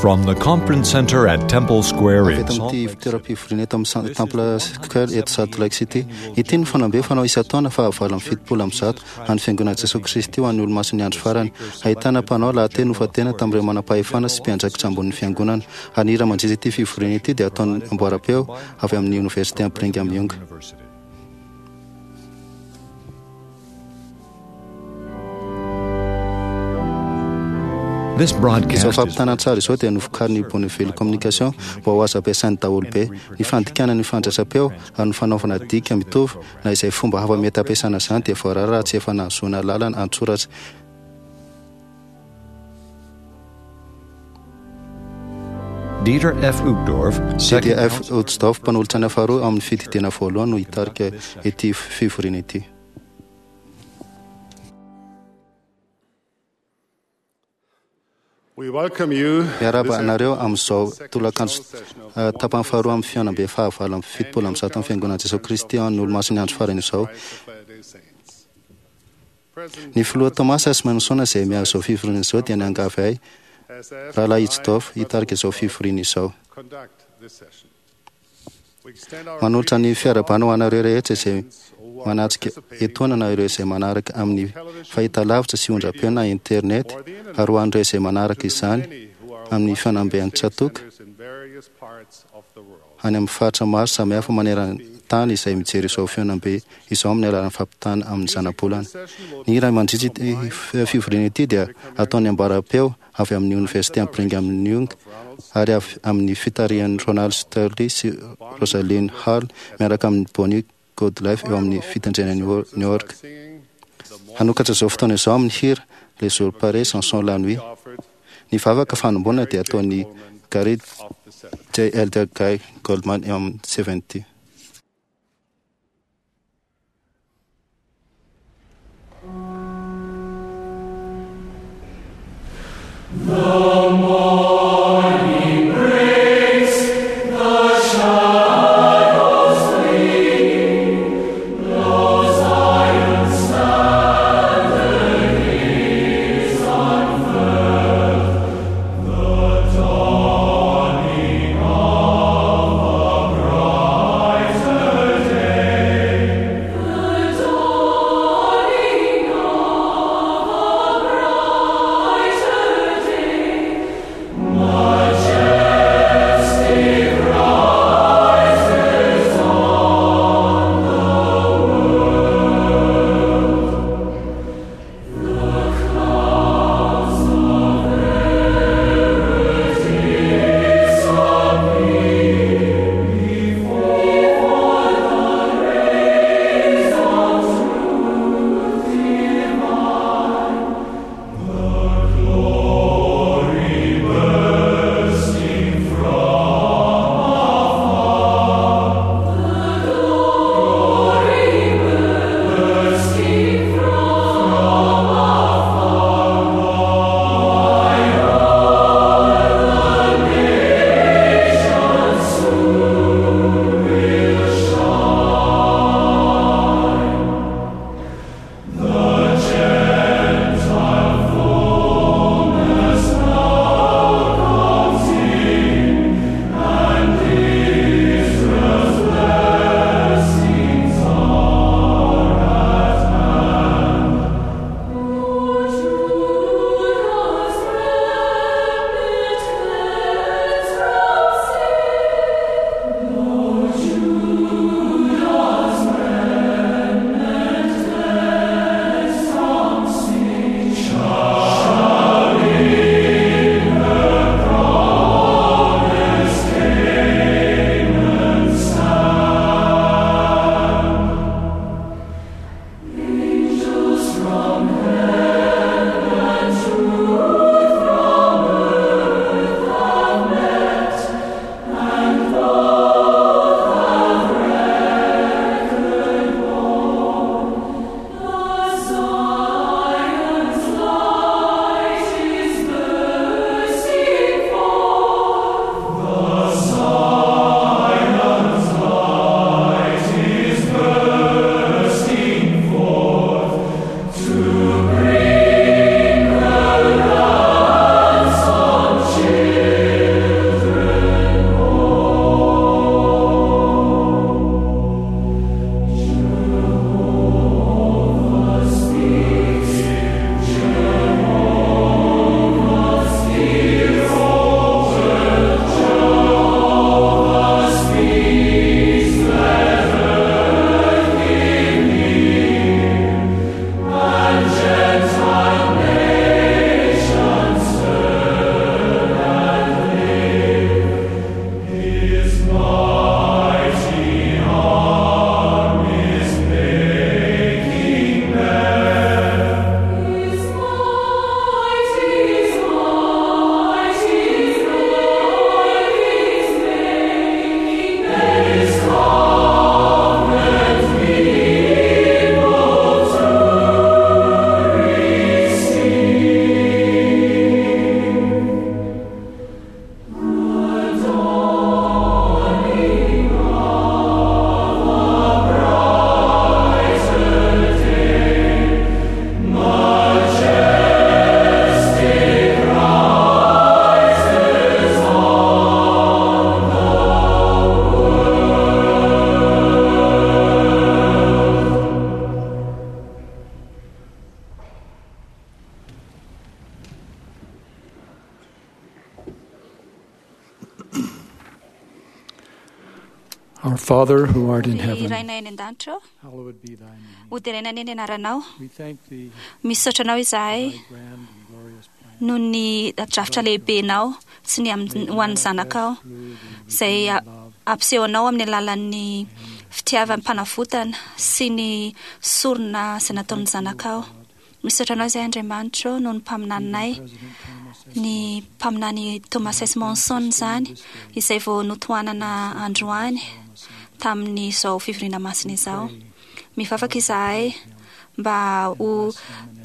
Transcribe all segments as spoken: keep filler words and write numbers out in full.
From the conference center at Temple Square Avy in eto Salt amin'ity Lake City. fitoeram-pivoriana eto amin'ny Temple Square eto Salt Lake City. Ity no fanambe fanao isan-taona fahavalo amby fitopolo amby zato an'ny Fiangonan'i Jesoa Kristy ho an'ny olomasin'ny andro farany. Ahitana mpanao lahateny nofatena tamin'ireo manam-pahefana sy mpiandraikitra ambonin'ny fiangonana. Ary ny hira mandritra ity fivoriana ity dia ataon'ny amboaram-peo avy amin'ny Oniversite Brigham Young. University. This Izao broadcast is fampitana an-tsary izao dia novokarin'ny Bonneville Communication mba ho azo ampiasain'ny daholobe. Ny fandikana ny fandraisam-peo ary ny fanaovana dika mitovy na izay fomba hafa mety ampiasana izany dia voarara raha tsy efa nahazoana lalana an-tsoratra. Dieter F. Uchtdorf, second D F counselor Uchtdorf, mpanolotsaina faharoa amin'ny fididiana voalohany no hitarika ity fivoriana ity. We welcome you Miarahaba this anareo amin'izao tolakandro eh, tapany faharoa amin'ny fihaonambe fahavalo amby fitopolo amby zato amin'ny Fiangonan'i Jesoa Kristy an'ny olomasin'ny andro farany izao. Ny filoha Thomas S. Manson izay miaro izao fivoriana izao dia niangavy ahy rahalahy Uchtdorf hitarika izao fivoriana izao. Manolotra ny fiarahabana ho anareo rehetra izay manatrika etoana na ireo izay manaraka amin'ny fahitalavitra sy ondrapeo na internet ary ho an'ireo izay manaraka izany amin'ny fanambe an-tsatoka any amin'ny faritra maro samihafa maneran-tany izay mijery izao fihaonambe izao amin'ny alalan'ny fampitana amin'ny zanabolana. Ny hira mandritra ity fivoriana ity dia ataon'ny amboaram-peo avy amin'ny Oniversite Brigham Young ary avy amin'ny fitarihan'i Ronald Sterling sy Rosalind Hall miaraka amin'ny Bonnie Goodlife eo amin'ny fitendrena New York. Hanokatra izao fotoana izao amin'ny hira Les jours pareils chanson la nuit. Ny vavaka fanombonana dia ataon'ny Gary J. Elder Guy Goldman eo amin'ny seventy. The Our Father who art in Ry heaven, Rainay any an-danitra ô, hallowed be thy name. ho deraina anie ny anaranao. We thank thee Misaotra anao for izahay thy grand and glorious plan. noho ny drafitra lehibenao sy ny am- ho an'ny zanakao Through the izay a- redeeming love ampisehonao amin'ny alalan'ny fitiavam-panavotana sy ny sorona izay nataon'ny zanakao. Misaotra anao izahay Andriamanitra ô, noho ny mpaminaninay, President Thomas S. ny mpaminany Thomas S. Monson izany, izay vao notohanana androany tamin'izao fivoriana masina izao. Mivavaka izahay mba ho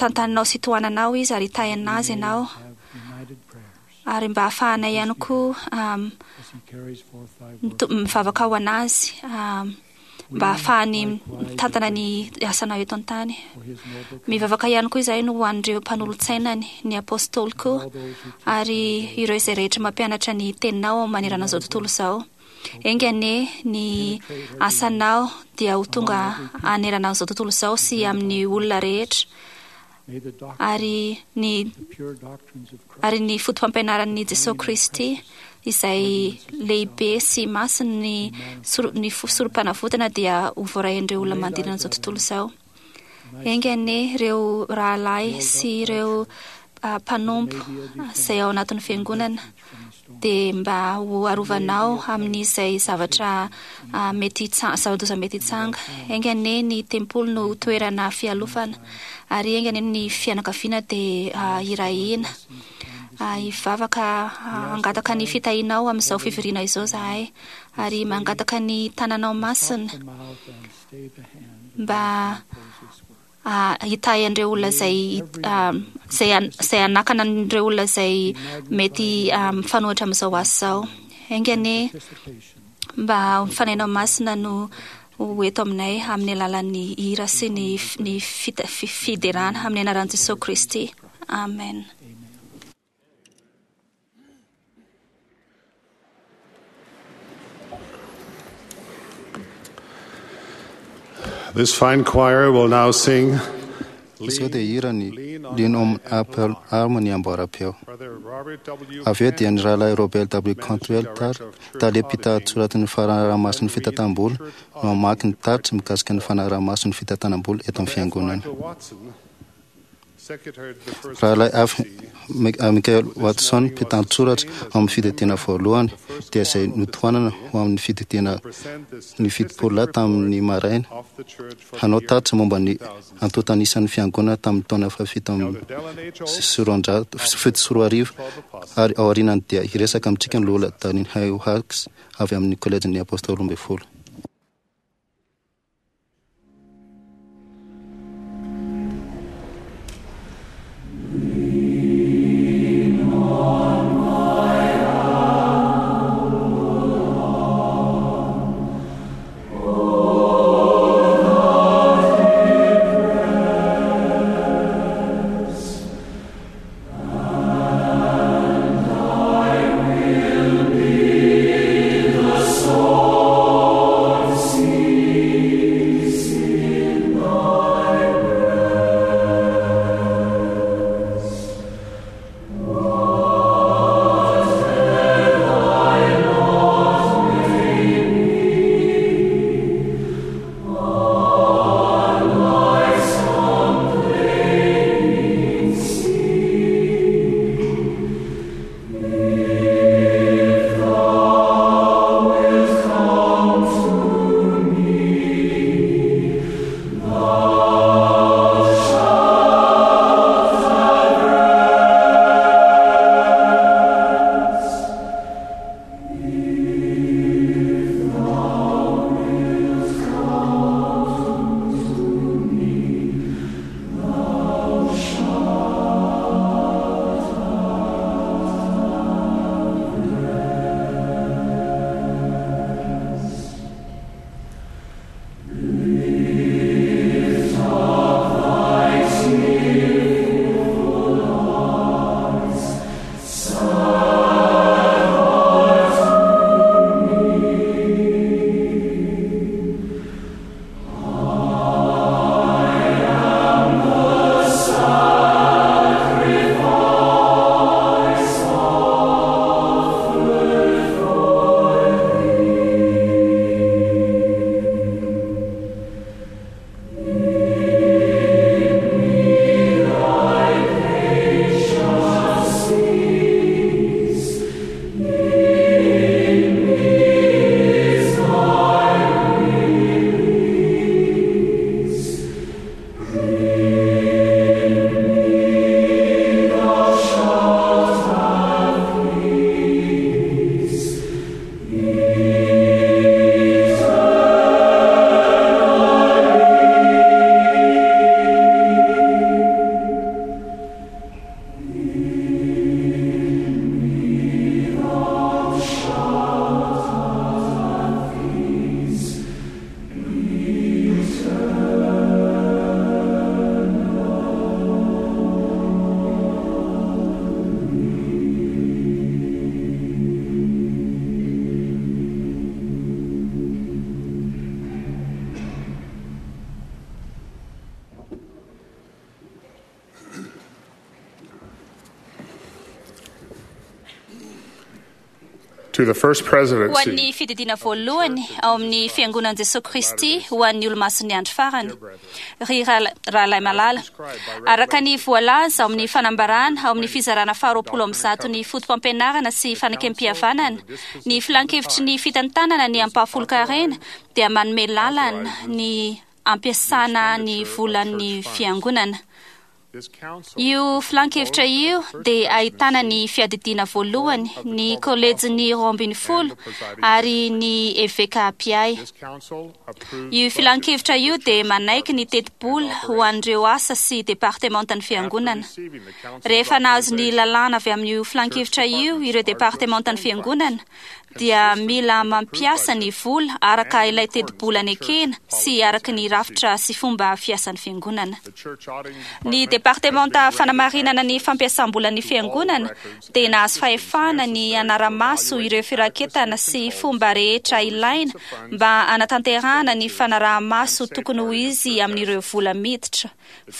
tantaninao sy tohananao izy ary hitahiana azy ianao Have united prayers ary mba hahafahanay ihany koa um, as he carries forth thy work. mito- mivavaka ho anazy um, mba hahafahany mitantana ny asanao eto an-tany. For his noble Mivavaka ihany koa izahay no ho an'ireo mpanolotsainany, ny apôstôly koa all those who teach ary ireo izay rehetra mampianatra ny teninao manerana izao tontolo izao. Enga anie ny asanao dia ho tonga hanerana izao tontolo izao sy amin'ny olona rehetra May the doctrine, ary ny the pure doctrines of Christ, ary ny foto-pampianaran'i Jesosy Kristy izay lehibe sy masina ny soro- ny fo- sorom-panavotana dia ho voarain'ireo olona manodidina izao tontolo izao. Enga anie ireo rahalahy sy ireo ah, mpanompo izay ao anatin'ny fiangonana from the storm. dia mba ho arovanao amin'izay zavatra ah, mety hitsa- zava-doza mety hitsanga. Enga anie ny tempoly no toerana fialofana ary enga anie ny fianakaviana dia ah, hirahina. Ah, hivavaka ah, hangataka ny fitahianao amin'izao fivoriana izao zahay ary mangataka ny tananao masina Stop the mouth and stay the hand mba oppose this work. ah, hitahy an'ireo olona izay ah, izay an- izay hanakana an'ireo olona izay mety ah, mifanohitra amin'izao asa izao. Enga anie Participation mba ho fanahinao masina no ho eto aminay amin'ny alalan'ny hira sy ny f- ny fita- fi- fiderana amin'ny anaran'i Jesosy Kristy. Amen. Amen. This fine choir will now sing Izao dia hira ny Lean on Lean on Thy Ample Apple Arm. Arm ny amboara-peo. Brother Robert W. Avy eo dia ny rahalahy Robert W. Managing Cantwell tar Director of Church tale Auditing, mpitantsoratin'ny fanarahamasin'ny fitantanam-bola no hamaky ny tatitra mikasika ny fanarahamasin'ny fitantanam-bola eto amin'ny Brother F. fiangonana. Michael Watson, Secretary of the First Rahalahy F. Presidency, Mi- ah, Michael Watson mpitantsoratra ao amin'ny fididiana voalohany dia izay notohanana ho amin'ny fididiana present the ny statistics fitopolo lahy tamin'ny maraina of the church for the hanao year tatitra momba ny two thousand. antontanisan'ny fiangonana tamin'ny taona fahafito amby Elder Dallin H. Oaks sy roanjato fito sy roa arivo twelve apostles. ary ao aorianany dia hiresaka amintsika ny lola Danin Hawks avy amin'ny kolejin'ny apôstôly roa ambin'ny folo. Soul To the First Ho Presidency an'ny fididiana voalohany ao amin'ny fiangonan'i Jesosy Kristy ho an'ny olomasin'ny andro farany. Ry rahal- rahalahy malala, araka ny voalaza ao amin'ny fanambarana ao amin'ny fizarana faharoapolo amby zato ny foto-pampianarana sy fanekempihavanana, ny filankevitry ny fitantanana ny ampahafolon-karena dia manome lalana ny ampiasana ny volan'ny fiangonana. This council Io filankevitra io dia ahitana ny fiadidiana voalohany, ny kolejin'ny roa ambin'ny folo ary ny eveka mpiahy. This council approved Io filankevitra io dia manaiky ny tetibola ho an'ireo asa sy departementan'ny fiangonana. receiving the council's Rehefa nahazo ny lalàna avy amin'io filankevitra io ireo departementan'ny fiangonana dia mila mampiasa ny vola araka ilay tetibola nekena sy araka ny rafitra sy fomba fiasan'ny fiangonana. The church auditing Ny department departementa fanamarinana ny fampiasam-bolan'ny fiangonana dia nahazo fahefana ny anara-maso ireo firaketana sy fomba rehetra ilaina mba hanatanterahana ny fanaraha-maso tokony ho izy amin'ireo vola miditra,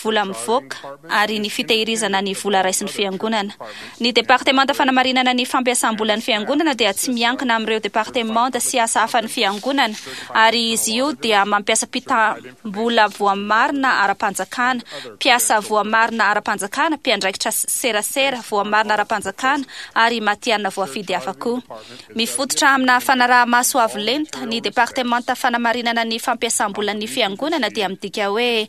vola mivoaka ary ny fitehirizana ny vola raisin'ny fiangonana. Ny departementa fanamarinana ny fampiasam-bolan'ny fiangonana dia tsy miankina amin'ireo departementa sy asa hafan'ny fiangonana ary izy io dia mampiasa mpitam-bola voamarina ara-panjakana, mpiasa voamarina ara-panjakana, mpiandraikitra serasera voamarina ara-panjakana ary matihanina voafidy hafa koa. Mifototra amina fanaraha-maso avo lenta, ny departementa fanamarinana ny fampiasam-bolan'ny fiangonana dia midika hoe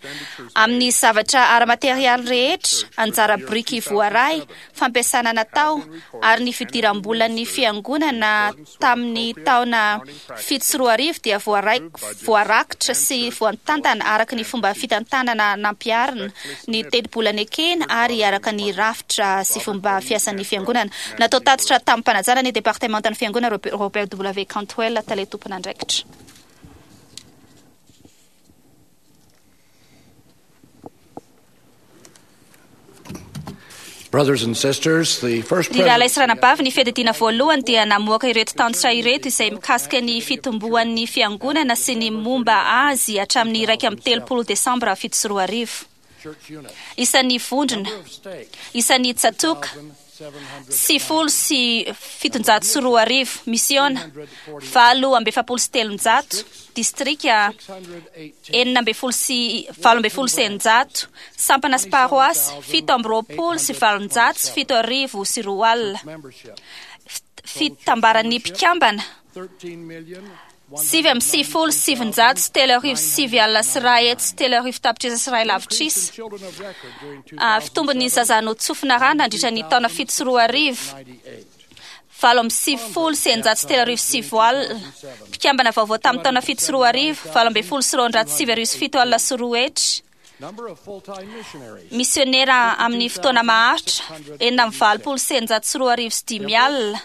amin'ny zavatra ara-materialy rehetra, anjara biriky voaray, fampiasana natao ary ny fidiram-bolan'ny fiangonana tamin'ny taona fito sy roa arivo dia voaray- voarakitra sy voatantana araka ny fomba fitantanana nampiharina ny tetibola nekena ary araka ny rafitra sy fomba fiasan'ny fiangonana. Natao tatitra tamin'ny mpanajana ny departementan'ny fiangonana Robert Robert W. Cantwell, tale tompon'andraikitra. Brothers and sisters, the first Ny rahalahy sy presidency ranabavy, ny fiadidiana voalohany dia namoaka ireto tatitra ireto izay mikasika ny fitomboan'ny fiangonana sy ny momba azy hatramin'ny iraika amby telopolo desambra fito sy roa arivo. church unit. Isan'ny vondrona, Number of stakes, isan'ny tsatoka, sivifolo sy fitonjato sy roa arivo, misiona valo amby efapolo sy telonjato, distrika six hundred eighteen, enina ambin'ny folo sy valo ambin'ny folo sy eninjato, sampana sy paroasy fito amby roapolo sy valonjato sy fito arivo sy roa alina. membership, Fit- Fitambaran'ny mpikambana thirteen million, sivy amby sivifolo sy sivinjato sy telo arivo sy sivy alina sy iray hetsy sy telo arivo tapitrisa sy iray lavitrisa. children of record during two Ah, Fitombon'ny zaza notsofina rano nandritra ny taona fito sy roa arivo ninety-eight. valo amby sivifolo sy eninjato sy telo arivo sy sivy alina. Mpikambana vaovao tamin'ny taona fito sy roa arivo valo ambin'ny folo sy roanjato sy sivy arivo sy fito alina sy roa hetsy. Number of full-time missionaries, Misionera amin'ny fotoana maharitra enina amby valopolo sy eninjato sy roa arivo sy dimy alina.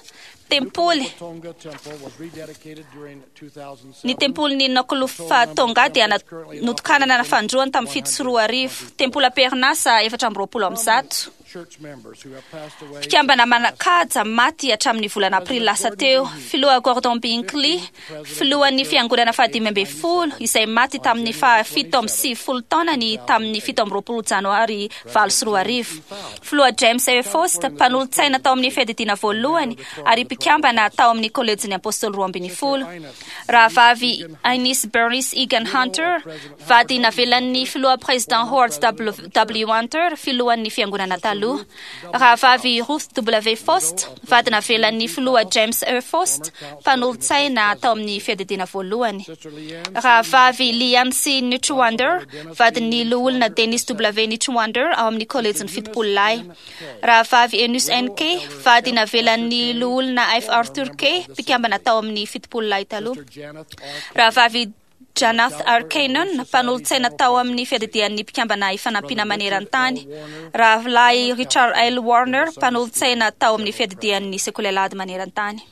Tempoly Tonga Temple was rededicated during two thousand Ny seven. tempolin'ny Nokolofa Tonga dia na- notokanana fandroany tamin'ny fito sy roa arivo. Tempoly Amperinasa efatra amby roapolo amby zato. Church members who have passed away Mpikambana manan-kaja maty hatramin'ny volana aprily lasa teo. Filoha Gordon Binkley, filohan'ny fiangonana fahadimy ambin'ny folo, izay maty tamin'ny fahafito amby sivifolo taonany tamin'ny fito amby roapolo janoary valo sy roa arivo. Filoha James A. Faust, mpanolotsaina tao amin'ny fiadidiana voalohany ary mpikambana tao amin'ny kolejin'ny apôstôly roa ambin'ny folo. Rahavavy Ines Bernice Egan Hunter, vady navelan'ny filoha président Howard W. W. Hunter, filohan'ny fiangonana taloha. Rahavavy Ruth W. Faust, vady navelan'ny filoha James E. Faust, mpanolotsaina tao amin'ny fiadidiana voalohany. Sister Leanne Rahavavy Lian C. Nitchwander, vadin'ny loholona Dennis W. Nitchwander ao amin'ny kolejin'ny fitopolo lahy. Rahavavy Enus N. K, vady navelan'ny loholona F. Arthur K, mpikambana tao amin'ny fitopolo lahy taloha. Janeth R. Rahavavy Janath R. Cannon, mpanolotsaina tao amin'ny fiadidian'ny mpikambana ifanampiana maneran-tany. Rahalahy Richard L. Warner, mpanolotsaina tao amin'ny fiadidian'ny sekoly alahady maneran-tany.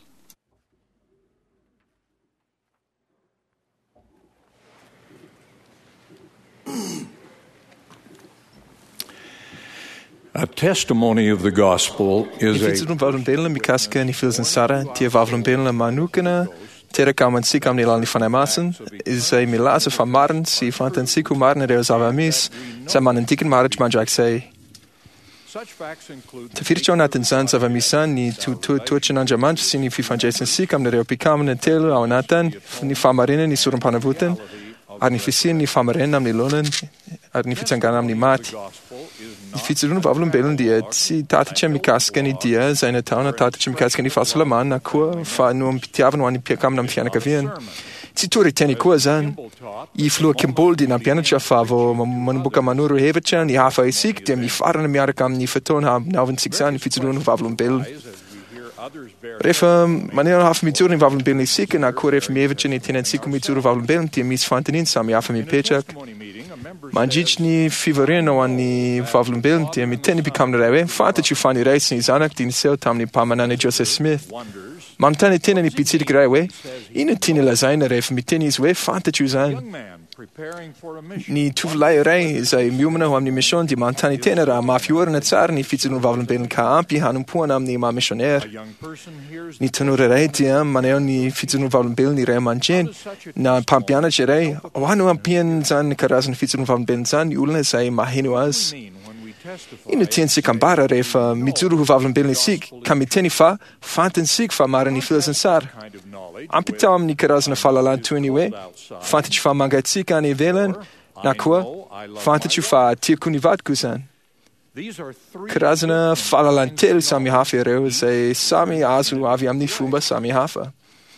A testimony of the gospel Ny is a fijoroan'ny vavolombelona mikasika ny filazantsara dia vavolombelona manokana teraka amintsika amin'ny alalan'ny Fanahy Masina izay milaza fa marina sy fantatsika ho marina ireo zava-misy izay manandikiny maharitra mandrakizay. Tafiditra ao anatin'izany zava-misy izany ny toetoetran'Andriamanitra sy ny fifandraisantsika amin'ireo mpikambana telo ao anatiny, ny fahamarinana, ny sorom-panavotana, ary ny fisian'ny fahamarinana amin'ny laonany, ary ny fitsanganana amin'ny maty. Ny fijoroana vavolombelona dia tsy tatitra mikasika ny dia izay natao na tatitra mikasika ny fahasalamana na koa fanompoam-pitiavana ho an'ny mpikambana amin'ny fianakaviana. Tsy toriteny koa izany. I Filoha Kimball dia nampianatra fa vao manomboka manoro hevitra ny hafa isika dia mifarana miaraka amin'ny fotoana hanaovantsika izany ny fijoroana vavolombelona. Rehefa maneho hafa mijoro ny vavolombelona isika na koa rehefa mihevitra ny tenantsika mijoro vavolombelona dia misy fanontaniana samihafa mipetraka. Mandritry ny fivoriana ho an'ny vavolombelona dia miteny mpikambana iray hoe fantatro fa ny Ray sy ny Zanaka dia niseho tamin'ny mpaminany Joseph Smith. Manontany tena ny mpitsidika iray hoe inona tiany lazaina rehefa miteny izy hoe fantatro izany. Ny tovolahy iray izay miomana ho amin'ny mission dia manontany tena raha mafy orina tsara ny fijoroana vavolombelona ka ampy hanompoana amin'ny maha missionnaire. Ny tanora iray dia maneho ny fijoroana vavolombelona ny ray aman-dreny na mpampianatra iray. Ahoana no ampian'izany karazana fijoroana vavolombelona izany ny olona izay maheno azy? Inona tiantsika ambara rehefa mijoro ho vavolombelona isika ka miteny fa fantatsika fa marina ny filazantsara? Ampitao amin'ny karazana fahalalana toy ny hoe fantatro fa mangatsiaka any ivelany na koa fantatro fa tiako ny vadiko izany. Karazana fahalalana telo samihafa ireo izay samy azo avy amin'ny fomba samihafa.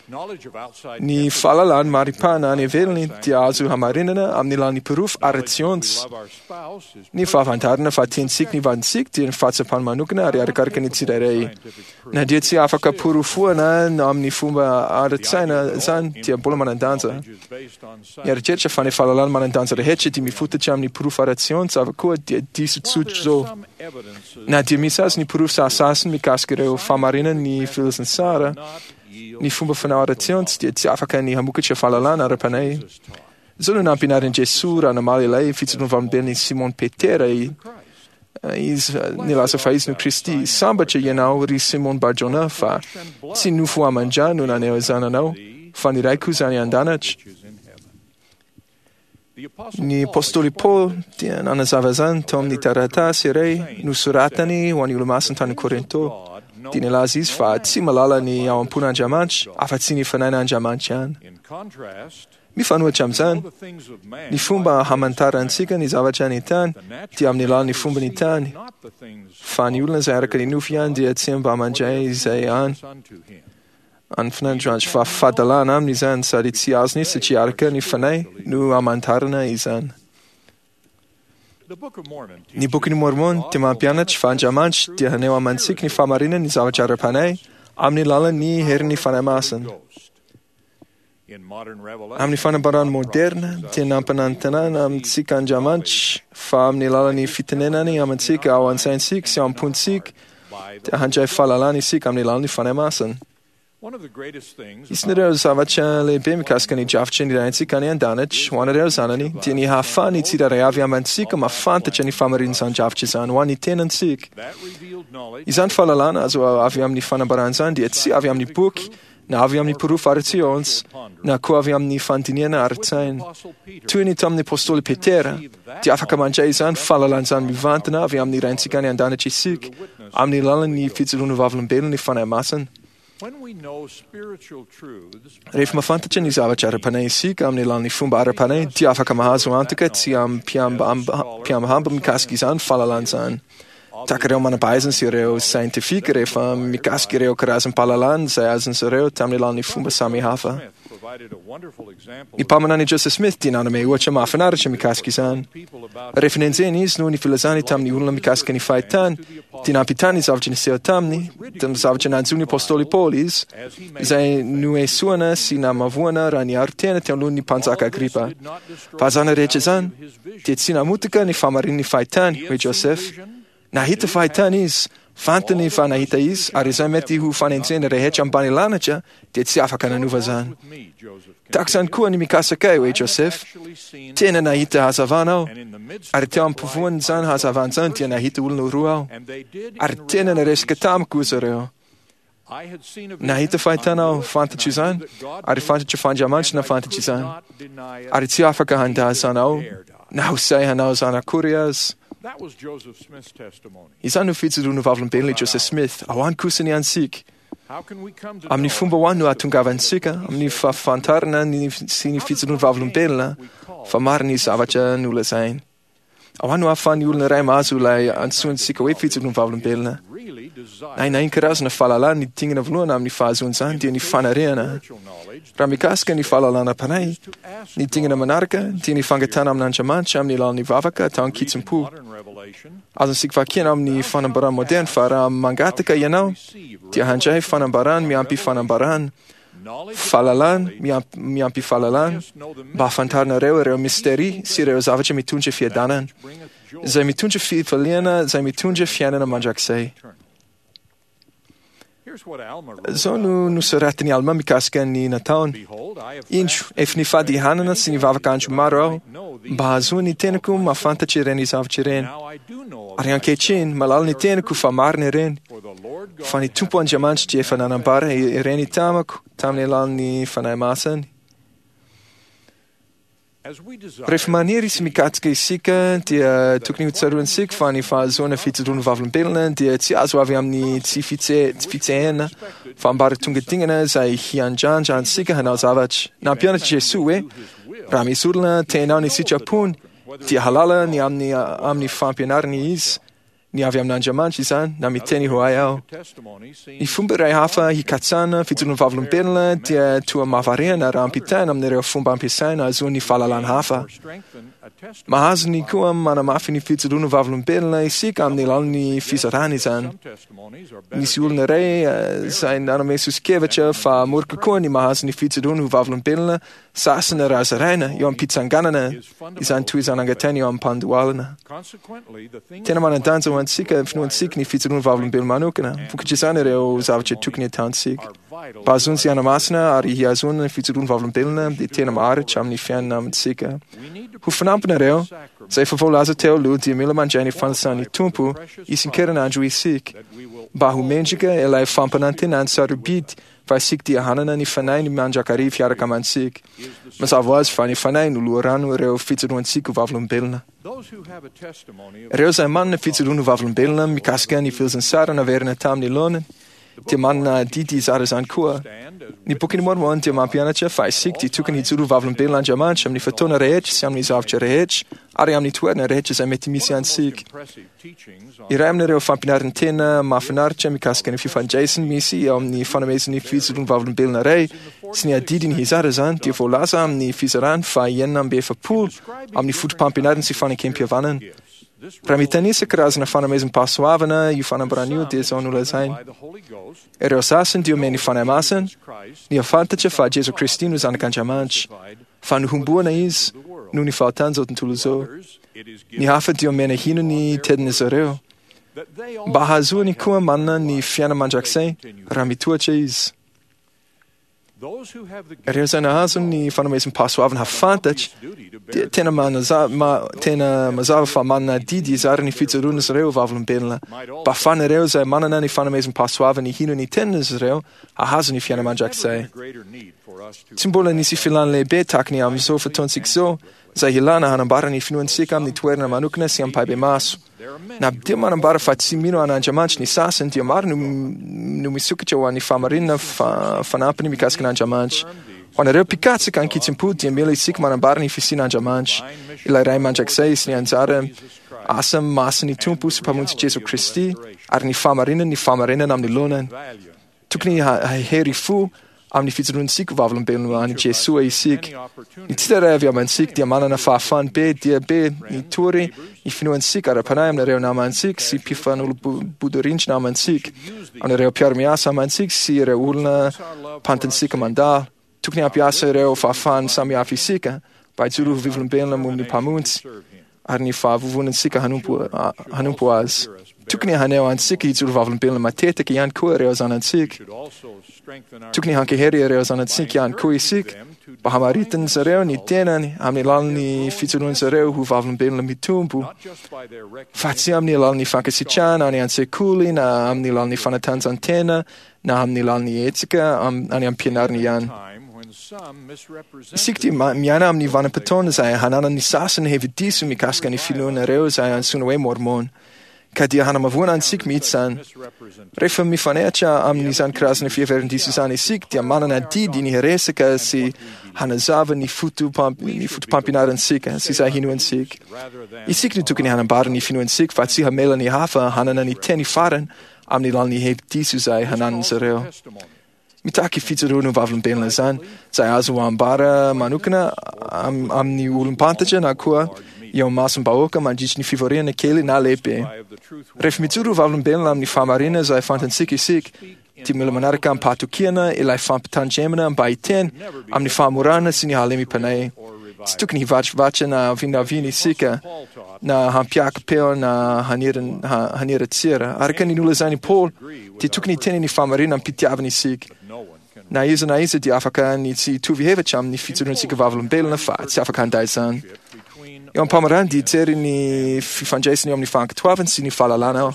Ny fahalalana maripana any ivelany dia azo hamarinana amin'ny alalan'ny porofo ara-tsiansa. Ny fahafantarana fa tiantsika ny vadintsika dia ny fahatsapana manokana ary arakaraka ny tsirairay. Na dia tsy afaka porofoana amin'ny fomba ara-tsaina izany dia mbola manan-danja. Ny eritreritra fa ny fahalalana manan-danja rehetra dia mifototra amin'ny porofo ara-tsiansa avokoa dia diso tsotra izao. Na dia misy aza ny porofo sasasany mikasika ireo fahamarinana ny filazantsara, ny fomba fanao ara-tsiansa dia tsy afaka ny hamokatra fahalalana ara-panahy. Izao no nampianarin'i Jesoa raha namaly ilay fijoroana vavolombelon'i Simon Petera izy nilaza fa izy no Kristy. Sambatra ianao ry Simon Barjona fa tsy nofo aman-drà no naneho izany anao fa ny Raiko izany an-danitra. Ny Apostoly Paoly dia nanazava izany tao amin'ny taratasy iray nosoratany ho an'ny olomasina tany Korinto. Dia nilaza izy fa tsy mahalala ny ao am-pon'Andriamanitra afa-tsy ny fanahin'Andriamanitra ihany. Mifanohitra amin'izany, ny fomba hamantarantsika ny zavatra any tany dia amin'ny alalan'ny fomba ny tany, fa ny olona izay araka ny nofo ihany dia tsy mba mandray izay any. Any fanahin'Andriamanitra fa fahadalana aminy izany sady tsy azony satria araka ny fanahy no hamantarana izany. Ny Bokin'i Mormon dia mampianatra fa Andriamanitra dia haneho amantsika ny fahamarinana ny zavatra ara-panahy amin'ny alalan'ny herin'ny Fanahy Masina. Amin'ny fanambarana moderna dia nampanantenana amintsika Andriamanitra fa amin'ny alalan'ny fitenenany amintsika ao an-tsaintsika sy ao am-pontsika dia handray fahalalana isika amin'ny alalan'ny Fanahy Masina. Isan'ireo zavatra lehibe mikasika ny drafitra ny Raintsika any an-danitra ho an'ireo zanany dia ny hahafahan'ny tsirairay avy amintsika mahafantatra ny fahamarinan'izany drafitra izany ho an'ny tenantsika. Izany fahalalana azo avy amin'ny fanambarana izany dia tsy avy amin'ny boky na avy amin'ny porofo ara-tsiansa na koa avy amin'ny fandinihana ara-tsaina. Toy ny tamin'ny Apostoly Petera dia afaka mandray izany fahalalana izany mivantana avy amin'ny Raintsika any an-danitra isika amin'ny alalan'ny fijoroana vavolombelona ny Fanahy Masina. Rehefa mahafantatra ny zavatra ara-panahy isika amin'ny alalan'ny fomba ara-panahy dia afaka mahazo antoka tsy amim-piambahamba mikasika izany fahalalana izany. Tahaka ireo manam-pahaizana sy ireo sientifika rehefa mikasika ireo karazam-pahalalana izay azon'izy ireo tamin'ny alalan'ny fomba samihafa. Ny mpaminany Joseph Smith dia nanome ohatra mahafinaritra mikasika izany. Rehefa nenjehina izy noho ny filazany tamin'ny olona mikasika ny fahitany, dia nampitany ny zavatra niseho taminy, tamin'ny zavatra nanjo ny Apostoly Paoly izy, izay noesoana sy namavoana raha niaro tena teo alohan'ny mpanjaka Agripa. Fa izany rehetra izany dia tsy namotika ny fahamarinan'ny fahitany, hoy Joseph. Nahita fahitana izy, fantany fa nahita izy, ary izay mety ho fanenjehana rehetra ambany lanitra dia tsy afaka nanova izany. Tahaka izany koa ny mikasika ahy, hoy Joseph. Tena nahita hazavana aho, ary teo ampovoan'izany hazavana izany dia nahita olona roa aho, ary tena niresaka tamiko izy ireo. Nahita fahitana aho, fantatro izany, ary fantatro fa Andriamanitra nahafantatra izany, ary tsy afaka handà izany aho, na ho sahy hanao izany akory aza. Izany no fijoroana vavolombelona i Joseph Smith. Ahoany kosa ny antsika? Amin'ny fomba ahoany no ahatongavantsika amin'ny fahafantarana ny sy ny fijoroana vavolombelona fa marina ny zavatra nolazainy? Ahoany no ahafahan'ny olona iray mahazo ilay antsointsika hoe fijoroana vavolombelona? Na na karazana fahalalana, ny dingana voalohany amin'ny fahazoana izany dia ny fanarehana. Raha mikasika ny fahalalana am-panahy, ny dingana manaraka dia ny fangatahana amin'Andriamanitra amin'ny alalan'ny vavaka atao an-kitsim-po. Azontsika vakiana amin'ny fanambarana moderna fa raha mangataka ianao dia handray fanambarana miampy fanambarana, fahalalana miampy, miampy fahalalana, mba hahafantaranareo ireo mistery sy ireo zavatra mitondra fiadanana, izay mitondra fifaliana, izay mitondra fiainana mandrakizay. Izao no nosoratin'i Alma mikasika ny nataony: "Indro, efa nifady hanana sy nivavaka andro maro aho mba hahazoan'ny tenako mahafantatra ireny zavatra ireny. Ary ankehitriny, mahalala ny tenako fa marina ireny, fa ny Tompo Andriamanitra dia efa nanambara ireny tamiko tamin'ny alalan'ny Fanahy Masiny." Rehefa maniry sy mikatsaka isika dia tokony hotsaroantsika fa ny fahazoana fijoroana vavolombelona dia tsy azo avy amin'ny tsy fitse- fitsehana fa ambaratonga dingana izay hiandrandra antsika hanao zavatra. Nampianatra Jesoa hoe raha misy olona te hanao ny sitrapony dia hahalala ny amin'ny amin'ny fampianarany izy, ny avy amin'Andriamanitra izany, na miteny ho ahy aho. Ny fomba iray hafa hikatsahana fijoroana vavolombelona dia toa mahavariana raha ampitaina amin'ireo fomba ampiasaina ahazoan'ny fahalalana hafa. Mahazo ny koa manamafy ny fijoroana vavolombelona isika amin'ny alalan'ny fizarana izany. Nisy olona iray eh, izay nanome soso-kevitra fa mora kokoa ny mahazo ny fijoroana ho vavolombelona sasany raha zaraina eo am-pitsanganana izany toy izany angatahina eo am-pandohalana. Tena manan-danja ho antsika finoantsika ny fijoroana vavolombelona manokana. Vokatr'izany ireo zavatra tokony ataontsika. Mba hahazoana sy hanamasina ary hihazoana ny fijoroana vavolombelona dia tena maharitra amin'ny fiainana amintsika. Ho fanampinareo, izay efa voalaza teo aloha dia mila mandray ny fanasan'ny Tompo isan-kerinandro isika mba ho mendrika ilay fampanantenana sarobidy fa isika dia hanana ny Fanahy mandrakariva hiaraka amintsika. Mazava ho azy fa ny Fanahy no loharano ireo fijoroantsika ho vavolombelona. Ireo izay manana fijoroana ho vavolombelona mikasika ny filazantsara naverina tamin'ny laoniny dia manana adidy hizara izany koa. Ny Bokin'i Mormon dia mampianatra fa isika dia tokony hijoro ho vavolombelona Andriamanitra amin'ny fotoana rehetra sy amin'ny zavatra rehetra ary amin'ny toerana rehetra izay mety misy antsika. Iray amin'ireo fampianaran'ny tena mahafinaritra mikasika ny fifandraisany misy eo amin'ny fanomezan'ny fijoroana vavolombelona iray sy ny adidiny hizara izany dia voalaza amin'ny fizarany fa enina amby efapolo amin'ny foto-pampianarana sy fanekem-pihavanana. Raha mitanisa karazana fanomezam-pahasoavana io fanambarana io dia izao no lazainy: ireo sasany dia omen'ny Fanahy Masina ny hahafantatra fa Jesoa Kristy no Zanak'Andriamanitra, fa nohomboana izy noho ny fahotan'izao tontolo izao. Ny hafa dia omena hino ny tenin'izy ireo mba hahazoany koa manana ny fiainana mandrakizay raha mitohatra izy. Ireo izay nahazo ny fanomezam-pahasoavana hahafantatra dia tena manaza- ma- tena mazava fa manana adidy hizara ny fijoroan'izy ireo ho vavolombelona mba hahafahan'ireo izay manana ny fanomezam-pahasoavana hino ny tenin'izy ireo hahazo ny fiainana mandrakizay. Tsy mbola nisy filàna lehibe tahaka ny amin'izao fotoantsika izao izay ilàna hanambara ny finoantsika amin'ny toerana manokana sy ampahibemaso. Na dia manambara fa tsy mino an'Andriamanitra ny sasany dia maro no, no misokatra ho an'ny fahamarinana fa, fanampiny mikasika an'Andriamanitra. Ho anareo mpikatsaka an-kitsim-po dia mila isika manambara ny fisian'Andriamanitra, ilay Ray mandrakizay sy ny anjara asa masin'ny Tompo sy Mpamonjy Jesoa Kristy ary ny fahamarinany ny fahamarinana amin'ny laonany. Tokony hahery fo amin'ny fijoroantsika ho vavolombelona an'i Jesoa isika. Ny tsirairay avy amintsika dia manana fahafahana be dia be hitory ny finoantsika ara-panahy amin'ireo namantsika sy mpifanolo-bodirindrina amintsika, amin'ireo mpiara-miasa amintsika sy ireo olona mpantantsika mandalo. Tokony hampiasa ireo fahafahana samihafa isika mba hijoro ho vavolombelona momba ny Mpamonjy ary ny fahavovonantsika hanompo, hanompo azy. Tokony haneho antsika hijoro vavolombelona matetika ihany koa ireo zanantsika. Tokony hankahery ireo zanantsika ihany koa isika mba hamaritan'izy ireo ny tenany amin'ny alalan'ny fijoroan'izy ireo ho vavolombelona mitombo, fa tsy amin'ny alalan'ny fankasitrahana any an-tsekoly na amin'ny alalan'ny fanatanjahantena na amin'ny alalan'ny hetsika any am-pianarana ihany. Isika dia miaina amin'ny vanim-potoana izay hananan'ny sasany hevi-diso mikasika ny finoanareo izay antsoina hoe Mormon, ka dia hanamavoana antsika mihitsy izany. Rehefa mifanehatra amin'izany karazana fiheveran-diso izany isika dia manana adidy ny hiresaka sy hanazava ny foto-pampianarantsika sy izay hinoantsika. Isika no tokony hanambara ny finoantsika fa tsy hamela ny hafa hanana ny teny farany amin'ny alalan'ny hevi-diso izay hananan'izy ireo. Mitaky fijoroana ho vavolombelona izany, izay azo ambara manokana amin'ny olom-pantatra na koa eo imasom-bahoaka mandritry ny fivoriana kely na lehibe. Rehefa mijoro ho vavolombelona amin'ny fahamarinana izay fantatsika isika, dia mila manaraka amim-pahatokiana ilay fampitandremana mba hiteny amin'ny fahamorana sy ny halemem-panahy. Tsy tokony hivatrivatra na vinavina isika na hampiaka-peo na haniratsira. Araka ny nolazain'i Paoly, dia tokony hiteny ny fahamarinana amim-pitiavana isika. Na iza na iza dia afaka ny tsy hitovy hevitra amin'ny fijoroantsika vavolombelona fa tsy afaka handà izany. Eo am-pamarana dia hijery ny fifandraisana eo amin'ny fankatoavana sy ny fahalalana aho.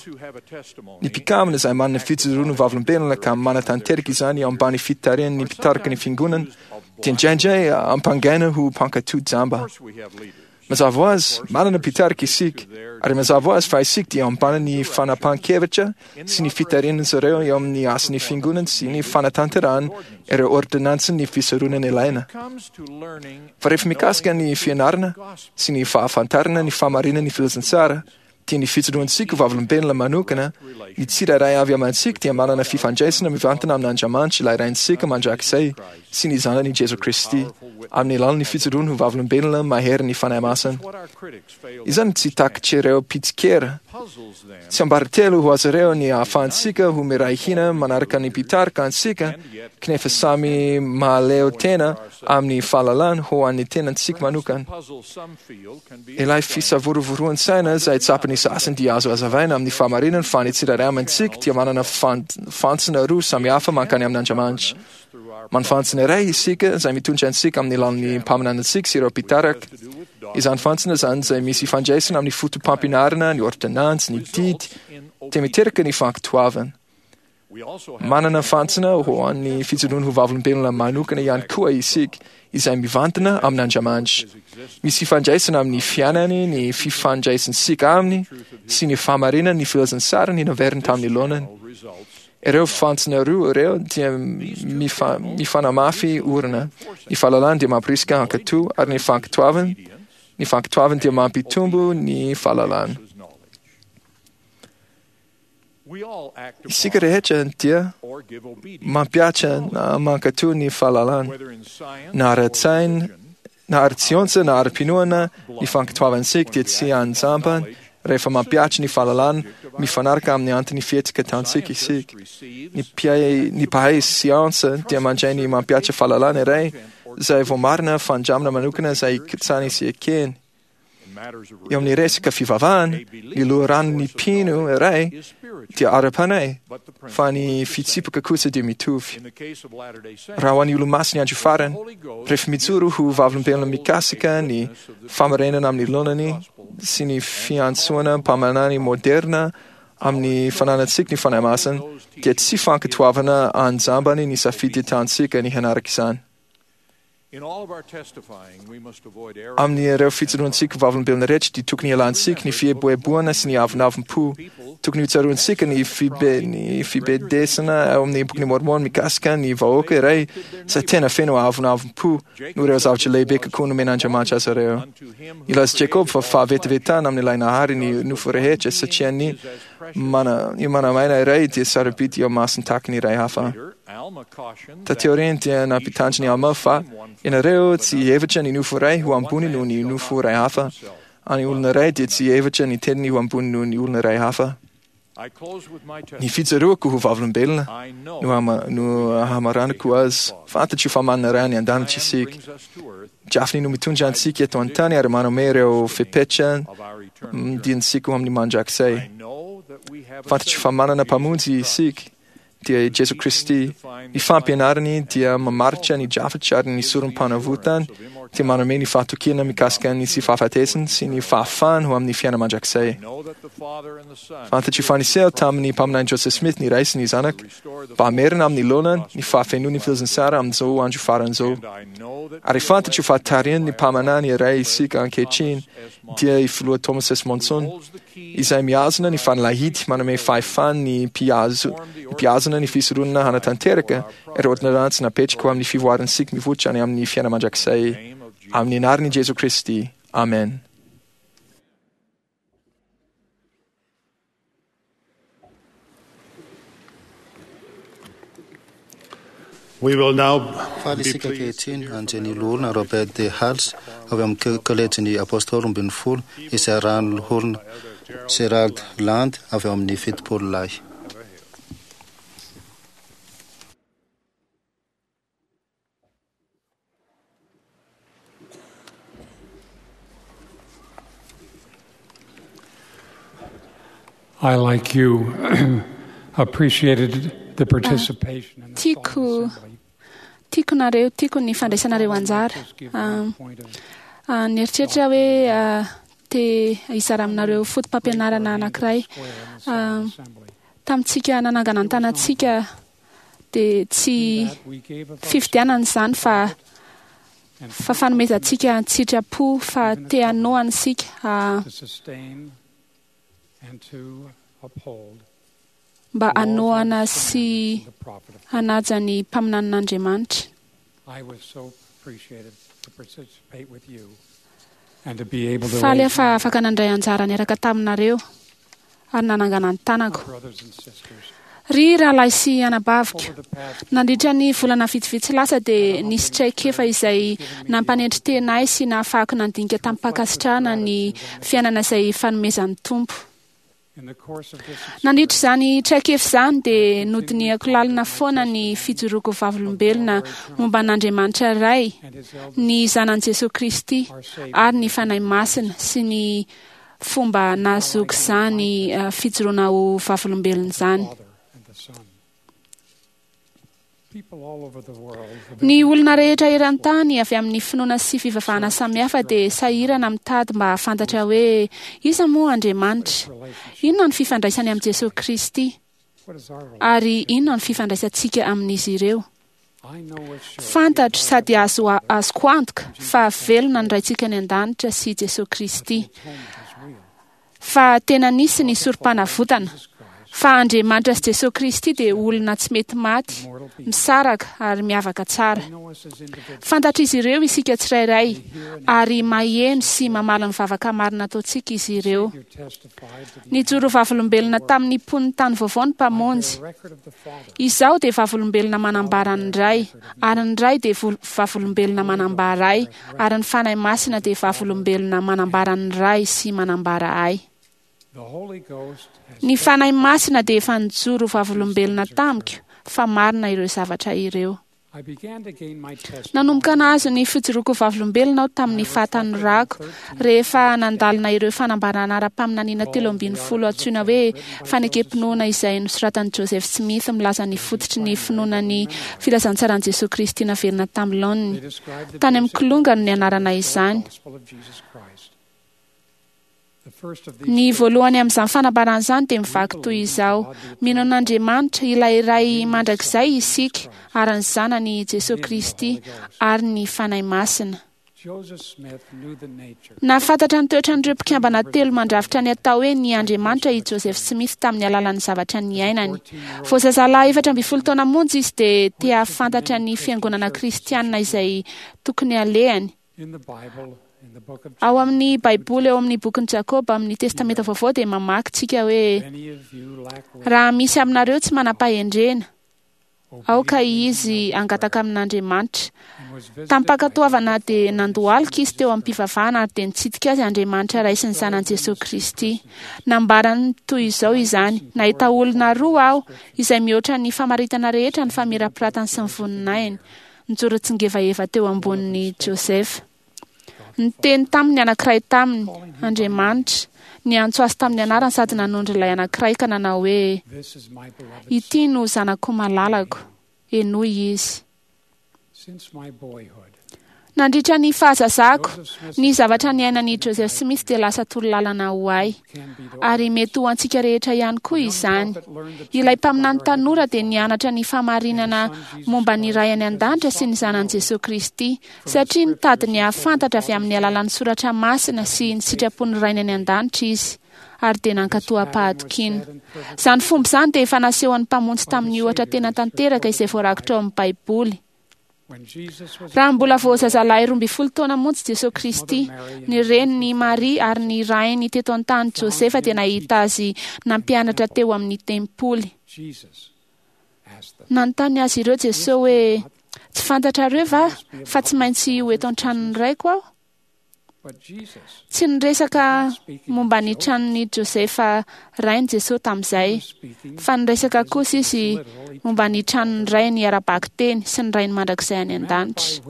Ny mpikambana izay manana fijoroana vavolombelona ka manatanteraka izany eo ambany fitarihan'ny mpitarika ny fiangonana dia indraindray ampangaina ho mpankatò jamba. Mazava ho azy, manana mpitarika isika, ary mazava ho azy fa isika dia ambany ny fanapahan-kevitra sy ny fitarihan'izy ireo eo amin'ny asan'ny fiangonana sy ny fanatanterahana ireo ordonansin'ny fisoronana ilaina. Fa rehefa mikasika ny fianarana sy ny fahafantarana ny fahamarinan'ny filazantsara, dia ny fijoroantsika ho vavolombelona manokana, ny tsirairay avy amintsika dia manana fifandraisana mivantana amin'Andriamanitra ilay Raintsika mandrakizay sy ny Zanany Jesoa Kristy, amin'ny alalan'ny fijoroany ho vavolombelona mahery ny Fanahy Masina. Izany tsy takatr'ireo mpitsikera. Tsiambaratelo ho azy ireo ny ahafahantsika ho miray hina manaraka ny mpitarika antsika, kanefa samy mahaleo tena amin'ny fahalalana ho an'ny tenantsika manokana. Ilay fisavorovoroan-tsaina izay tsapan'ny sasany dia azo hazavaina amin'ny fahamarinana fa ny tsirairay amintsika dia manana fantsona roa samihafa mankany amin'Andriamanitra. Manana iray isika izay mitondra antsika amin'ny alalan'ny mpaminanantsika sy ireo mpitarika. Izany fantsona izany izay misy ifandraisana amin'ny foto-pampianarana, ny ordonantsy, ny didy, dia miteraka ny fankatoavana. Manana fantsona ho an'ny fijoroana ho vavolombelona manokana ihany koa isika, izay mivantana amin'Andriamanitra. Misy ifandraisana amin'ny fiainany, ny fifandraisantsika aminy, sy ny fahamarinany ny filazantsarany naveriny tamin'ny laonany. Ireo fantsona roa ireo dia mifa, mifanamafy orina. Ny fahalalana dia mampirisika hankatò, ary ny fankatoavana, ny fankatoavana dia mampitombo ny fahalalana. Isika rehetra dia mampihatra na mankatò ny fahalalana, na ara-tsaina, na ara-tsiansa, na ara-pinoana. Ny fankatoavantsika dia tsy anjambany rehefa mampihatra ny fahalalana mifanaraka amin'ny antony fihetsika ataontsika isika. Ny mpihay, ny mpahay siansa dia mandray ny mampihatra fahalalana iray izay voamarina fandramana manokana izay ikatsany sy ekeny. Eo amin'ny resaka fivavahana, ny loharanon'ny mpino iray dia ara-panahy, fa ny fitsipika kosa dia mitovy. Raha ho an'ny olomasin'ny andro farany, rehefa mijoro ho vavolombelona mikasika ny fahamarinana amin'ny laonany sy ny fiantsoana mpaminany moderna amin'ny fananantsika ny Fanahy Masina, dia tsy fankatoavana anjambany ny safidy ataontsika ny hanaraka izany. Amin'ireo fijoroantsika vavolombelona rehetra dia tokony hialantsika ny fieboeboana sy ny avonavom-po. Tokony hotsaroantsika ny fibe, ny fibedesana ao amin'ny Bokin'i Mormon mikasika ny vahoaka iray izay tena feno avonavom-po noho ireo zavatra lehibe kokoa nomen'Andriamanitra azy ireo. Nilaza Jacob fa fahavetavetana amin'ilay Nahary ny nofo rehetra satria ny mana, ny manamaina iray dia sarobidy eo imasony tahaka ny iray hafa. Taty aoriana dia nampitandrina i Alma fa ianareo tsy hihevitra ny nofo iray ho ambony noho ny nofo iray hafa, ary ny olona iray dia tsy hihevitra ny teniny ho ambony noho ny olona iray hafa. Ny fijoroako ho vavolombelona no, hama, no hamaranako azy. Fantatro fa manana Ray any an-danitra isika. Drafiny no mitondra antsika eto an-tany ary manome ireo fepetra diantsika ho amin'ny mandrakizay. Fantatro fa manana Mpamonjy isika, dia i Jesoa Kristy. Ny fampianarany dia mamaritra ny drafitra ary ny sorom-panavotany dia manome ny fahatokiana mikasika ny tsy fahafatesany sy ny fahafahany ho amin'ny fiainana mandrakizay. Fantatry fa niseho tamin'ny mpaminany Joseph Smith ny Ray sy ny Zanaka mba hamerina amin'ny laonany ny fahafenoan'ny filazantsara amin'izao andro farany izao. Ary fantatro fa tarihin'ny mpaminany iray isika ankehitriny, dia i Filoha Thomas S. Monson, izay mihazona ny fanalahidy manome fahefana ny mpihazo- mpihazona ny fisoronana hanatanteraka ireo ôrdônansy napetraka ho amin'ny fivoarantsika mivoatra any amin'ny fiainana mandrakizay. Amin'ny anaran'i Jesoa Kristy. Amen. We will now Faly be isika pleased ankehitriny anjeny loholona Robert de Hals avy amin'ny kolejin'ny Apôstôly roa ambin'ny folo izay arahan'ny loholona Gerald Land avy ao amin'ny fitopolo lahy. I, like you, appreciated the participation in the Tiako solemn assembly. tiako nareo, tiako ny fandraisanareo anjara. Just give Ah, one point of ah, Nieritreritra hoe ah, te hizara aminareo foto-pampianarana anankiray. square in the Ah, solemn assembly. Tamintsika nanangana ny tanantsika dia tsy That we gave of fifidianana izany fa and fa fanomezantsika an-tsitrapo fa te hanohana isika ah, to sustain and to uphold mba laws, hanohana ordinances, sy and the prophet of hanaja ny mpaminanin'Andriamanitra. I was so appreciated to participate with you and to be able to Faly aho raise fa my afaka nandray anjara niaraka taminareo ary nanangana ny tanako. brothers and sisters. Ry rahalahy sy anabaviko, Over the past nandritra ny volana vitsivitsy lasa dia nisy traikefa izay nampanendry tena ahy sy nahafahako nandinika tamin'ny-pankasitrahana ny fiainana izay fanomezan'ny Tompo. in the course of this Nandritra izany traikefa izany dia nodinihako lalina foana ny fijoroako vavolombelona momba an'Andriamanitra Ray, and his eldest ny zanany Jesoa Kristy ary ny Fanahy Masina sy ny fomba nahazoako izany eh, fijoroana ho vavolombelona izany. Father and the Son. People all over the world have Ny olona rehetra eran-tany avy amin'ny finoana sy fivavahana samihafa dia sahirana mitady mba hahafantatra hoe iza moa Andriamanitra, relationship. inona ny fifandraisany amin'i Jesoa Kristy What is our relationship? ary inona ny fifandraisantsika amin'izy ireo. I know with surety Fantatro sady azo azoko antoka fa velona ny Raintsika any an-danitra sy Jesoa Kristy, atonement is real. fa tena nisy ny sorom-panavotana, Jesus Christ, fa Andriamanitra sy Jesoa Kristy dia olona tsy mety maty, mortal being. misaraka ary miavaka tsara. They know us as individuals. Fantatr'izy ireo isika tsirairay ary maheno sy mamaly ny vavaka marina ataontsika izy ireo. Savior testified to the Nijoro vavolombelona tamin'ny mponin'ny tany vaovao ny Mpamonjy. record of the Father. Izaho dia vavolombelona manambara ny Ray, ary ny Ray dia vol- vavolombelona manambara ahy, ary ny Fanahy Masina dia vavolombelona manambara ny Ray sy manambara ahy. The Holy Ghost has Ny Fanahy Masina dia efa nijoro vavolombelona tamiko fa marina ireo zavatra ireo. I began to gain my testimony Nanomboka nahazo ny fijoroako vavolombelona aho tamin'ny fahatanorako rehefa nandalina ireo fanambarana ara-paminaniana telo ambin'ny folo antsoina hoe fanekem-pinoana izay nosoratan'i Joseph Smith milaza ny fototry ny finoana ny filazantsaran'i Jesoa Kristy naverina tamin'ny laoniny. They described the Tany amin'ny basic kilonga no nianarana izany. gospel of Jesus Christ. The first of these Ny voalohany amin'izany fanambarana izany dia mivaky toy izao: Mino an'Andriamanitra ilay Ray mandrakizay isika ary ny Zanany Jesoa Kristy ary ny Fanahy Masina. Joseph Smith knew the nature Nahafantatra ny toetran'ireo mpikambana telo mandrafitra ny atao hoe ny Andriamanitra i Joseph Smith tamin'ny alalan'ny zavatra niainany. Vao zazalahy efatra ambin'ny folo taona monja izy dia te hahafantatra ny fiangonana kristianina izay tokony alehany. in the Bible, in the book of Ao amin'ny Baiboly, ao amin'ny bokin'i Jakoba, amin'ny Testamenta Vaovao dia mamaky tsika hoe Many of you lack wisdom. raha misy aminareo tsy manam-pahendrena, aoka izy hangataka amin'Andriamanitra. and was visited Tamin'ny-pankatoavana dia nandohalika izy teo amin'ny-pivavahana ary dia nitsidika azy Andriamanitra Ray sy ny Zanany Jesoa Kristy. Nambarany toy izao izany: nahita olona roa aho izay mihoatra ny famaritana rehetra ny famirapiratany sy ny voninahiny. Nijoro tsingevaheva teo ambonin'i Joseph. Niteny taminy anankiray taminy Andriamanitra, niantso azy tamin'ny anarany sady nanondro ilay anankiray ka nanao hoe: This is my beloved Ity no zanako malalako, henoy izy. Since my boyhood, Nandritra ny fahazazako, ny zavatra niainan'i Joseph Smith dia lasa torolalana ho ahy, ary mety ho antsika rehetra ihany koa izany. Ilay mpaminany tanora dia nianatra ny fahamarinana momba ny Ray any an-danitra sy ny zanany Jesosy Kristy, satria nitady ny hahafantatra avy amin'ny alalan'ny soratra masina sy ny sitrapon'ny Rainy any an-danitra izy, ary dia nankatò am-pahatokiana. Izany fomba izany dia efa nasehon'ny Mpamonjy tamin'ny ohatra tena tanteraka izay voarakitra ao amin'ny Baiboly. Raha mbola vao zazalahy roa ambin'ny folo taona monja Jesosy Kristy, ny reniny Maria ary ny rainy teto an-tany Josefa dia nahita azy nampianatra teo amin'ny tempoly. Nanontany azy ireo Jesosy hoe, "Tsy fantatrareo va fa tsy maintsy ho eto an-tranon'ny raiko aho?" Tsy niresaka momba ny tranon'i Josefa rainy Jesosy tamin'izay, fa niresaka kosa izy momba ny tranon'ny rainy ara-bakiteny sy ny rainy mandrakizay any an-danitra.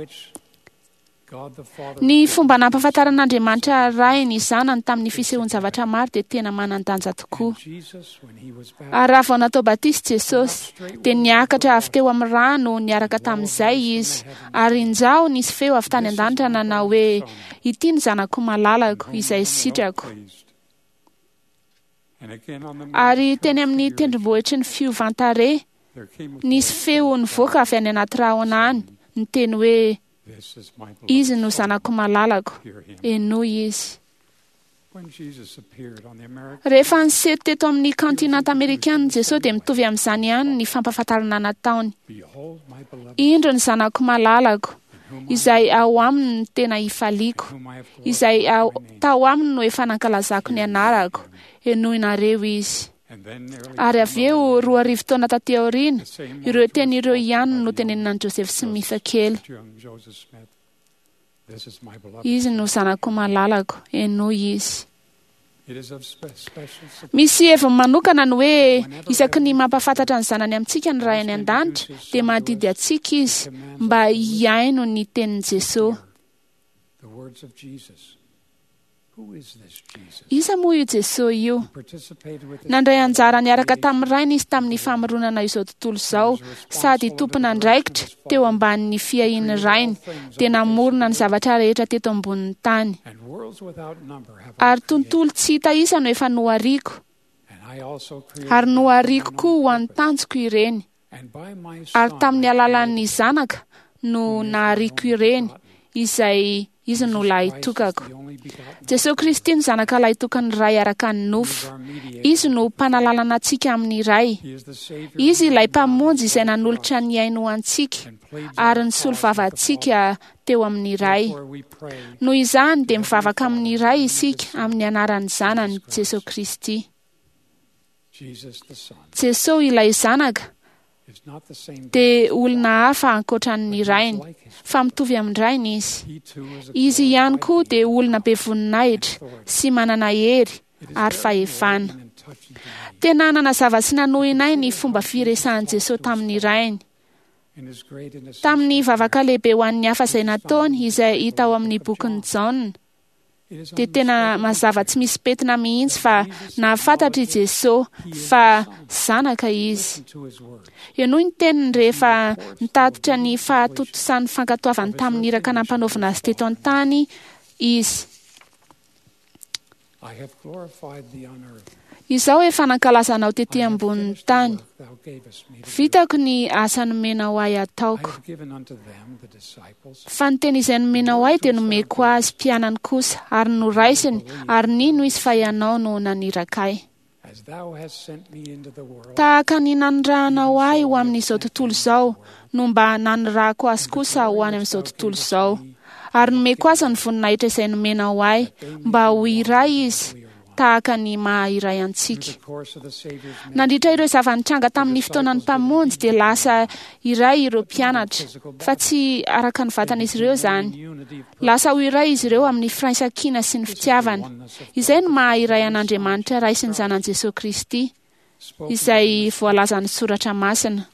Ny fomba nampahafantaran'Andriamanitra Rainy zanany tamin'ny fisehoan-javatra maro dia tena manan-danja tokoa. Ary raha vao natao batisa Jesosy, dia niakatra avy teo amin'ny rano niaraka tamin'izay izy, ary injao nisy feo avy tany an-danitra nanao hoe, "Ity ny zanako malalako izay sitrako." Ary teny amin'ny tendrombohitry ny fiovan-tarehy, nisy feo nivoaka avy any anaty rahona any, niteny hoe, "Izy no zanako malalako, henoy izy." Rehefa niseho teto amin'ny kantinanta amerikana Jesosy dia mitovy amin'izany ihany ny fampahafantarana nataony. "Indro ny zanako malalako, izay ao aminy no tena ifaliako, izay ao, tao aminy no efa nankalazako ny anarako, henoinareo izy." Ary avy eo roa arivo taona taty aoriana, ireo teny ireo ihany no tenenina an'i Joseph Smith kely. "Izy no zanako malalako, henoy izy." Misy heviny manokana ny hoe isaky ny mampahafantatra ny zanany amintsika ny Ray any an-danitra dia mandidy antsika izy mba hihaino ny tenin'i Jesosy. Iza moa io Jesosy io? Nandray anjara niaraka tamin'ny Rainy izy tamin'ny famoronana izao tontolo izao, sady tompon'andraikitra teo ambanin'ny fiahian'ny Rainy, dia namorona ny zavatra rehetra teto ambonin'ny tany. Ary tontolo tsy hita isa no efa nohariko, ary nohariko koa ho an'ny tanjoko ireny. Ary tamin'ny alalan'ny zanaka no nahariko ireny, izay izy no lahitokako. Jesosy Kristy no zanaka lahitokan'ny Ray araka ny nofo. Izy no mpanalalana antsika amin'ny Ray. Izy ilay mpamonjy izay nanolotra ny ainy ho antsika ary nisolo vava antsika teo amin'ny Ray. Noho izany dia mivavaka amin'ny Ray isika amin'ny anaran'ny zanany Jesosy Kristy. Jesosy ilay zanaka dia olona hafa ankoatra ny rainy, fa mitovy amin'ny rainy izy. Izy ihany koa dia olona be voninahitra sy manana hery ary fahefana. Tena nanazava sy nanohina ahy ny fomba firesahan'i Jesosy tamin'ny rainy. Tamin'ny vavaka lehibe ho an'ny hafa izay nataony, izay hita ao amin'ny bokin'i Jaona, dia tena mazava tsy misy pentina mihitsy fa nahafantatra i Jesosy fa zanaka izy. Henoy ny teniny rehefa nitatitra ny fahatontosan'ny fankatoavany tamin'ny iraka nampanaovina azy teto an-tany izy. "Izao efa nankalaza anao tety ambonin'ny tany. Vitako ny asa nomenao ahy ataoko. Fa ny teny izay nomenao ahy dia nomeko azy mpianany kosa, ary noraisiny, ary nino izy fa ianao no naniraka ahy. Tahaka ny nanirahanao ahy ho amin'izao tontolo izao, no mba nanirahako azy kosa ho any amin'izao tontolo izao. Ary nomeko azy ny voninahitra izay nomenao ahy, mba ho iray izy, tahaka ny maha iray antsika." Nandritra ireo zava-nitranga tamin'ny fotoanan'ny Mpamonjy dia lasa iray ireo mpianatra, fa tsy araka ny vatan'izy ireo izany. Lasa ho iray izy ireo amin'ny firaisankina sy ny fitiavana. Izay no maha iray an'Andriamanitra Ray sy ny zanany Jesosy Kristy, izay voalazan'ny soratra masina.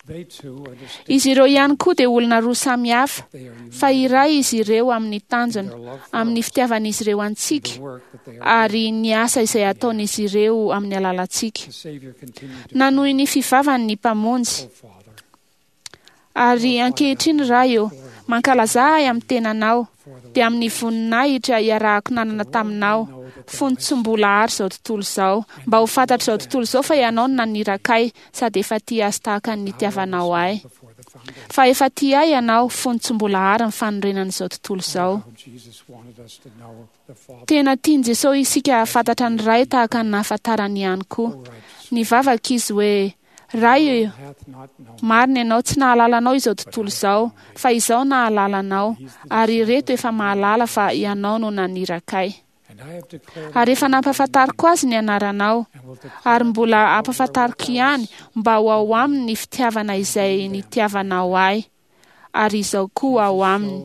Izy ireo ihany koa dia olona roa samy hafa, fa iray izy ireo amin'ny tanjona, amin'ny fitiavan'izy ireo antsika, ary ny asa izay ataon'izy ireo amin'ny alalantsika. Nanohy ny fivavany ny Mpamonjy. Ary ankehitriny Ray eo, Mankalaza ahy amin'ny tenanao, dia amin'ny voninahitra iarahako nanana taminao, fony tsy mbola ary izao tontolo izao, mba ho fantatr'izao tontolo izao fa ianao no naniraka ahy, sady efa tia azy tahaka ny nitiavanao ahy. Fa efa tia ahy ianao fony tsy mbola ary ny fanorenan'izao tontolo izao. Tena tian'i Jesosy isika hahafantatra ny Ray tahaka ny nahafantarany ihany koa. Nivavaka izy hoe: Ray, marina ianao, tsy nahalala anao izao tontolo izao, fa izaho nahalala anao, ary ireto efa mahalala fa ianao no naniraka ahy. Ary efa nampahafantariko azy ny anaranao, ary mbola ampahafantariko ihany mba ho ao aminy ny fitiavana izay nitiavanao ahy, ary izao koa ao aminy.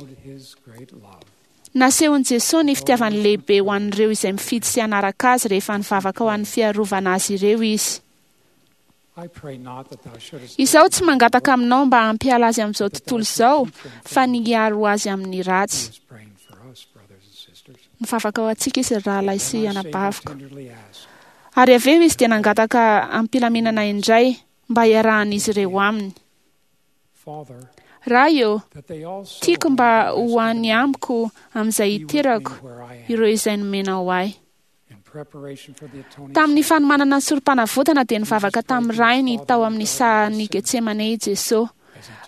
Nasehon'i Jesosy ny fitiavany lehibe ho an'ireo izay mifidy sy hanaraka azy rehefa nivavaka ho an'ny fiarovana azy ireo izy. Izaho tsy mangataka aminao mba hampiala azy amin'izao tontolo izao, fa ny hiaro azy amin'ny ratsy. Nivavaka ho antsika izy, ry rahalahy sy anabaviko. Ary avy eo izy dia nangataka am-pilaminana indray mba hiarahan'izy ireo aminy. Ray ô, tiako mba ho any amiko amin'izay hiterako ireo izay nomenao ahy. Tamin'ny fanomanana ny sorom-panavotana dia nivavaka tamin'ny Rainy tao amin'ny sahan'i Getsemane i Jesosy,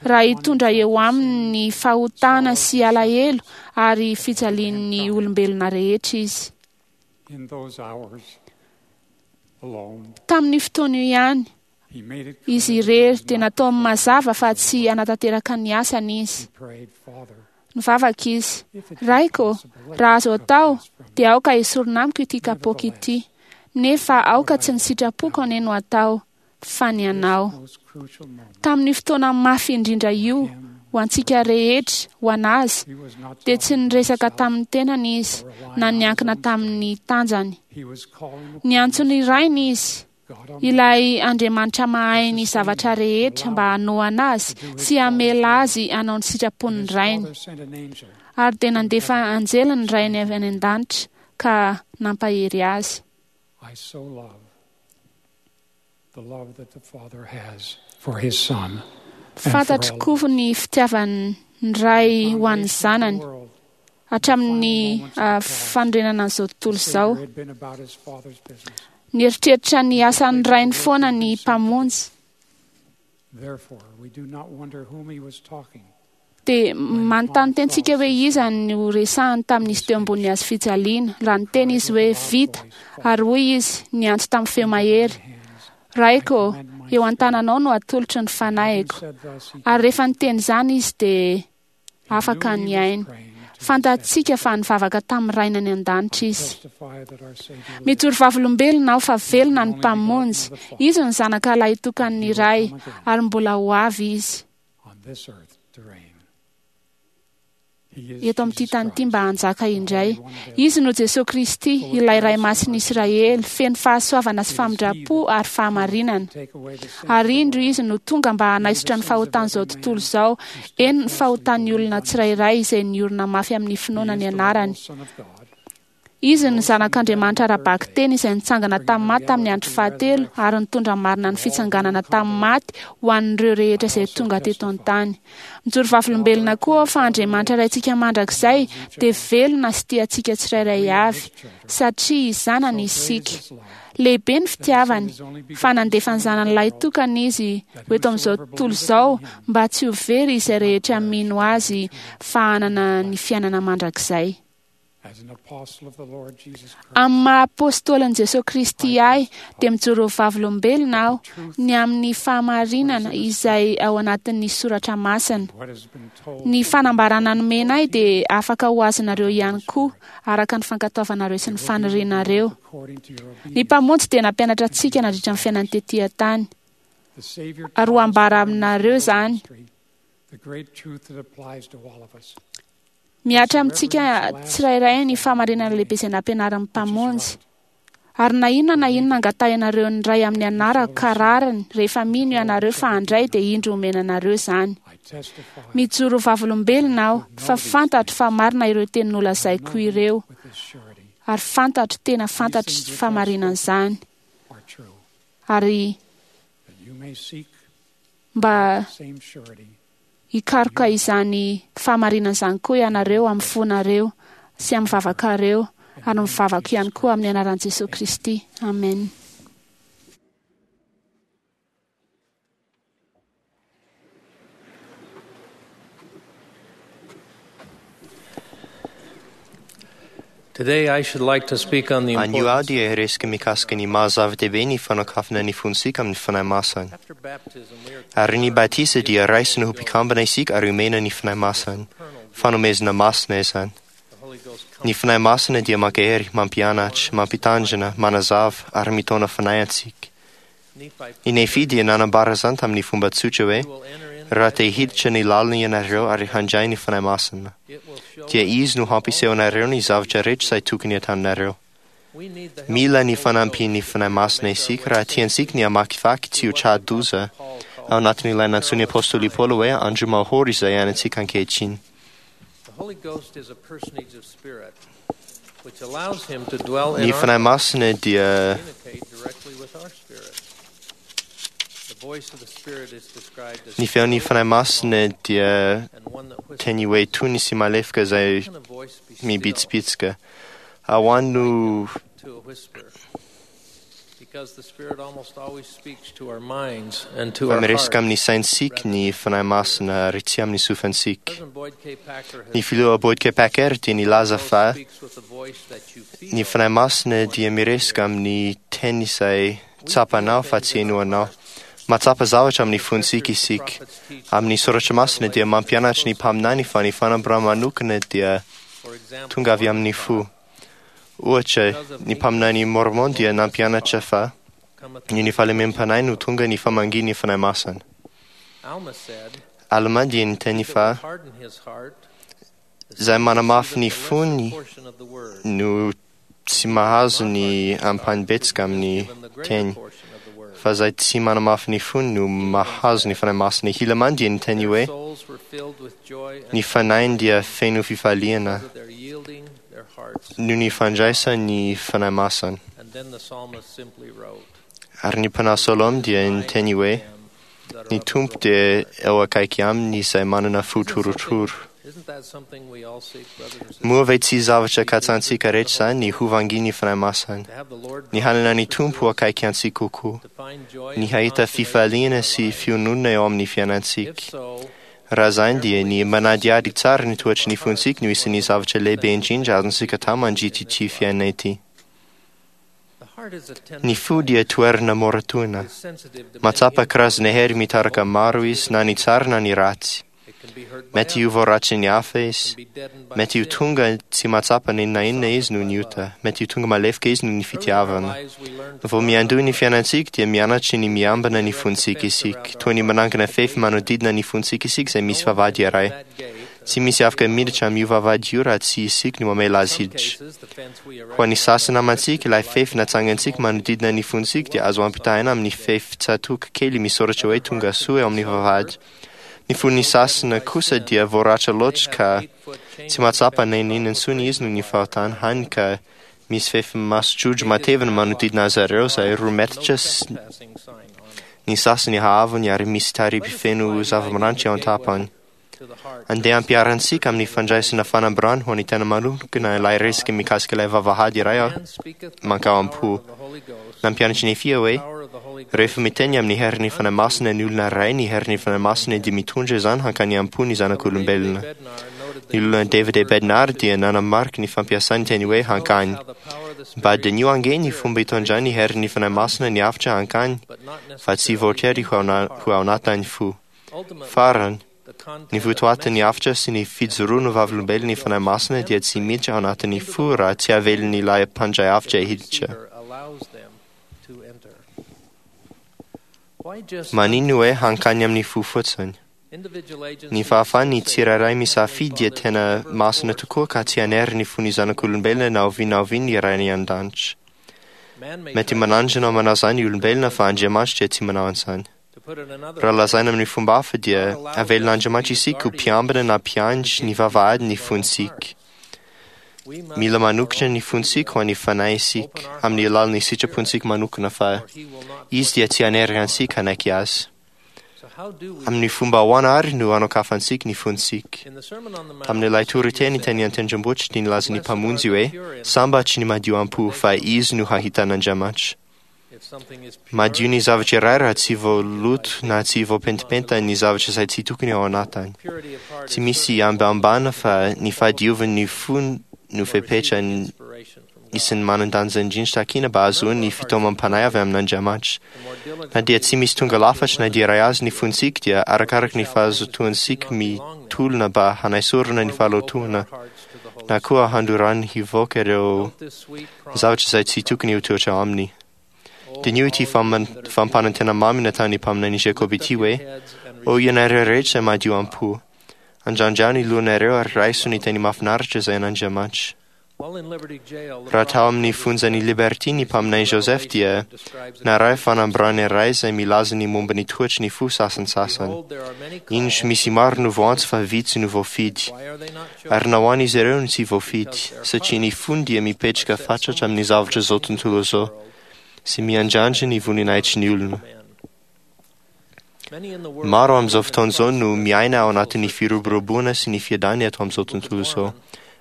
raha hitondra eo aminy ny fahotana sy alahelo ary fijalian'ny olombelona rehetra izy. Tamin'ny fotoana io ihany, izy irery dia nataony mazava fa tsy hanatanteraka ny asany izy. Nivavaka izy: Raiko, raha azo atao, dia aoka esorina amiko ity kapoaka ity, nefa aoka tsy ny sitrapoko anie no atao, fa ny anao. Tamin'ny fotoana mafy indrindra io, ho antsika rehetra, ho an'azy, dia tsy niresaka tamin'ny tenany izy, na niankina tamin'ny tanjany. Niantso ny Rainy izy, ilay Andriamanitra mahay ny zavatra rehetra mba hanohana azy sy hamela azy hanao ny sitrapon'ny Rainy. Ary dia nandefa anjely ny Rainy avy any an-danitra ka nampahery azy. Fantatro koa ny fitiavan'ny Ray ho an'ny zanany hatramin'ny fanorenana an'izao tontolo izao. Nieritreritra ny asan'ny Rainy foana ny Mpamonjy. Dia manontany tentsika hoe iza no resahany tamin'izy teo ambony hazo fijaliana. Raha niteny izy hoe vita, ary hoy izy niantso tamin'ny feo mahery: Raiko, eo an-tananao no atolotro ny fanahiko. Ary rehefa niteny izany izy dia afaka ny ainy. Fantatsika fa nivavaka tamin'ny Rainy any an-danitra izy. Mijoro vavolombelona aho fa velona ny Mpamonjy. Izy no zanaka lahitokan'ny Ray, ary mbola ho avy izy eto amin'ity tany ity mba hanjaka indray. Izy no Jesosy Kristy, ilay Ray Masin'i Israely, feno fahasoavana sy famindram-po ary fahamarinana. Ary indro izy no tonga mba hanaisotra ny fahotan'izao tontolo izao, eny ny fahotan'ny olona tsirairay izay niorina mafy amin'ny finoana ny anarany. Izy no zanak'Andriamanitra ara-bakiteny izay nitsangana tamin'ny maty tamin'ny andro fahatelo ary nitondra marina ny fitsanganana tamin'ny maty ho an'ireo rehetra izay tonga teto an-tany. Mijoro vavolombelona koa aho fa Andriamanitra Raintsika mandrakizay dia velona sy tia antsika tsirairay avy, satria zanany isika. Lehibe ny fitiavany, fa nandefa ny zanany lahitokana izy ho eto amin'izao tontolo izao mba tsy ho very izay rehetra mino azy fa hanana ny fiainana mandrakizay. Amin'ny maha apôstôlin'i Jesosy Kristy ahy dia mijoro vavolombelona aho ny amin'ny fahamarinana izay ao anatin'ny soratra masina. Ny fanambarana nomena ahy dia afaka ho azonareo ihany koa araka ny fankatoavanareo sy ny fanirianareo. Ny Mpamonjy dia nampianatra antsika nandritra ny fiainany tetỳ an-tany. Ary ho ambara aminareo izany. Mihatra amintsika tsirairay ny fahamarinana lehibe izay nampianarin'ny Mpamonjy. Ary na inona na inona angatahinareo ny Ray amin'ny anarako ka rariny, rehefa mino ianareo fa handray dia indro omena anareo izany. Mijoro vavolombelona aho fa fantatro fa marina ireo teny nolazaiko ireo, ary fantatro tena fantatro fahamarinan'izany. Ary mba hikaroka izany fahamarinana izany koa ianareo amin'ny fonareo sy amin'ny vavakareo ary mivavaka ihany koa amin'ny anaran'i Jesosy Kristy. Amen. Today I should like to speak on the Anio aho importance dia hiresaka mikasika ny maha-zava-dehibe ny fanokafana ny fontsika amin'ny Fanahy Masina. After baptism we are Ary ny batisa dia raisina ho mpikambana isika ary omena ny Fanahy Masina. Fanomezana masina izany. the Holy Ghost Ny Fanahy Masina dia mankahery, mampianatra, mampitanjana, manazava ary mitaona fanahy antsika. Nephi Ny Nefy dia nanambara izany tamin'ny fomba tsotra hoe will enter in raha te hiditra ny lalina ianareo ary handray ny Fanahy Masina, it will show dia izy no hampiseho anareo ny zavatra rehetra izay tokony hataonareo. we need the help Mila ny of the Holy fanampian'ny Ghost Fanahy Masina isika raha tiantsika ny hamakivaky tsy ho tra-doza Paul called ao anatin'ilay nantsoin'ny Apôstôly Paoly hoe andro mahory izay iainantsika ankehitriny. The Holy Ghost is a personage of spirit which allows him to dwell in Ny our Fanahy Masina dia communicate directly with our spirit. The voice of the Spirit is described as ny feon'ny Fanahy Masina dia and one that whispers. teny hoe tony sy malefaka izay Can a voice be still mibitsibitsika. Ahoany no to a whisper? Because the Spirit almost always speaks to our minds and to fa our miresaka hearts. amin'ny saintsika ny Fanahy Masina ary tsy amin'ny sofantsika. President Boyd K. Packer has Ny filoha Boyd K. Packer dia nilaza Ghost fa speaks with a voice that you feel. ny Fanahy Masina dia miresaka amin'ny teny izay tsapanao fa tsy henoanao. Mahatsapa zavatra amin'ny fontsika isika. Amin'ny soratra masina dia mampianatra ny mpaminany fa ny fanambarana manokana dia For example, tonga avy amin'ny fo. Ohatra, ny mpaminany Mormon dia nampianatra fa cometh ny ny fahalemem-panahy no tonga ny famangian'ny Fanahy Masina. Alma said, Alma dia niteny "He that fa would harden his heart, izay manamafy ny receiveth the lesser fony portion of the word, no tsy mahazo ny ampahany-betsaka amin'ny given the greater teny. portion of the word." Fa izay tsy manamafy ny fony no mahazo ny Fanahy Masina. Hilaman dia niteny Their hoe souls were filled with joy and ny fanahiny dia feno fifaliana because of their yielding their hearts. noho ny fandraisan'ny Fanahy Masina. And then the psalmist simply wrote, Ary ny mpanahy Solomon dia niteny hoe "Them that are ny of a Tompo broken dia heart." eo akaiky aminy izay manana fo torotoro. Isn't that something we all seek, brothers and sisters? Moa ve tsy zavatra katsantsika rehetra izany ny hovangin'ny Fanahy Masina, To have the Lord ny hanana ny Tompo ho akaiky antsika kokoa, to find joy ny and hahita consolation in fifaliana our sy lives. fiononana eo amin'ny If fiainantsika. so, Raha izany dia ny manadihady tsara ny toetry ny fontsika no isan'ny zavatra lehibe indrindra azontsika atao mandritra ity fiainana ity. the heart is a tender Ny fo dia toerana mora tohina. is sensitive to many Mahatsapa karazana hery mitaraka maro izy na ny tsara na ny ratsy. It can be hurt by Mety ho others, voaratsin'ny hafa izy. can be deadened by Mety ho sin. tonga tsy mahatsapa na inona na inona izy noho ny ota. Mety ho tonga malefaka izy noho ny Early in our fitiavana. lives, we learn to Vao guard miandoha our ny heart. fiainantsika dia mianatra ny miambina ny fontsika isika. Toy ny manangana fefy manodidina ny fontsika isika izay misy No one vavahady can iray. that gate Tsy misy afaka miditra amin'io vavahady io raha tsy isika no mamela azy In some hiditra. cases, the fence we Ho an'ny erect sasany around our namantsika, ilay fefy natsangantsika manodidina ny fontsika dia azo ampitahaina amin'ny fefy tsatoka kely misoratra hoe tonga soa eo amin'ny vavahady. Ny fon'ny sasany kosa dia voaratra loatra ka tsy mahatsapa na inona na inona intsony izy noho ny fahotana hany ka misy fefy masotrojo matevina manodidina azy ireo izay roa metatra sy trespassing sign on it. ny sasany haavony ary misy tariby feno zava-maranitra eo an-tapany. To the heart. Andeha ampiharantsika amin'ny fandraisana fanambarana ho an'ny tena manokana ilay resaka mikasika ilay vavahady iray Man speaketh by mankao the am-po. power of the Holy Ghost. Nampianatra ny Nefia hoe Power of the Holy Ghost. rehefa miteny amin'ny herin'ny Fanahy Masina ny olona iray, ny herin'ny Fanahy Masina dia mitondra izany hankany am-po ny zanak'olombelona. Bednar noted Ny olona David A. Bednar dia nanamarika ny fampiasany teny hoe hankany. how the power of the Mba Spirit diniho ange ny fomba itondrany ny herin'ny Fanahy Masina ny hafatra hankany, but not fa tsy necessarily voatery ho ao na- ho ao anatin'ny fo. Ultimately, Farany, the content ny of votoatin'ny message hafatra sy ny fijoroana ho vavolombelon'ny Fanahy Masina dia tsy miditra ao anatin'ny fo raha tsy avelin'ilay mpandray hafatra the hiditra. receiver allows them to enter. Why just Manino hoe hankany amin'ny fo fotsiny? individual agency Ny fahafahan'ny is so tsirairay sacred, misafidy dia Heavenly tena Father never masina forced tokoa ka tsy hanery ny fon'ny zanak'olombelona na oviana na oviana ny Rainy an-danitra. Man may Mety try manandrana manao izany ny olombelona fa Andriamanitra dia tsy manao an'izany. to put it another Raha way, lazaina amin'ny fomba hafa dia avelin'Andriamanitra isika ho mpiambina na mpiandry ny vavahady ny fontsika. we must Mila of our manokatra own ny fontsika ho an'ny fanahy isika open our amin'ny hearts alalan'ny to the sitrapontsika Spirit, manokana fa or he will not izy dia put tsy hanery it on antsika hanaiky azy. us. So Amin'ny fomba ahoana ary no anokafantsika ny fontsika? Tamin'ilay toriteny teny an-tendrombohitra dia nilaza ny Mpamonjy hoe sambatry ny madio am-po fa izy no hahita an'Andriamanitra. Madio ny zavatra iray raha tsy voaloto na tsy voapentipentina ny zavatra izay tsy tokony ao anatiny. Tsy misy ambambana fa ny fahadiovan'ny fo no fepetra isan'ny manan-danja indrindra takina mba hahazoana ny fitaomam-panahy avy amin'Andriamanitra. Na dia tsy misy tonga lafatra na dia iray aza ny fontsika dia arakaraka ny fahazotoantsika mitolona mba hanaisorana ny fahalotoana na koa handorany hivoaka ireo zavatra izay tsy tokony ho toetra aminy. Diniho ity fampanantena mamy nataon'ny mpaminany Jacob ity hoe ô ianareo rehetra izay madio am-po, andrandrao ny lohanareo ary raiso ny teny mahafinaritra izay an'Andriamanitra. Raha tao amin'ny fonjan'i Liberty ny mpaminany Joseph dia naray fanambarana iray izay milaza ny momba ny toetry ny fo sasantsasany. Indro misy maro no voantso fa vitsy no voafidy. Ary nahoana izy ireo no tsy voafidy? Satria ny fony dia mipetraka fatratra amin'ny zavatra izao tontolo izao sy miandrandra ny voninahitry ny olona. Maro amin'izao fotoana izao no miaina ao anatin'ny firoboroboana sy ny fiadanana eto amin'izao tontolo izao.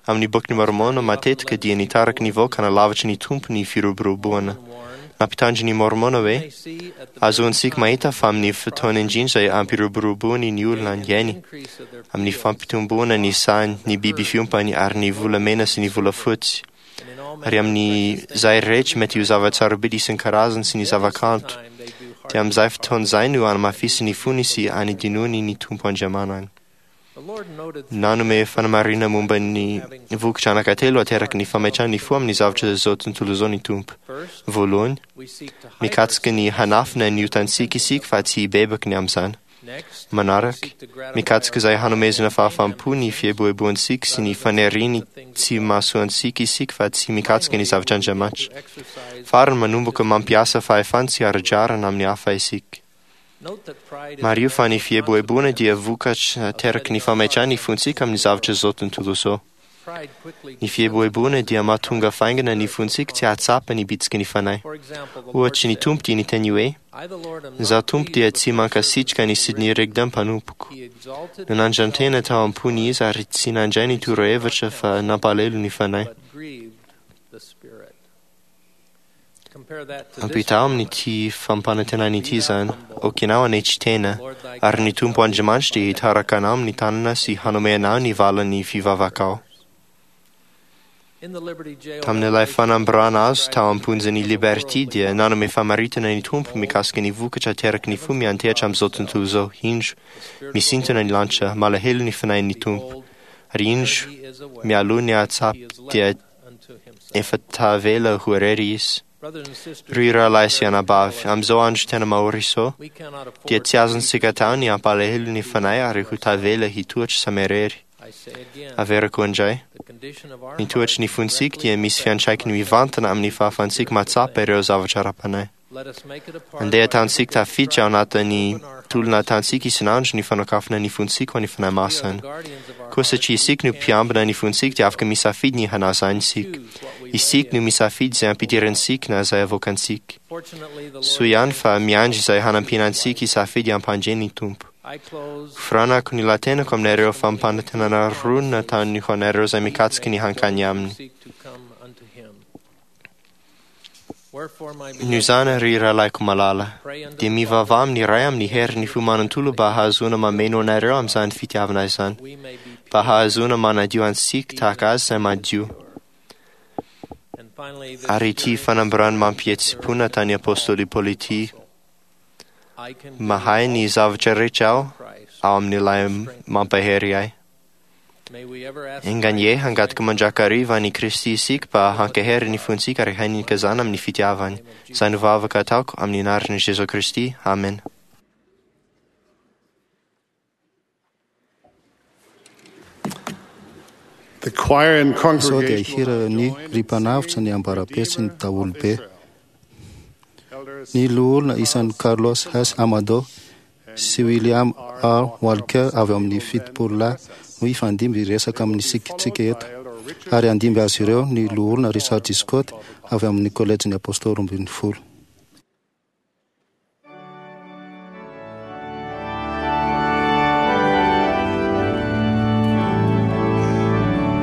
Amin'ny bokin'i Mormona matetika dia nitaraky ny vahoaka hanalavitra ny Tompo ny firoboroboana. Nampitandro ny Mormona hoe azontsika mahita fa amin'ny fotoana indrindra izay ampiroboroboany ny olona eny, amin'ny fampitomboana ny sahany, ny biby fiompany ary ny volamena sy ny volafotsy, ary amin'izay rehetra mety ho zava-tsarobidy isan-karazany sy ny zavakanto, dia amin'izay fotoana izay no anamafisiny ny fony sy anidinoany ny Tompo Andriamanany. Nanome fanamarihana momba ny vokatra anankitelo ateraky ny fametrahana ny fo amin'ny zavatra izao tontolo izao ny Tompo. Voalohany, mikatsaka ny hanafina ny otantsika isika fa tsy hibebaky ny amin'izany. Manaraka, mikatsaka izay hanomezana fahafaham-po ny fieboeboantsika sy ny faniriany tsy mahasoa antsika isika fa tsy mikatsaka ny zavatr'Andriamanitra. Farany, manomboka mampiasa fahefana tsy ara-drariny amin'ny hafa isika. Mariho fa ny fieboeboana dia vokatra ateraky ny fametrahana ny fontsika amin'ny zavatra izao tontolo izao. Ny fieboeboana dia mahatonga faingana ny fontsika tsy hahatsapa ny bitsiky ny fanahy. Ohatry ny Tompo dia niteny hoe Izaho Tompo dia tsy mankasitraka ny Sidney Rigdon mpanompoko. Nanandran-tena tao am-pony izy ary tsy nandray ny torohevitra fa nampalahelo ny fanahy. Ampitahao amin'ity fampanantenana ity izany. Okinao hanetry tena, ary ny Tompo Andriamanitra dia hitaraka anao amin'ny tanana sy hanome anao ny valin'ny fivavakao. Tamin'ilay fanambarana azo tao am-ponjan'i Liberty dia nanome famaritana ny Tompo mikasika ny vokatra ateraky ny fo miantehatra amin'izao tontolo izao. Indro, misintona ny lanitra, malahelo ny fanahin'ny Tompo. Ary indro, mialoha ny hahatsapa dia efa tavela ho irery izy. Ry rahalahy sy anabavy, amin'izao andro tena mahory izao, dia tsy azontsika atao ny hampalahelo ny fanahy ary ho tavela hitoetra samy irery. Averiko indray, ny toetry ny fontsika dia misy fiantraikany mivantana amin'ny fahafahantsika mahatsapa ireo zavatra ara-panahy. Andeha ataontsika tafiditra ao anatin'ny tolona ataontsika isan'andro ny fanokafana ny fontsika ho an'ny Fanahy Masina. Koa satria isika no mpiambina ny fontsika dia afaka misafidy ny hanao izany isika. Isika no misafidy izay ampidirantsika na izay avoakantsika. Soa ihany fa miandry izay hanampiana antsika hisafidy hampandre ny Tompo. Foranako ny latenako aminareo fampanantenana roa nataony ho anareo izay mikatsaka ny hankany aminy. Noho izany, ry rahalahiko malala, dia mivavaha amin'ny Ray amin'ny herin'ny fo manontolo mba hahazoana mameno anareo amin'izany fitiavana izany, mba hahazoana manadio antsika tahaka azy izay madio. Ary ity fanambarana mampihetsi-po nataon'ny Apôstôly Paoly ity, mahay ny zavatra rehetra aho ao amin'ilay mampahery ahy. Enga anie hangataka mandrakariva an'i Kristy isika mba hankahery ny fontsika ary hanikazana amin'ny fitiavany. Izay no vavaka ataoko amin'ny anaran'i Jesoa Kristy. Amen. The choir and Izao dia congregation hira ny ry mpanavotra ny ambara-pe sy ny daholobe. Ny loholona isan'i Carlos H. Amado sy William R. Walker avy amin'ny fitopolo lahy no hifandimby hiresaka amin'ny sikintsika eto. Ary handimby azy ireo ny loholona Richard G. Scott avy amin'ny kolejin'ny Apôstôly roa ambin'ny folo.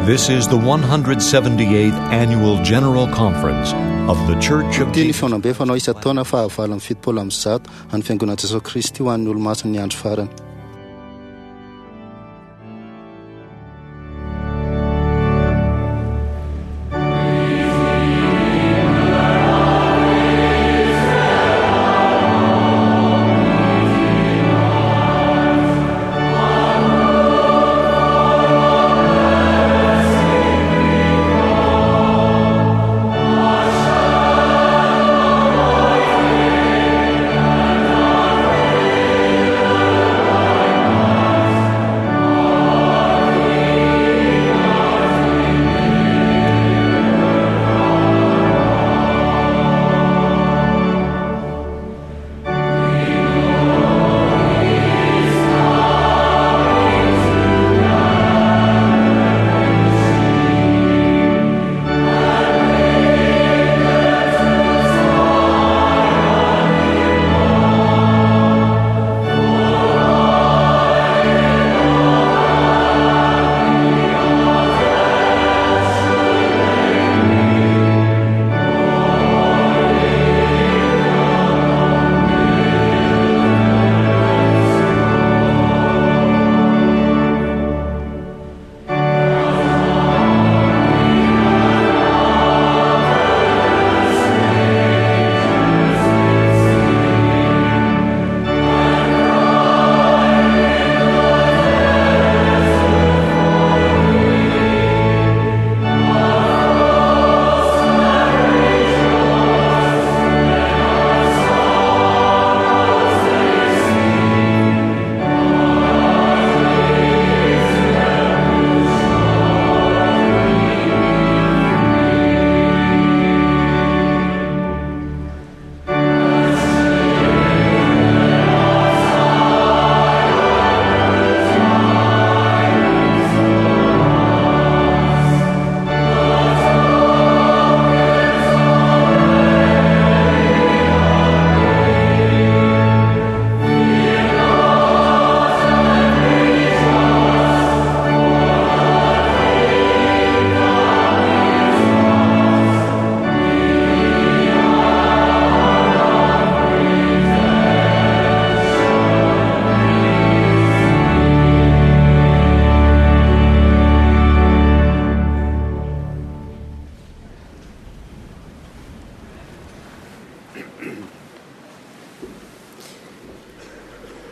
This is the one hundred seventy-eighth Annual General Conference of the Church of Ity ny fihaonambe fanao isan-taona fahavalo amby fitopolo amby zato an'ny Fiangonan'i Jesosy Kristy ho an'ny olomasin'ny andro farany.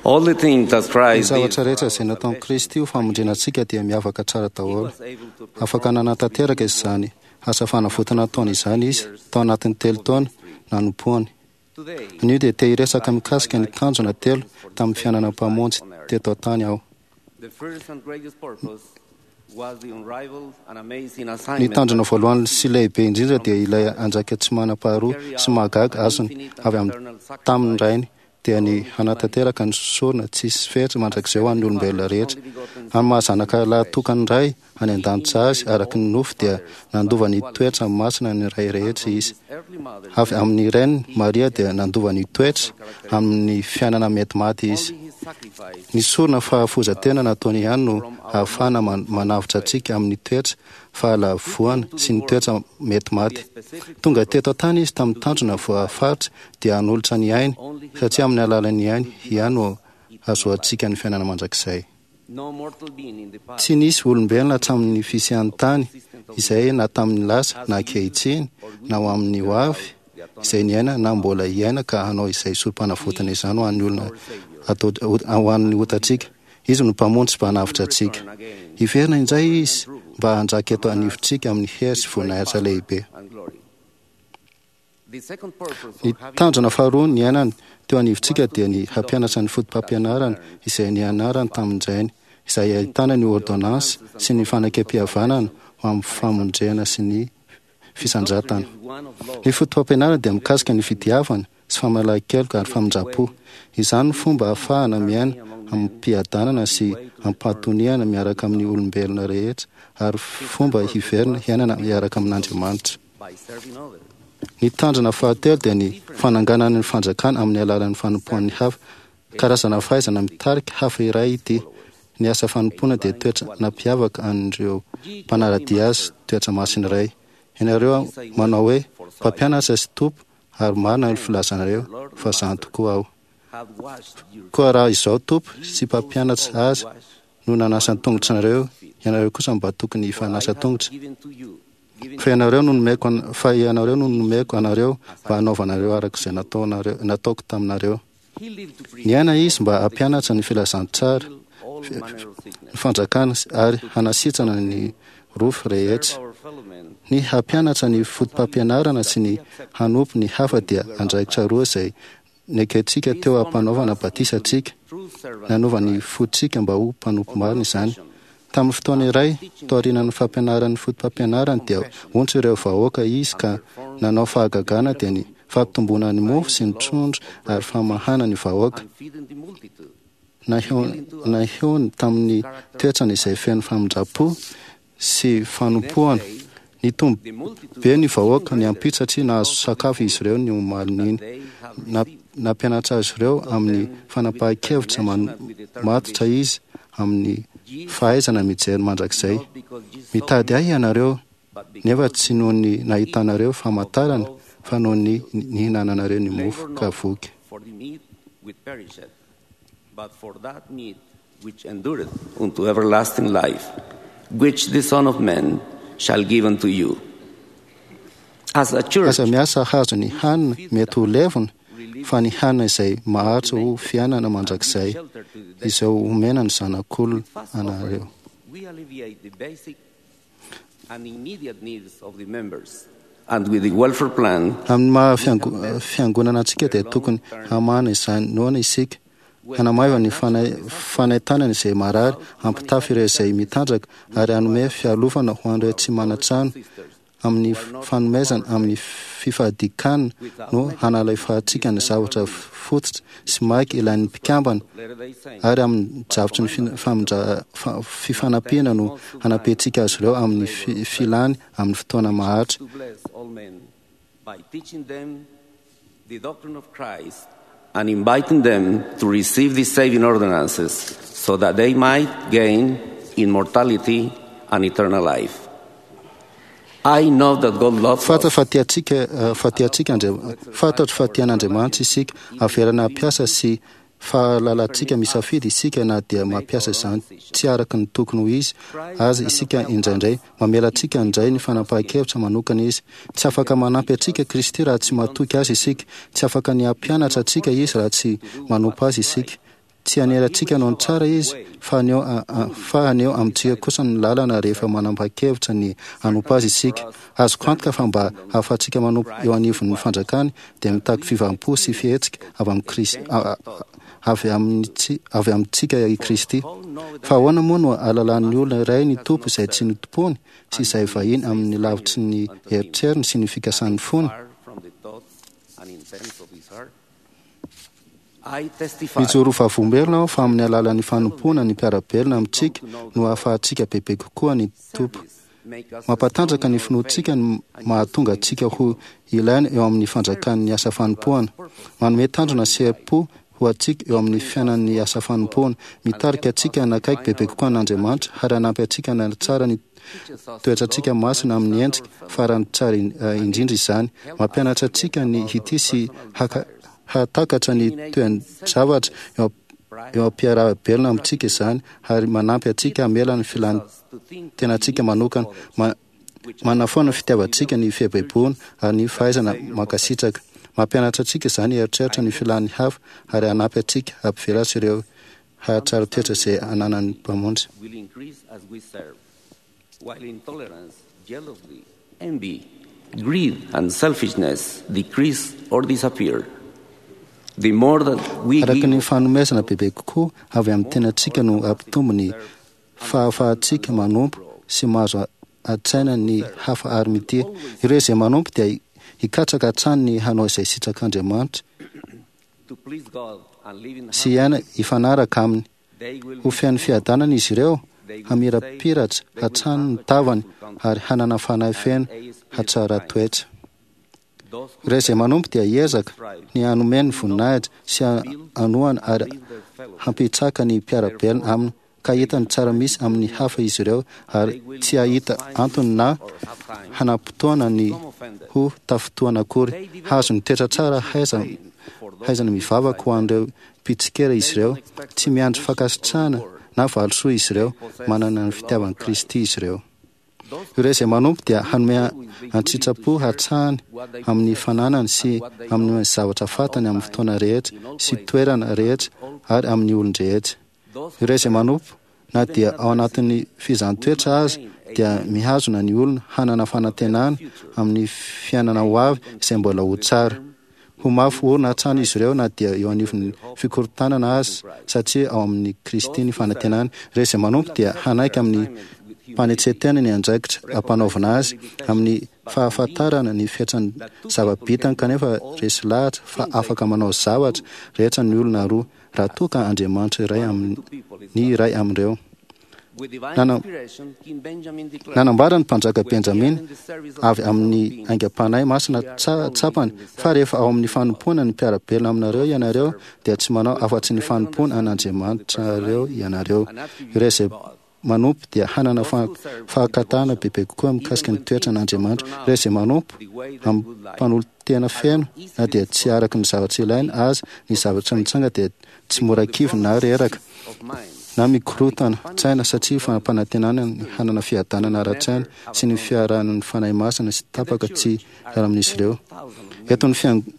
All the things that Ny Christ did zavatra rehetra izay nataon'i Kristy ho famonjena antsika dia miavaka tsara daholo. Afaka nanatanteraka izany asa fanavotana nataony izany izy tao anatin'ny telo taona nanompoany. Anio dia te hiresaka mikasika ny tanjona telo tamin'ny fiainana mpamonjy teto an-tany aho. The first and greatest purpose was the unrivaled and amazing Ny assignment tanjona voalohany sy lehibe indrindra dia ilay andraikitra tsy manam-paharoa sy mahagaga azony avy amin'ny tamin'ny rainy dia ny hanatanteraka ny sorona tsisy fetra mandrakizay ho an'ny olombelona rehetra. Amin'ny maha-zanaka lahatokan'ny Ray any an-danitra azy araka ny nofo dia nandova ny toetra masina ny Ray rehetra izy. Avy amin'ny reniny Maria dia nandova ny toetra amin'ny fiainana mety maty izy. Ny sorona fahafoizan-tena nataony ihany no ahafahana man- manavotra antsika amin'ny toetra fahalavoana sy ny toetra mety maty. Tonga teto an-tany izy tamin'ny tanjona voafaritra dia hanolotra ny ainy, satria amin'ny alalan'ny ainy ihany no ahazoantsika ny fiainana mandrakizay. No mortal being in the past Tsy nisy olombelona hatramin'ny fisian'ny tany izay na tamin'ny lasa na ankehitriny na ho amin'ny ho avy izay niaina na mbola hiaina ka hanao izay sorom-panavotana izany ho an'ny olona atao ho an'ny otantsika. Izy no mpamonjy sy mpanavotra antsika. Hiverina indray izy mba hanjaka eto anivontsika amin'ny hery sy voninahitra lehibe. and glory. The second purpose Ny of having tanjona faharoa niainany teo anivontsika dia ny hampianatra ny foto-pampianarana izay nianarany tamin-drainy, izay ahitana ny ordonnance sy ny fanekempihavanana ho amin'ny famonjena sy ny fisandratana. Ny foto-pampianarana dia mikasika ny fitiavana sy famelan-keloka ary famindram-po. Izany no fomba ahafahana miaina amim-piadanana sy am-pahatoniana miaraka amin'ny olombelona rehetra ary fomba hiverina hiainana miaraka amin'Andriamanitra. by serving others. Ny tanjona fahatelo dia ny fananganana ny fanjakana amin'ny alalan'ny fanompoan'ny hafa. Karazana fahaizana mitarika hafa iray ity. Ny asa fanompoana dia toetra nampiavaka an'ireo mpanara-dia azy, toetra masina iray. Ianareo manao hoe mpampianatra sy tompo, ary marina ny filazanareo fa izany tokoa aho. Koa raha izao tompo sy mpampianatra azy no nanasa ny tongotra anareo, ianareo kosa mba tokony hifanasa tongotra. Fa ianareo no nomeko fa ianareo no nomeko anareo mba hanaovanareo araka izay nataonareo nataoko taminareo. Niaina izy mba hampianatra ny filazantsara, ny fanjakana ary hanasitrana ny rofy rehetra. Ny hampianatra ny foto-pampianarana sy ny hanompo ny hafa dia andraikitra roa izay nekentsika teo am-panaovana batisa antsika. Nanova ny fontsika mba ho mpanompo marina izany. Tamin'ny fotoana iray, taorian'ny fampianaran'ny foto-pampianarany dia ontsa ireo vahoaka izy ka nanao fahagagana dia ny fampitomboana ny mofo sy ny trondro ary famahana ny vahoaka. Nahehony tamin'ny toetrany izay feno famindram-po sy fanompoana. Nitombo be ny vahoaka ny ampitso satria nahazo sakafo izy ireo ny omalin'iny. Nampianatra azy ireo amin'ny fanapahan-kevitra matotra izy amin'ny fahaizana mijery mandrakizay. Mitady ahy ianareo, nefa tsy noho ny nahitanareo famantarana, fa noho ny nihinananareo ny mofo ka voky. But for that meat which endureth unto everlasting life, which the Son of Man shall give unto you. As a church, Aza miasa hahazo ny hanina mety ho levona, fa ny hanina izay maharitra ho fiainana mandrakizay, izay omena ny zanak'olona anareo. we alleviate the basic and immediate needs of the members, and with the welfare plan, Amin'ny maha fiango- fiangonana antsika dia tokony hamahana izany noana isika, hanamaiva ny fana- fanaintainana izay marary, hampitafy ireo izay mitanjaka ary hanome fialofana ho an'ireo tsy manan-trano. Amin'ny fanomezana amin'ny fifadikanana no hanalefahantsika ny zavatra fototra sy maika ilain'ny mpikambana, ary amin'ny drafitry ny fin- famindra- fa- fifanampiana no hanampiantsika azy ireo amin'ny fi- filany amin'ny fotoana maharitra. to bless all men by teaching them the doctrine of Christ and inviting them to receive the saving ordinances so that they might gain immortality and eternal life. I know that God loves Fantatra us. fa tiantsika eh, fa tiantsika Andria- fantatro fa tian'Andriamanitra isika, averana hampiasa sy fahalalantsika misafidy isika na dia mampiasa izany tsy araka ny tokony ho izy aza isika indraindray. Mamela antsika indray ny fanapahan-kevitra manokana izy. Tsy afaka manampy antsika Kristy raha tsy matoky azy isika. Tsy afaka ny hampianatra antsika izy raha tsy manompo azy isika. Tsy hanery antsika hanao ny tsara izy, fa haneho a- a- fa haneho amintsika kosa ny lalana rehefa manapa-kevitra ny hanompo azy isika. Azoko antoka fa mba hahafahantsika manompo eo anivon'ny fanjakany dia mitaky fivampo sy fihetsika avy amin'i Kristy, a- a- avy amin'ny avy amintsika i Kristy. Fa ahoana moa no ahalalan'ny olona iray ny tompo izay tsy notompoany sy izay vahiny amin'ny lavitry ny eritreriny sy ny fikasan'ny fony? Far from the thoughts and intents of his heart. I testify Mijoro vavolombelona aho fa amin'ny alalan'ny fanompoana ny mpiara-belona amintsika no ahafahantsika bebe kokoa ny tompo. make us Mampatanjaka ny finoantsika ny mahatonga antsika ho ilaina eo amin'ny fanjakan'ny asa fanompoana. Manome tanjona sy herim-po ho antsika eo amin'ny fiainan'ny asa fanompoana. Mitarika antsika hanakaiky bebe kokoa an'Andriamanitra ary hanampy antsika hanatsara ny toetrantsika masina amin'ny endrika farany tsara in- eh, indrindra izany. Mampianatra antsika ny hitia sy haka- hahatakatra ny toe-javatra eo am- eo am-piaraha-belona amintsika izany ary manampy antsika hamela ny filan'ny tenantsika manokana. Ma- manafoana ny fitiavantsika ny fiaibaibona ary ny fahaizana mankasitraka. Mampianatra antsika izany hieritreritra ny filan'ny hafa ary hanampy antsika hampivelatra ireo hahatsara toetra izay ananan'ny Mpamonjy. will increase as we serve, while intolerance, jealousy, envy, greed, and selfishness decrease or disappear. The more that we Araka ny give, fanomezana bebe kokoa avy amin'ny tenantsika no hampitombo ny fahafahantsika manompo sy mahazo an-tsaina ny hafa ary mitia. Ireo izay manompo dia hikatsaka hatrany ny hanao izay sitrak'Andriamanitra to please God and live in sy hiaina hifanaraka aminy. they will Ho feno fiadanana izy ireo, hamirapiratra hatrany ny tavany ary hanana fanahy feno hatsara toetra. those who Ireo izay manompo dia hiezaka ny hanome ny voninahitra sy hanohana ary hampitsaka ny mpiara-belona aminy. ka hita ny tsara misy amin'ny hafa izy ireo ary tsy hahita antony na hanam-potoana ny ho tafintohina akory. Hahazo ny toetra tsara haizana mivavaka ho an'ireo mpitsikera izy ireo. Tsy miandry fankasitrahana na valisoa izy ireo. Manana ny fitiavan'i Kristy izy ireo. Ireo izay manompo dia hanome an-tsitrapo hatrany amin'ny fananany sy amin'ny zavatra fantany amin'ny fotoana rehetra sy toerana rehetra ary amin'ny olon-drehetra. Ireo izay manompo na dia ao anatin'ny fizahan-toetra aza dia mihazona ny olona hanana fanantenana amin'ny fiainana ho avy izay mbola ho tsara. Ho mafy orina hatrany izy ireo na dia eo anivon'ny fikorontanana aza, satria ao amin'ny Kristy ny fanantenana. Ireo izay manompo dia hanaiky amin'ny mpanetren-tena ny andraikitra ampanaovina azy amin'ny fahafantarana ny fetran'ny zava-bitany, kanefa resy lahatra fa afaka manao zavatra rehetra ny olona roa raha toa ka Andriamanitra iray amin'ny ny iray amin'ireo. Nanambara ny mpanjaka Benjamina avy amin'ny aingam-panahy masina tsapany fa rehefa ao amin'ny fanompoana ny mpiara-belona aminareo ianareo dia tsy manao afa-tsy ny fanompoana an'Andriamanitrareo ianareo. Ireo izay manompo dia hanana fahakatana bebe kokoa mikasika ny toetran'Andriamanitra. Ireo izay manompo amin'ny mpanolo-tena feno na dia tsy araka ny zavatra ilaina aza ny zavatra mitranga dia tsy mora kivy na reraka na mikorotana tsaina, satria fampanantenana ny hanana fiadanana ara-tsaina sy ny fiarahan'ny Fanahy Masina sy tapaka tsy hiala amin'izy ireo. Eto ny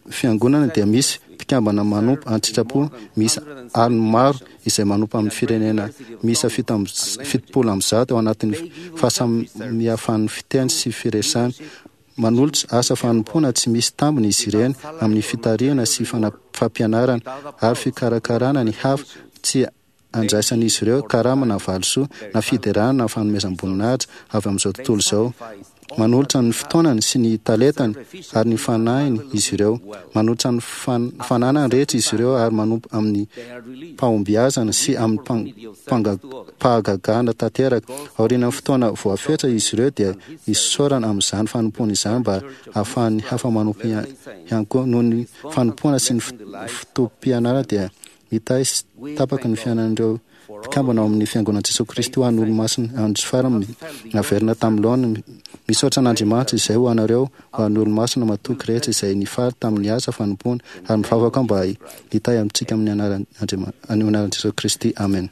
fiangonana dia misy mpikambana manompo an-tsitrapo miisa aliny maro izay manompo amin'ny firenena miisa fitopolo amby zato ao anatin'ny fahasamihafan'ny fiteny sy firesany. Manolotra asa fanompoana tsy misy tambiny izy ireny amin'ny fitarihana sy fampianarana ary fikarakarana ny hafa. Tsy andraisan'izy ireo karama na valisoa na fiderana na fanomezam-boninahitra avy amin'izao tontolo izao. Manolotra ny fotoanany sy ny talentany ary ny fanahiny izy ireo. Manolotra ny fananany rehetra izy ireo ary manompo amin'ny pahombiazana sy amin'ny pahagagana tanteraka. Aorian'ny fotoana voafetra izy ireo dia isaorana amin'izany fanompoana izany mba hahafahan'ny hafa manompo ihany koa. Noho ny fanompoana sy ny fotoam-pianarana dia mitahy sy tapaka ny fiainan'ireo mpikambana ao amin'ny fiangonan'i Jesoa Kristy ho an'ny olomasina andro farany naverina tamin'ny laoniny. Misaotra an'Andriamanitra izay ho anareo ho an'ny olomasina matoky rehetra izay nifaly tamin'ny asa fanompoana ary mivavaka mba hitahy amintsika amin'ny anaran'i Jesoa Kristy. Amen.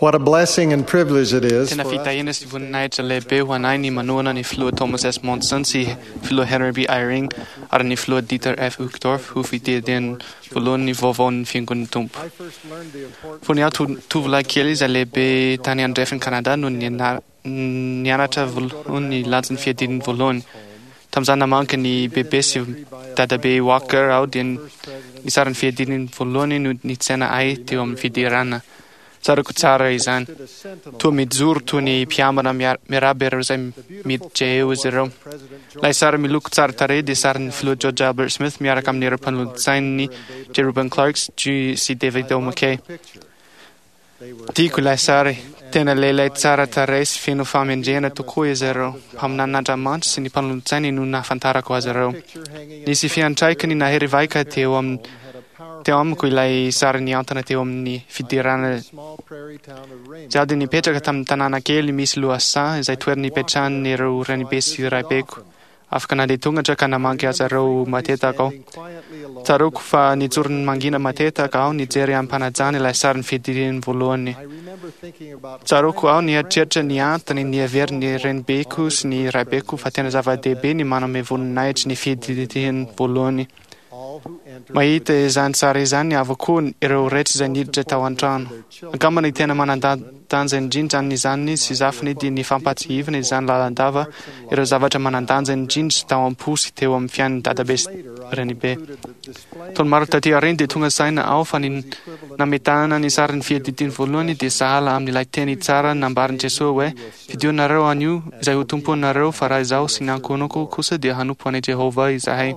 What a blessing and privilege it is. Tena fitahiana sy voninahitra lehibe ho anay ny manohana ny filoha Thomas S. Monson sy filoha Henry B. Eyring ary ny filoha Dieter F. Uchtdorf ho fitedian'ny voalohany ny vaovaon'ny fiangonan'ny Tompo. Fony aho tovolahy kely izay lehibe tany andrefan'i Kanada no nianatra voalohany ny lanjan'ny fiadiany voalohany. Tamin'izaho namangy ny bebe sy dadabe Walker aho dia ny sarin'ny fiadiany voalohany no nitsena ahy teo amin'ny fidirana. Tsarako tsara izany. Toa mijoro toy ny mpiambina miarahaba ireo izay miditra eo izy ireo. Ilay sary miloko tsara tarehy dia sarin'ny filoha George Albert Smith miaraka amin'ireo mpanolotsainy J. Reuben Clark sy David O. McKay. Tiako ilay sary. Tena lehilahy tsara tarehy sy feno fahamendrehana tokoa izy ireo. Mpaminanin'Andriamanitra sy ny mpanolotsainy no nahafantarako azy ireo. Nisy fiantraikany nahery vaika teo amin'ny teo amiko ilay sary niantona teo amin'ny fidirana. Izaho dia nipetraka tamin'ny tanàna kely misy lohasaha izay toerana ipetrahan'ireo renibe sy raibeko. Afaka nandeha tongotra ka namangy azy ireo matetika aho. Tsaroako fa nijoro mangina matetika aho nijery am-panajana ilay sarin'ny fidirana voalohany. Tsaroako aho nieritreritra ny antony niheverin'ny renibeko sy ny raibeko fa tena zava-dehibe ny manome voninahitra ny fidirana voalohany. Mahita izany sary izany avokoa ireo rehetra izay niditra tao an-trano. Angamba ny tena manan-danja indrindra amin'izany sy zafiny dia ny fampahatsiahivana izany lalandava ireo zavatra manan-danja indrindra tao am-po sy teo amin'ny fiainan'ny dadabe sy renibe. Taona maro taty aoriana dia tonga saina aho fa ny nametahana ny sarin'ny fiadidiany voalohany dia sahala amin'ilay teny tsara nambarin'i Jesoa hoe fidionareo anio izay ho tomponareo fa raha izaho sy ny ankohonako kosa dia hanompo an'i Jehovah izahay.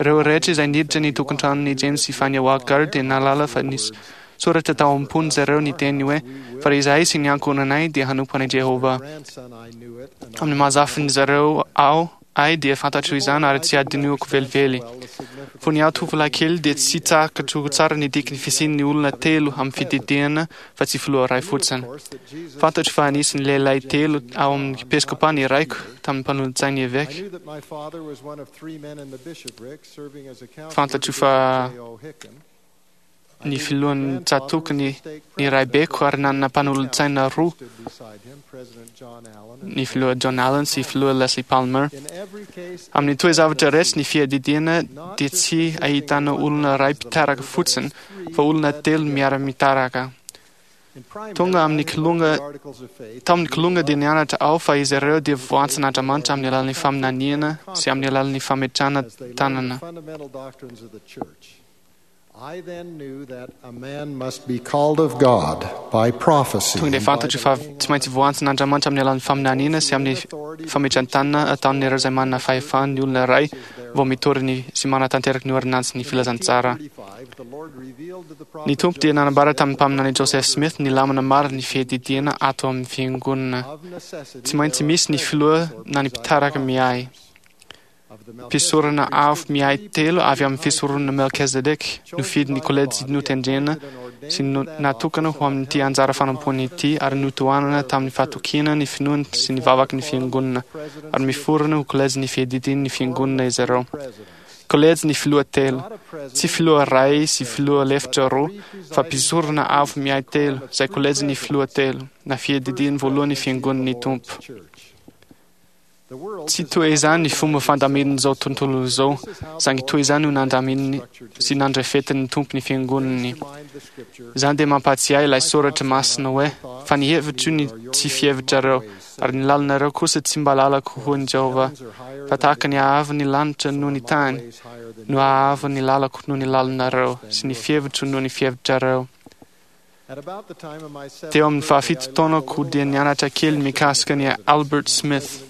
Ireo rehetra izay niditra ny tokantranon'i James sy Fania Walker dia nahalala fa nisy soratra tao am-pony zareo ny teny hoe fa raha izahay sy ny ankohonanay dia hanompo an'i Jehovah. Amin'ny maha zafin'ny zareo aho ahy dia fantatro izany ary tsy adinoako velively. Fony aho tovolahy kely dia tsy takatro tsara ny dikan'ny fisian'ny olona telo amin'ny fididiana fa tsy filoha iray fotsiny. Fantatro fa anisan'ny lehilahy telo ao amin'ny episkopa ny raiko tamin'ny mpanolotsain'ny eveka. Fantatro fa ny filohan'ny tsatòka ny ny raibeko ary nanana mpanolotsaina roa, ny filoha John Allen sy filoha Leslie Palmer. Amin'ny toe-javatra rehetra ny fiadidiana dia tsy ahitana olona iray mpitaraka fotsiny fa olona telo miara-mitaraka. Tonga amin'ny kilonga tamin'ny kilonga dia nianatra aho fa izy ireo dia voantsin'Andriamanitra amin'ny alalan'ny faminaniana sy amin'ny alalan'ny fametrahana tanana. I then knew that a man must be called of God by prophecy. Tonga dia fantatro fa tsy maintsy voantsin'Andriamanitra amin'ny alalan'ny faminaniana sy amin'ny fametran-tanana ataon'ireo izay manana fahefana ny olona iray vao mitory ny sy manatanteraka ny ordinansin'ny filazantsara. Ny Tompo dia nanambara tamin'ny mpaminany Joseph Smith ny lamina maro ny fiadidiana ato amin'ny fiangonana. Tsy maintsy misy ny filoha na ny mpitaraka miahy. Mpisorona avo miahy telo avy amin'ny fisoronana Melchizedek nofidin'ny kolejy notendrena sy natokana ho amin'ity anjara fanompoana ity ary notohanana tamin'ny fahatokiana ny finoany sy ny vavaky ny fiangonana ary miforona ho kolejy ny fiadidian'ny fiangonana izy ireo. Kolejy ny filoha telo, tsy filoha iray sy filoha lefitra roa, fa mpisorona avo miahy telo, izay kolejy ny filoha telo, na fiadidiany voalohany fiangonan'ny Tompo. Tsy toy izany ny fomba fandaminan'izao tontolo izao, saingy toy izany no nandaminany sy nandrafetin'ny Tompo ny fiangonany. Izany dia mampahatsiahy ilay soratra masina hoe fa ny hevitro ny tsy fihevitrareo, ary ny lalanareo kosa tsy mba lalako hoy ny Jehovah, fa tahaka ny haavon'ny lanitra noho ny tany, no haavon'ny lalako noho ny lalanareo, sy ny fihevitro noho ny fihevitrareo. Teo amin'ny fahafito taonako dia nianatra kely mikasika ny Albert Smith.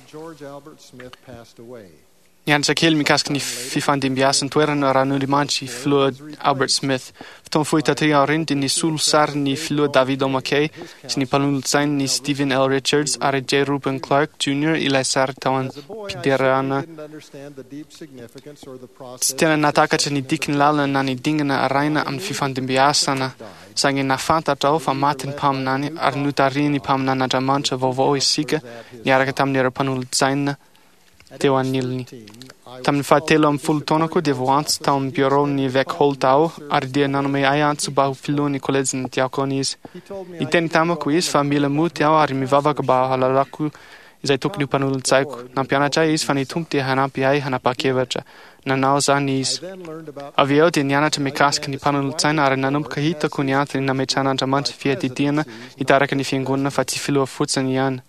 Nianatra kely mikasika ny fifandimbiasan'ny toerana ran'Andriamanitra i filoha Albert Smith. Fotoana fohy taty aoriana dia nisolo sary ny filoha David O. McKay sy ny mpanolotsainy ny Stephen L. Richards ary J. Reuben Clark Junior ilay sary tao am-piderana. Tsy tena nahatakatra ny dikan'ny lalana na ny dingana arahina amin'ny fifandimbiasana, saingy nahafantatra aho fa maty ny mpaminany ary notarihin'ny mpaminan'Andriamanitra vaovao isika niaraka tamin'ireo mpanolotsaina teo anilany. Tamin'ny fahatelo amin'ny folo taonako dia voantso tao amin'ny bureau ny evêque Holt aho ary dia nanome ahy antso mba ho filohan'ny kolejin'ny diakona izy. Niteny tamiko izy fa mila mody aho ary mivavaka mba hahalalako izay tokony ho mpanolotsaiko. Nampianatra ahy izy fa ny Tompo dia hanampy ahy hanapa-kevitra. Nanao izany izy. Avy eo dia nianatra mikasika ny mpanolotsaina ary nanomboka hitako ny antony nametrahan'Andriamanitra fiadidiana hitarika ny fiangonana fa tsy filoha fotsiny ihany.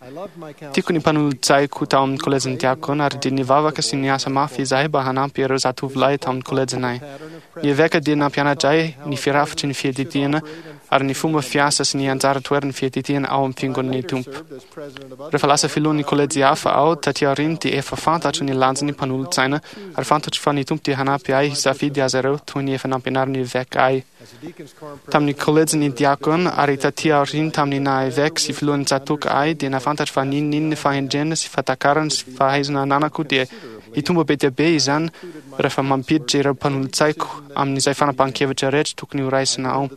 Tiako ny mpanolotsaiko tao amin'ny kolejin'ny diakona ary dia nivavaka sy niasa mafy izahay mba hanampy ireo zatovolahy tao amin'ny kolejinay. Ny eveka dia nampianatra ahy ny firafitry ny fiadidiana ary ny fomba fiasa sy ny anjara toeran'ny fiadidiana ao amin'ny fiangonan'ny Tompo. Rehefa lasa filohan'ny kolejy hafa aho taty aoriana dia efa fantatro ny lanjan'ny mpanolotsaina ary fantatro fa ny Tompo dia hanampy ahy hisafidy azy ireo toy ny efa nampianarin'ny eveka ahy. Tamin'ny kolejin'ny diakona ary taty aoriana tamin'ny naha eveka sy filohan'ny tsatòka ahy dia nahafantatro fa n'inon'inona fahendrena sy fahatakarana sy fahaizana ananako dia hitombo be dia be izany rehefa mampiditra ireo mpanolotsaiko amin'izay fanapahan-kevitra rehetra tokony ho raisina ao.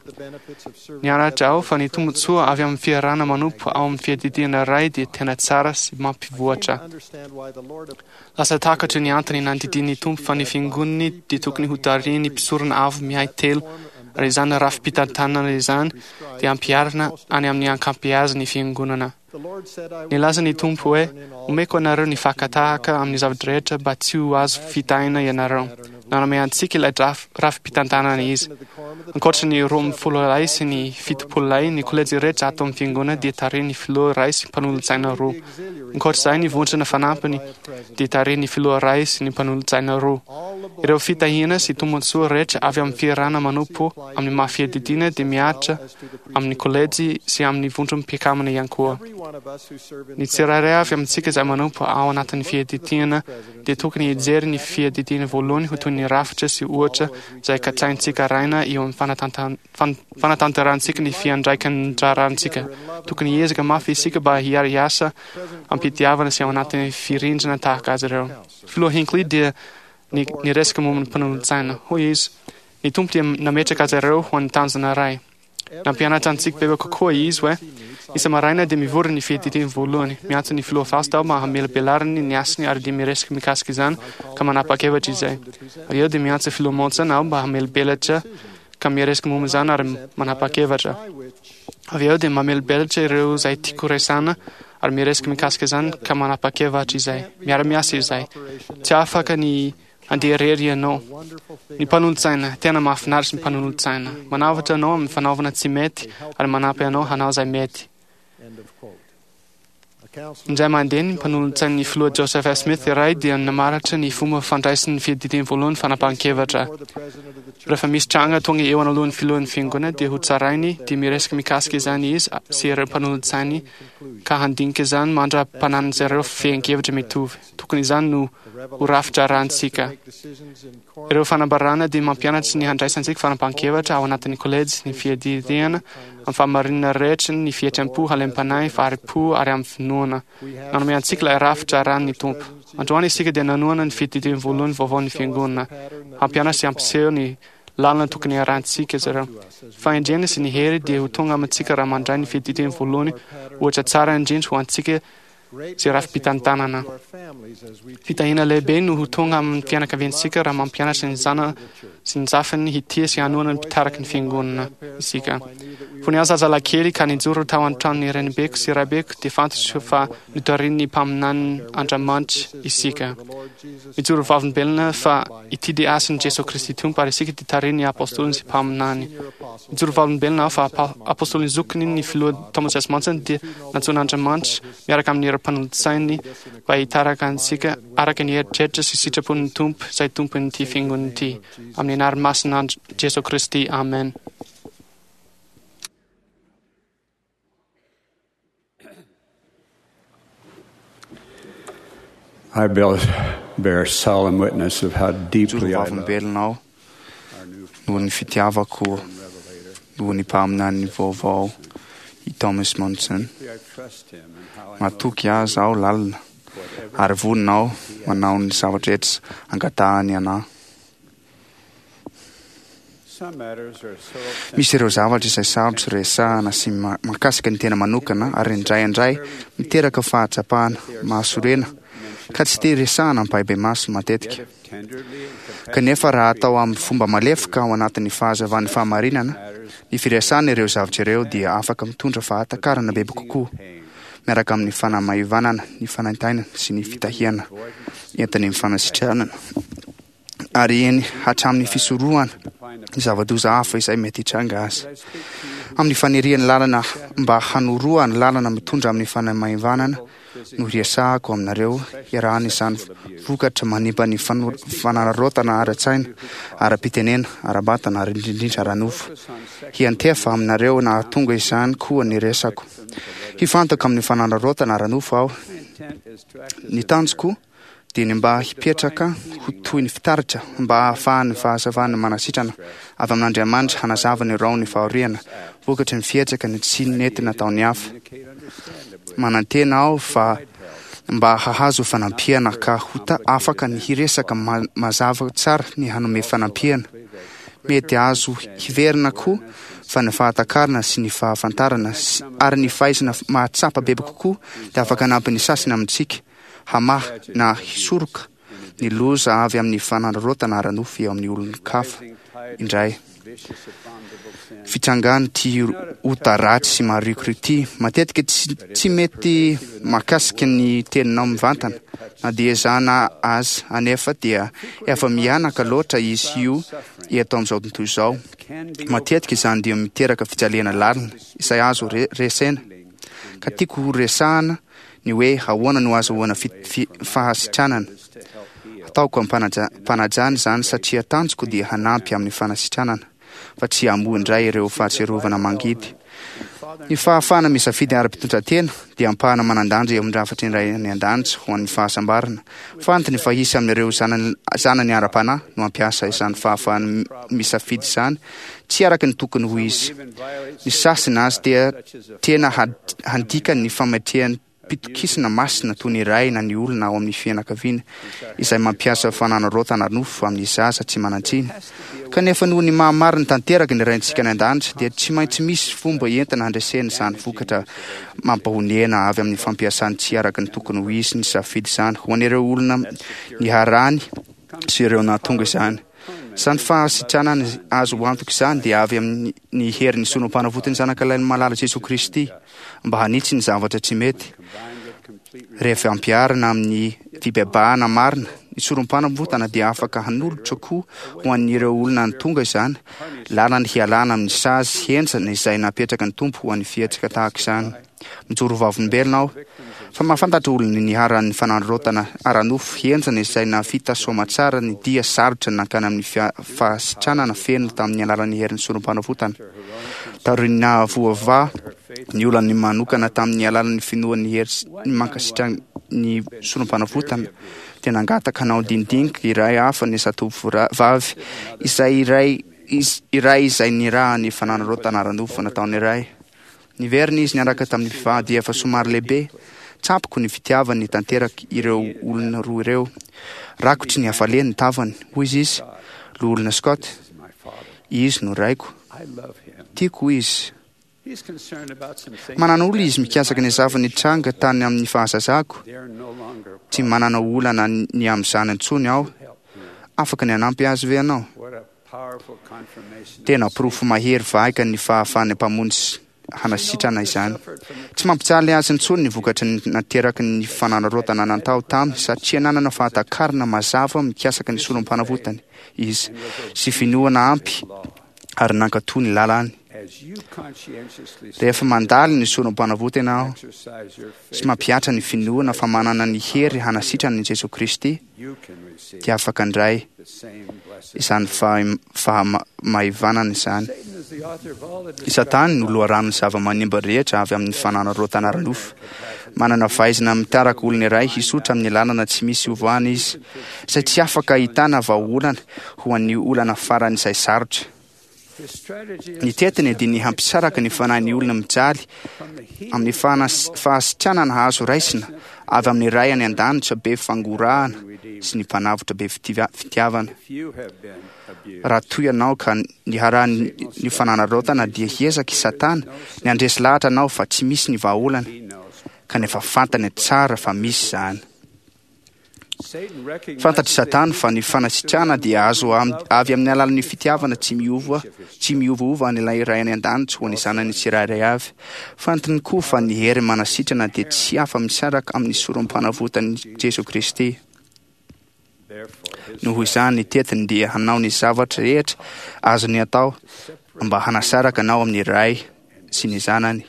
Nianatra aho fa ny tombontsoa avy amin'ny fiarahana manompo ao amin'ny fiadidiana iray dia tena tsara sy mampivoatra. Lasa takatro ny antony nandidian'ny Tompo fa ny fiangonany dia tokony ho tarihin'ny mpisorona avo miahy telo ary izany rafi-pitantanana izany dia ampiharina any amin'ny ankampiazin'ny fiangonana. Nilaza ny Tompo hoe omeko anareo ny fakatahaka amin'ny zavatra rehetra mba tsy ho azo fitahina ianareo. Nanome antsika ilay rafi-pitantanana izy. Ankoatra ny roa ambin'ny folo lahy sy ny fitopolo lahy, ny kolejy rehetra ato amin'ny fiangonana dia tarihin'ny filoha iray sy mpanolotsaina roa. Ankoatra izay, ny vondrona fanampiny dia tarihin'ny filoha iray sy ny mpanolotsaina roa. Ireo fitahiana sy tombontsoa rehetra avy amin'ny fiarahana manompo amin'ny maha fiadidiana dia mihatra amin'ny kolejy sy amin'ny vondrom-pikamana ihany koa. Ny tsirairay avy amintsika izay manompo ao anatin'ny fiadidiana dia tokony hijery ny fiadidiana voalohany ho toy ny rafitra sy ohatra izay katsahintsika arahina eo amin'ny fanatantan- fan- fanatanterahantsika ny fiandraikan-draharahantsika. Tokony hiezaka mafy isika mba hiara-hiasa am-pitiavana sy ao anatin'ny firindrana tahaka azy ireo. Filoha Hinckley dia ny niresaka momba ny mpanolotsaina. Hoy izy, ny Tompo dia nametraka azy ireo ho an'ny tanjona iray. Nampianatra antsika bebe kokoa izy hoe isa-maraina dia mivory ny fiadidiany voalohany. Miantso ny filoha Faust aho mba hamelabelarany ny asany ary dia miresaka mikasika izany ka manapa-kevitra izay. Avy eo dia miantso filoha Monson aho mba hamelabelatra ka miresaka momba izany ary manapa-kevitra. Avy eo dia mamelabelatra ireo izay tiako resahana ary miresaka mikasika izany ka manapa-kevitra izay. Miara-miasa izay. Tsy afaka ny handeha irery ianao. Ny mpanolotsaina, tena mahafinaritra ny mpanolotsaina. Manavotra anao amin'ny fanaovana tsy mety ary manampy anao hanao izay mety. Indray mandeha ny mpanolotsain'ny filoha Joseph F. Smith iray dia namaritra ny fomba fandraisan'ny fiadidiany voalohany fanapahan-kevitra. Rehefa misy tranga tonga eo anoloan'ny filohan'ny fiangonana dia ho tsarainy dia miresaka mikasika izany izy sy ireo mpanolotsainy ka handinika izany mandra-pananan'izy ireo fehin-kevitra mitovy. Tokony izany no ho rafitra arahantsika. Ireo fanambarana dia mampianatra ny handraisantsika fanapahan-kevitra ao anatin'ny kolejy, ny fiadidiana, amin'ny fahamarinana rehetra, ny fihetseham-po, halem-panahy, fahari-po ary amin'ny finoana. Nanome antsika ilay rafitra arahan'ny Tompo. Androany isika dia nanohana ny fiadidiana voalohany vaovaon'ny fiangonana. Hampianatra sy hampiseho ny lalana tokony harahantsika izy ireo. Fahendrena sy ny hery dia ho tonga amintsika raha mandray ny fiadidiana voalohany ohatra tsara indrindra ho antsika sy rafi-pitantanana. Fitahiana lehibe no ho tonga amin'ny fianakaviantsika raha mampianatra ny zana sy ny zafiny hitia sy hanohana ny mpitariky ny fiangonana isika. Fony aho zazalahy kely ka nijoro tao an-tranon'ny renibeko sy raibeko dia fantatro fa notarihin'ny mpaminanin'Andriamanitra isika. Mijoro vavolombelona fa ity dia asan'i Jesoa Kristy Tompo ary isika dia tarihin'ny apôstôliny sy mpaminany. Mijoro vavolombelona aho fa apôstôlin'ny zokiny ny filoha Thomas S. Monson dia nantsoin'Andriamanitra miaraka amin'ireo mpanolotsainy mba hitarika antsika araka ny eritreritra sy sitrapon'ny Tompo izay tompon'ity fiangonana ity. Amin'ny anaran'ny masina Jesoa Kristy. Amen. I bear, bear solemn witness of how deeply I love vavolombelona aho noho ny fitiavako noho ny mpaminany vaovao i Thomas Monson. Matoky azy aho lalina ary vonona aho manao ny zavatra rehetra angatahany anahy. Misy ireo zavatra izay sarotra resahana sy ma- mahakasika ny tena manokana ary indraindray miteraka fahatsapana mahasorena ka tsy te resahana ampahibemaso matetika. Kanefa raha atao amin'ny fomba malefaka ao anatin'ny fahazavan'ny fahamarinana, ny firesahana ireo zavatra ireo dia afaka mitondra fahatakarana bebe kokoa miaraka amin'ny fanamaivanana ny fanaintainana sy ny fitahiana entin'ny fanasitranana ary eny hatramin'ny fisorohana ny zava-doza hafa izay mety hitranga azy. Amin'ny fanirian'ny lalana mba hanoroa ny lalana mitondra amin'ny fanamaivanana no hiresahako aminareo iarahana izany vokatra manimba ny fano- fanararaotana ara-tsaina, ara-pitenena, ara-batana ary indrindrindra ara-nofo. Hiantefa aminareo nahatonga izany koa ny resako. Hifantoka amin'ny fanararaotana ara-nofo aho. Ny tanjoko dia ny mba hipetraka ho toy ny fitaratra mba hahafahan'ny fahazavan'ny manasitrana avy amin'Andriamanitra hanazava ny rahon'ny fahoriana vokatry ny fihetsika ny tsy nety nataon'ny hafa. Manantena aho fa mba hahazo fanampiana ka ho ta- afaka ny hiresaka ma- mazava tsara ny hanome fanampiana. Mety azo hiverina koa fa ny fahatakarana sy ny fahafantarana sy- ary ny fahaizana mahatsapa bebe kokoa dia afaka hanampy ny sasany amintsika hamaha na hisoroka ny loza avy amin'ny fanararaotana ara-nofo eo amin'ny olon-kafa indray. Fitsangany ty ota ratsy sy marikoriko ity matetika tsy, tsy mety mahakasika ny teninao mivantana na dia ezahana azy anefa dia efa mihanaka loatra izy io eto amin'izao tontolo izao. Matetika izany dia miteraka fijaliana lalina izay azo re- resena. Ka tiako ho resahana ny hoe ahoana no azahoana fi- fi- fahasitranana. Ataoko am-panajana izany satria tanjoko dia hanampy amin'ny fanasitranana, fa tsy hamoha indray ireo fahatsiarovana mangidy. Ny fahafahana misafidy ara-pitondran-tena dia ampahana manan-danja eo amin'ny rafitry ny Ray any an-danitra ho an'ny fahasambarana. Fantany fa hisy amin'ireo zanany, zanany ara-panahy no hampiasa izany fahafahana misafidy izany tsy araka ny tokony ho izy. Ny sasany azy dia tena handika ny fametreham-pitokisana masina toy ny ray na ny olona ao amin'ny fianakaviana izay mampiasa fanararaotana ara-nofo amin'ny zaza tsy manan-tsiny. Kanefa noho ny maha-marina tanteraka ny Raintsika any an-danitra dia tsy maintsy misy fomba entina handresena izany vokatra mampahonena avy amin'ny fampiasany tsy araka ny tokony ho izy ny safidy izany ho an'ireo olona niharany sy ireo nahatonga izany. Izany fahasitranana azo antoka izany dia avy amin'ny herin'ny sorompanavotan'ny Zanakalahin'ny Malala Jesoa Kristy mba hanitsy ny zavatra tsy mety. Rehefa ampiharina amin'ny fibebahana marina, ny sorompanavotana dia afaka hanolotra koa ho an'ireo olona tonga izany lalana hialana amin'ny sazy henjana izay napetraka ny Tompo ho an'ny fihetsika tahaka izany. Mijoro vavolombelona aho fa mahafantatra olona niharan'ny fanararaotana ara-nofo henjana izay nahavita soamatsara ny dia sarotra nankany amin'ny fahasitranana feno tamin'ny alalan'ny herin'ny sorompanavotana. Taorian'ny nahavoavaha ny olany manokana tamin'ny alalan'ny finoan'ny hery mankasitraka ny sorompanavotana, dia nangataka hanao dinidinika iray hafa ny zatovovavy izay iray iray izay nirahan'ny fanararaotana ara-nofo nataony iray. Niverina izy niaraka tamin'ny mpivady efa somary lehibe. Tsapako ny fitiavany tanteraka ireo olona roa ireo. Rakotry ny hafaliany ny tavany, hoy izy, Loholona Scott, izy no raiko. Tiako izy. Manana olana izy mikasika ny zava-nitranga tany amin'ny fahazazako. Tsy manana olana ny amin'izany intsony aho. Afaka ny hanampy azy ve ianao? Tena porofo mahery vaika ny fahafahan'ny Mpamonjy hanasitrana izany. Tsy mampijaly azy intsony ny vokatry ny nateraky ny fanararaotana natao taminy satria nanana fahatakarana mazava mikasika ny sorompanavotany izy sy finoana ampy ary nankatò ny lalany. Rehefa mandalo ny sorompanavotana aho sy mampihatra ny finoana fa manana ny hery hanasitrana ny Jesoa Kristy, dia afaka handray izany fahamaivanana izany. I Satana no loharanon'ny zava-manimba rehetra avy amin'ny fanararaotana ara-nofo. Manana fahaizana mitarika olona iray hisotra amin'ny lalana tsy misy ovoana izy, izay tsy afaka ahitana vahaolana ho an'ny olana faran'izay sarotra. Ny tetiny dia ny hampisaraka ny fanahin'ny olona mijaly amin'ny fahasitranana azo raisina avy amin'ny Ray any an-danitra be fangorahana sy ny Mpanavotra be fitiavana. Raha toa ianao ka niharan'ny fanararaotana dia hiezaka i Satana ny handresy lahatra anao fa tsy misy ny vahaolana, kanefa fantany tsara fa misy izany. Fantatr'i Satana fa ny fanasitrana dia azo avy amin'ny alalan'ny fitiavana tsy miova tsy miovaova an'ilay Ray any an-danitra ho an'ny zanany tsirairay avy. Fantany koa fa ny hery manasitrana dia tsy afa-misaraka amin'ny sorompanavotan'i Jesoa Kristy. Noho izany, ny tetiny dia hanao ny zavatra rehetra azony atao mba hanasaraka anao amin'ny Ray sy ny Zanany.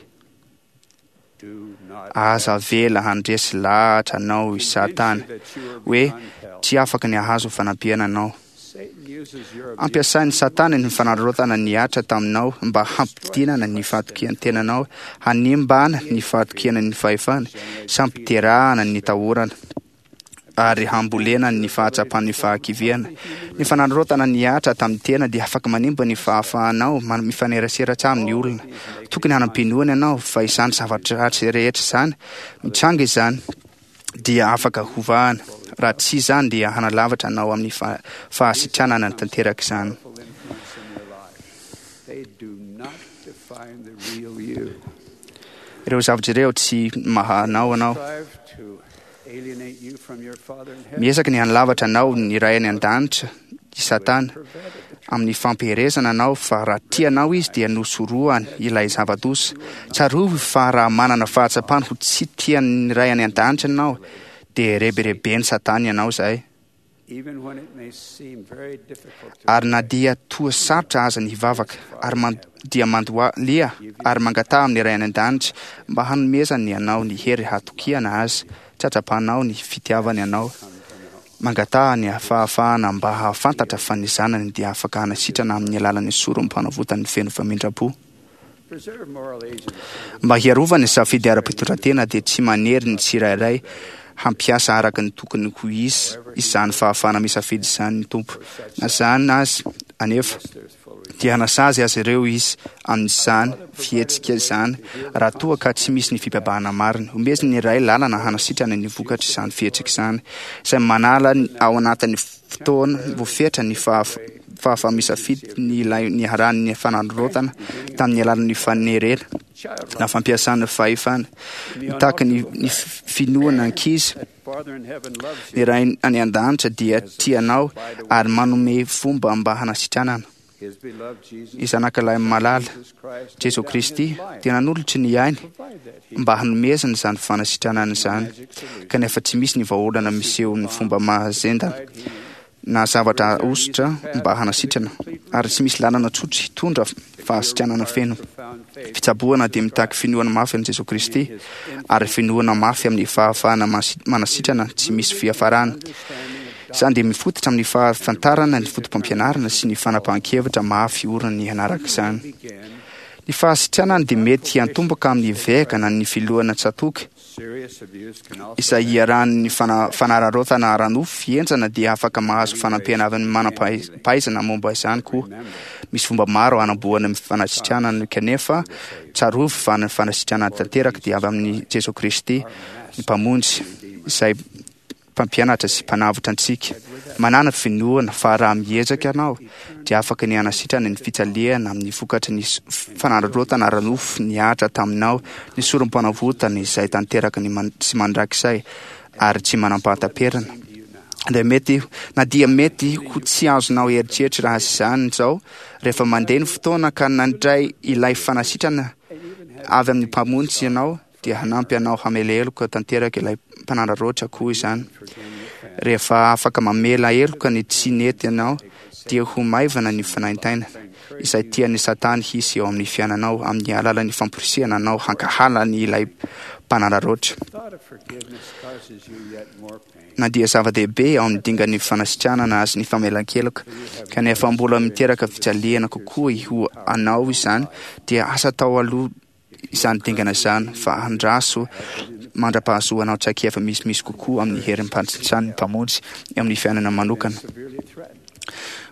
Aza avela handresy lahatra anao i Satana hoe tsy afaka ny hahazo fanampiana anao. Ampiasain'i Satana ny fanararaotana nihatra taminao mba hampidinana ny fahatokian-tenanao, hanimbana ny fahatokiana ny fahefana, sy hampiterahana ny tahorana, ary hambolena ny fahatsapan'ny fahakiviana. Ny fanararaotana nihatra tamin'ny tena dia afaka manimba ny fahafahanao mifanerasera tsara amin'ny olona. Tokony hanam-pinoana ianao fa izany zavatra ratsy rehetra izany mitranga izany dia afaka hovahana. Raha tsy izany dia hanalavitra anao amin'ny fahasitranana tanteraka izany. Ireo zavatra ireo tsy maha anao anao. Miezaka ny hanalavatra anao ny Ray any an-danitra i Satana amin'ny fampiherezana anao fa raha tia anao izy dia nosorohany ilay zava-doza. Tsarovy fa raha manana fahatsapana ho tsy tian'ny Ray any an-danitra ianao dia rebireben'i Satana ianao izay. Ary na dia toa sarotra aza ny hivavaka, ary man, dia mandohalia ary mangataha amin'ny Ray any an-danitra mba hanomezany anao ny hery hatokiana azy, tsy hatsapanao ny fitiavany anao. Mangataha ny fahafahana mba hahafantatra fa ny zanany dia afaka hanasitrana amin'ny alalan'ny sorom-panavotany feno famindram-po. Mba hiarovana ny safidy ara-pitondran-tena dia tsy manery ny tsirairay hampiasa araka ny tokony ho izy izany fahafahana misafidy izany ny Tompo. Na izany aza anefa dia hanasazy azy ireo izy amin'izany fihetsika izany raha toa ka tsy misy ny fibebahana marina. Omeziny ny Ray lalana hanasitrana ny vokatr' izany fihetsika izany, izay manala ao anatin'ny fotoana voafetra ny fahafaha-misafidy ny ilay niharan'ny fanararaotana tamin'ny alalan'ny fanerena na fampiasana fahefana. Mitaky ny, ny finoana ankizy, ny Ray any an-danitra dia tia anao ary manome fomba mba hanasitranana. Ny Zanakalahy malala, Jesosy Kristy, dia nanolotra ny ainy mba hanomezana izany fanasitranana izany, kanefa tsy misy ny vahaolana miseho ny fomba mahazendana na zavatra ahosotra mba hanasitrana, ary tsy misy lalana tsotra hitondra fahasitranana feno. Fitsaboana dia mitaky finoana mafy amin'i Jesosy Kristy, ary finoana mafy amin'ny fahafahana manasitrana tsy misy fiafarana. Izany dia mifototra amin'ny fahafantarana ny fotopampianarana sy ny fanapahan-kevitra mafy orina ny hanaraka izany. Ny fahasitranana dia mety hiantomboka amin'ny eveka na ny filohana tsatoka izay iarahan'ny fanararaotana ara-nofo henjana dia afaka mahazo fanampiana avy amin'ny manam-pahaizana momba izany koa. Misy fomba maro hanamboana ny fanasitranana, kanefa tsarovy fa ny fanasitranana tanteraka dia avy amin'i Jesosy Kristy, ny Mpamonjy, izay mpampianatra sy mpanavotra antsika. Manana finoana fa raha miezaka ianao dia afaka ny hanasitrana ny fijaliana amin'ny vokatry ny fanararaotana ara-nofo nihatra taminao, ny sorom-panavotana izay tanteraka ny sy mandrakizay ary tsy manam-pahataperana. Dia mety, na dia mety ho tsy azonao eritreritra raha izany izao, rehefa mandeha ny fotoana ka nandray ilay fanasitrana avy amin'ny Mpamonjy ianao, dia hanampy anao hamela heloka tanteraka ilay mpanararaotra koa izany. Rehefa afaka mamela heloka ny tsy nety ianao, dia ho maivana ny fanaintainana izay tian'ny Satana hisy eo amin'ny fiainanao amin'ny alalan'ny famporisihana anao hankahala ny ilay mpanararaotra. Na dia zava-dehibe ao amin'ny dingan'ny fanasitranana azy ny famelan-keloka, kanefa mbola miteraka fijaliana kokoa ho anao izany, dia asa atao aloha izany dingana izany fa andraso mandra-pahazoanao traikefa misimisy kokoa amin'ny herim-panjitran'ny Mpamonjy eo amin'ny fiainana manokana.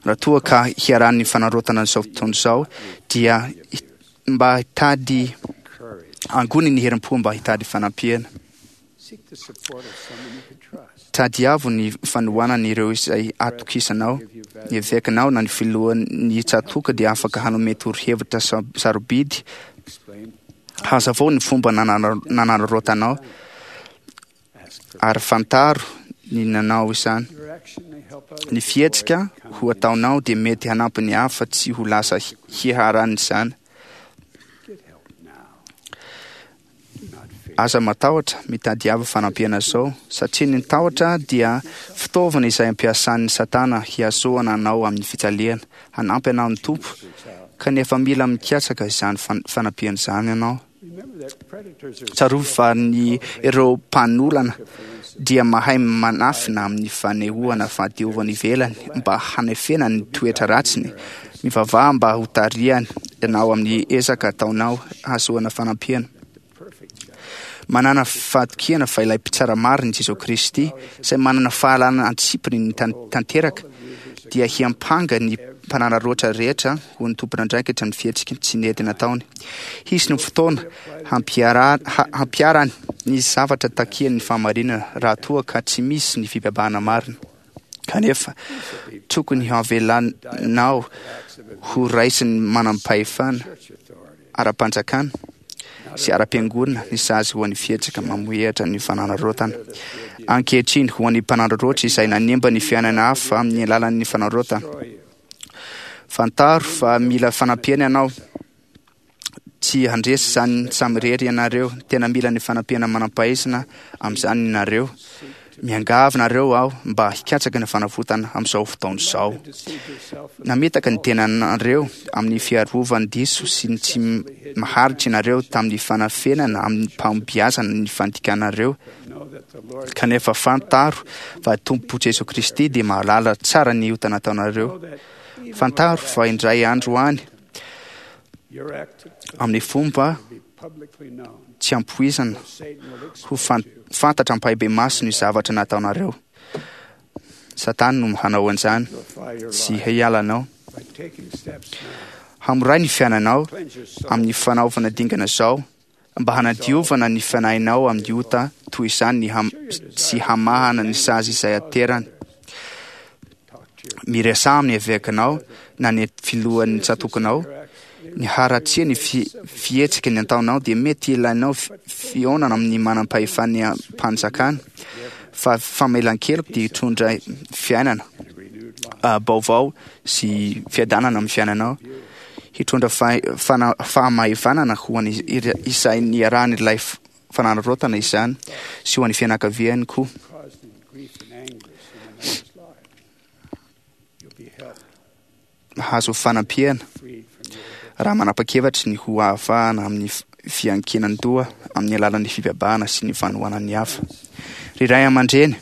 Raha toa ka hiarahan'ny fanarotana izao fotoana izao, dia mba hitady angony ny herim-po mba hitady fanampiana. Tadiavo ny fanohanana ireo izay atokisanao. Ny evekanao na ny filohan'ny tsatoka dia afaka hanome torohevitra sarobidy. Hazavao ny fomba nanararaotanao ary fantaro ny nanao izany. Ny fihetsika ho ataonao dia mety hanampy ny hafa tsy ho lasa hiharan'izany. Aza matahotra, mitadiava fanampiana izao, satria ny tahotra dia fitaovana izay ampiasan'ny Satana hiazoana anao amin'ny fijaliana. Hanampy anao ny Tompo, kanefa mila mikatsaka izany fanampiana izany ianao. Tsarovy fa ny ireo mpanolana dia mahay manafina amin'ny fanehoana fahadiovana ivelany mba hanefena ny toetra ratsiny. Mivavaha mba ho tarihany ianao amin'ny ezaka ataonao hahazoana fanampiana. Manana fahatokiana fa ilay mpitsara marina Jesosy Kristy, izay manana fahalalana antsipiny ny tanteraka, dia hiampanga ny mpanararaotra rehetra ho ny tompon'andraikitra ny fihetsika tsy nety nataony. Hisy ny fotoana hampiharany ny zavatra takian'ny fahamarinana raha toa ka tsy misy ny fibebahana marina. Kanefa tokony havelanao ho raisin'ny manam-pahefana ara-panjakana sy ara-piangonana ny sazy ho an'ny fihetsika mamohehatra ny fanararaotana. Ankehitriny, ho an'ny mpanararaotra izay nanimba ny fiainana hafa amin'ny alalan'ny fanararaotana, fantaro fa mila fanampiana ianao. Tsy handresy izany samirery ianareo. Tena mila ny fanampiana manam-pahaizana amin'izany ianareo. Miangavy nareo aho mba hikatsaka ny fanavotana amin'izao fotoana izao. Nametaka ny tenanareo amin'ny fiarovany diso sy ny tsy maharitra ianareo tamin'ny fanafenana amin'ny mpahombiazana ny fandikanareo. Kanefa fantaro fa Tompo Jesoa Kristy dia mahalala tsara ny ota nataonareo. Fantaro fa indray andro any amin'ny fomba tsy ampoizana ho fantatra ampahibemaso ny zavatra nataonareo. Satana no hanao an'izany, tsy hialanao. Hamoray ny fiainanao amin'ny fanaovana dingana izao mba hanadiovana ny fanahinao amin'ny ota toy izany ny ham sy hamahana ny sazy izay aterany. Miresaha amin'ny evekanao na ny filohan'ny tsatokanao. Ny haratsiana ny fihetsika ny ataonao dia mety ilainao fihaonana amin'ny manam-pahefan'ny mpanjakana, fa famelan-keloka dia hitondra fiainana baovao sy fiadanana amin'ny fiainanao. Hitondra fahamaivanana ho an'ny izay niarahan'ilay fanararaotana izany sy ho an'ny fianakaviany koa. Mahazo fanampiana raha manapa-kevitra ny ho ahafahana amin'ny fiankinan-doha amin'ny alalan'ny fibebahana sy ny fanohanan'ny hafa. Ry ray aman-dreny,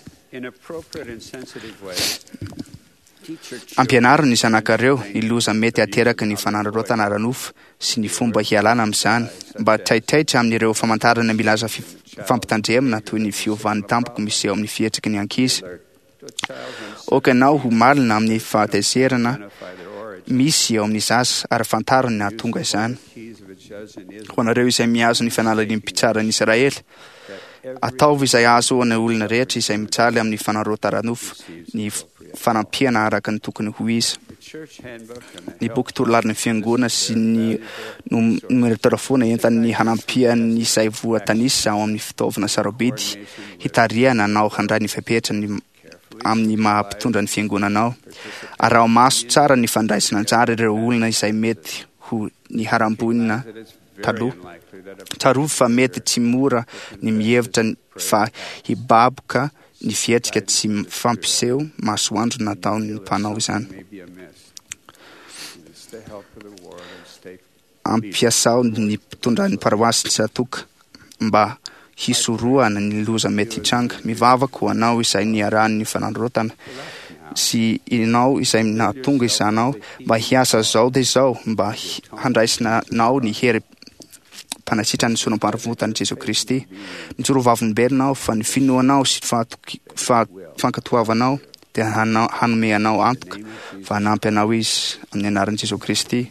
ampianaro ny zanakareo ny loza mety ateraka ny fanararaotana ara-nofo sy ny fomba hialana amin'izany, mba taitaitra amin'ireo famantarana milaza fampitandremana toy ny fiovan'ny tampoka miseho amin'ny fihetsiky ny ankizy. Aoka ianao ho malina amin'ny fahatezerana misy eo amin'ny zaza ary fantaro ny nahatonga izany. Ho anareo izay mihazo ny fanalahidin'ny mpitsaran'i Israely, ataovy izay ahazoan'ny olona rehetra izay mijaly amin'ny fanararaotana ara-nofo ny fanampiana araka ny tokony ho izy. Ny boky torolarin'ny fiangonana sy ny nomerotarafoana entan'ny hanampian'ny izay voatanisa ao amin'ny fitaovana sarobidy hitarihana anao handray ny fepetra ny amin'ny maha-mpitondra ny fiangonanao. Araho maso tsara ny fandraisana anjara ireo olona izay mety ho niharam-boina taloha. Tsarovy fa mety tsy mora ny mihevitra fa hibaboka ny fihetsika tsy fampiseho masoandro nataon'ny mpanao izany. Ampiasao ny mpitondra ny paroasy tsatoka mba hisorohana ny loza mety hitranga. Mivavaka ho anao izay niarahan'ny fanararaotana sy ianao izay nahatonga izanao mba hiasa zao dia izao mba handraisinao ny hery mpanasitra ny sorom-paravotan'i Jesoa Kristy. Mijoro vavolombelona aho fa ny finoanao sy fankatoavanao dia hanome anao antoka fa hanampy anao Izy amin'ny anaran'i Jesoa Kristy.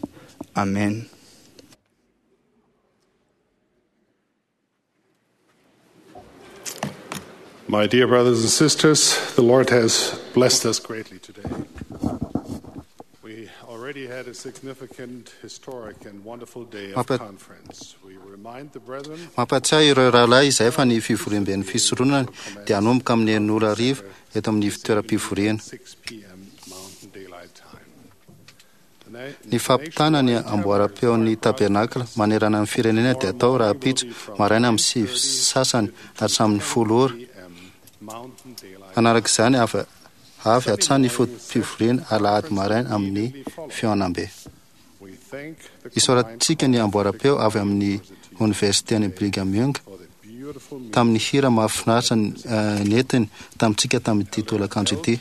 Amen. My dear brothers and sisters, the Lord has blessed us greatly today. We already had a significant, historic, and wonderful day of conference. We remind the brethren. Mampatsiahy ireo rahalahy izay fa ny fivoriamben'ny fisoronana dia hanomboka amin'ny enina ora hariva eto amin'ny fitoeram-pivoriana. Ny fampitana ny amboaram-peon'ny tabernakla manerana ny firenena dia atao rahampitso maraina amin'ny sivy sasany hatramin'ny folo ora. Hanaraka izany avy avy hatrany ny foto-pivoriana alahady maraina amin'ny fihaonambe. Isaorantsika ny amboaram-peo avy amin'ny oniversiten'i Brigham Young tamin'ny hira mahafinaritra nentiny tamintsika tamin'ity tolakandro ity.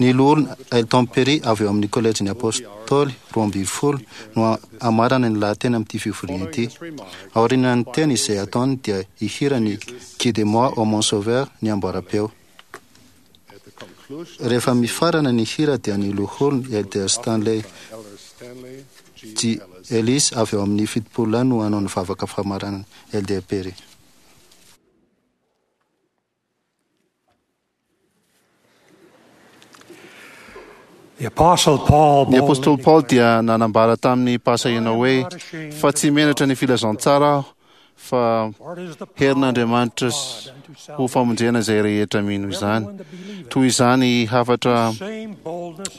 Ny loholona Elton Perry avy eo amin'ny kolejin'ny Apôstôly roa ambin'ny folo no hamarana ny lahateny amin'ity fivoriana ity. Aorian'ny teny izay ataony dia hihira ny Guide-moi ô mon sauveur ny amboaram-peo. Rehefa mifarana ny hira dia ny loholona Elder Stanley G. Ellis avy eo amin'ny fitopolo lahy no hanao ny vavaka famaranana Elder Perry. Ny apôstôly Paoly dia nanambara tamin'ny mpahasahiana hoe fa tsy menatra ny filazantsara aho fa herin'Andriamanitra ho famonjena izay rehetra mino izany. Toy izany hafatra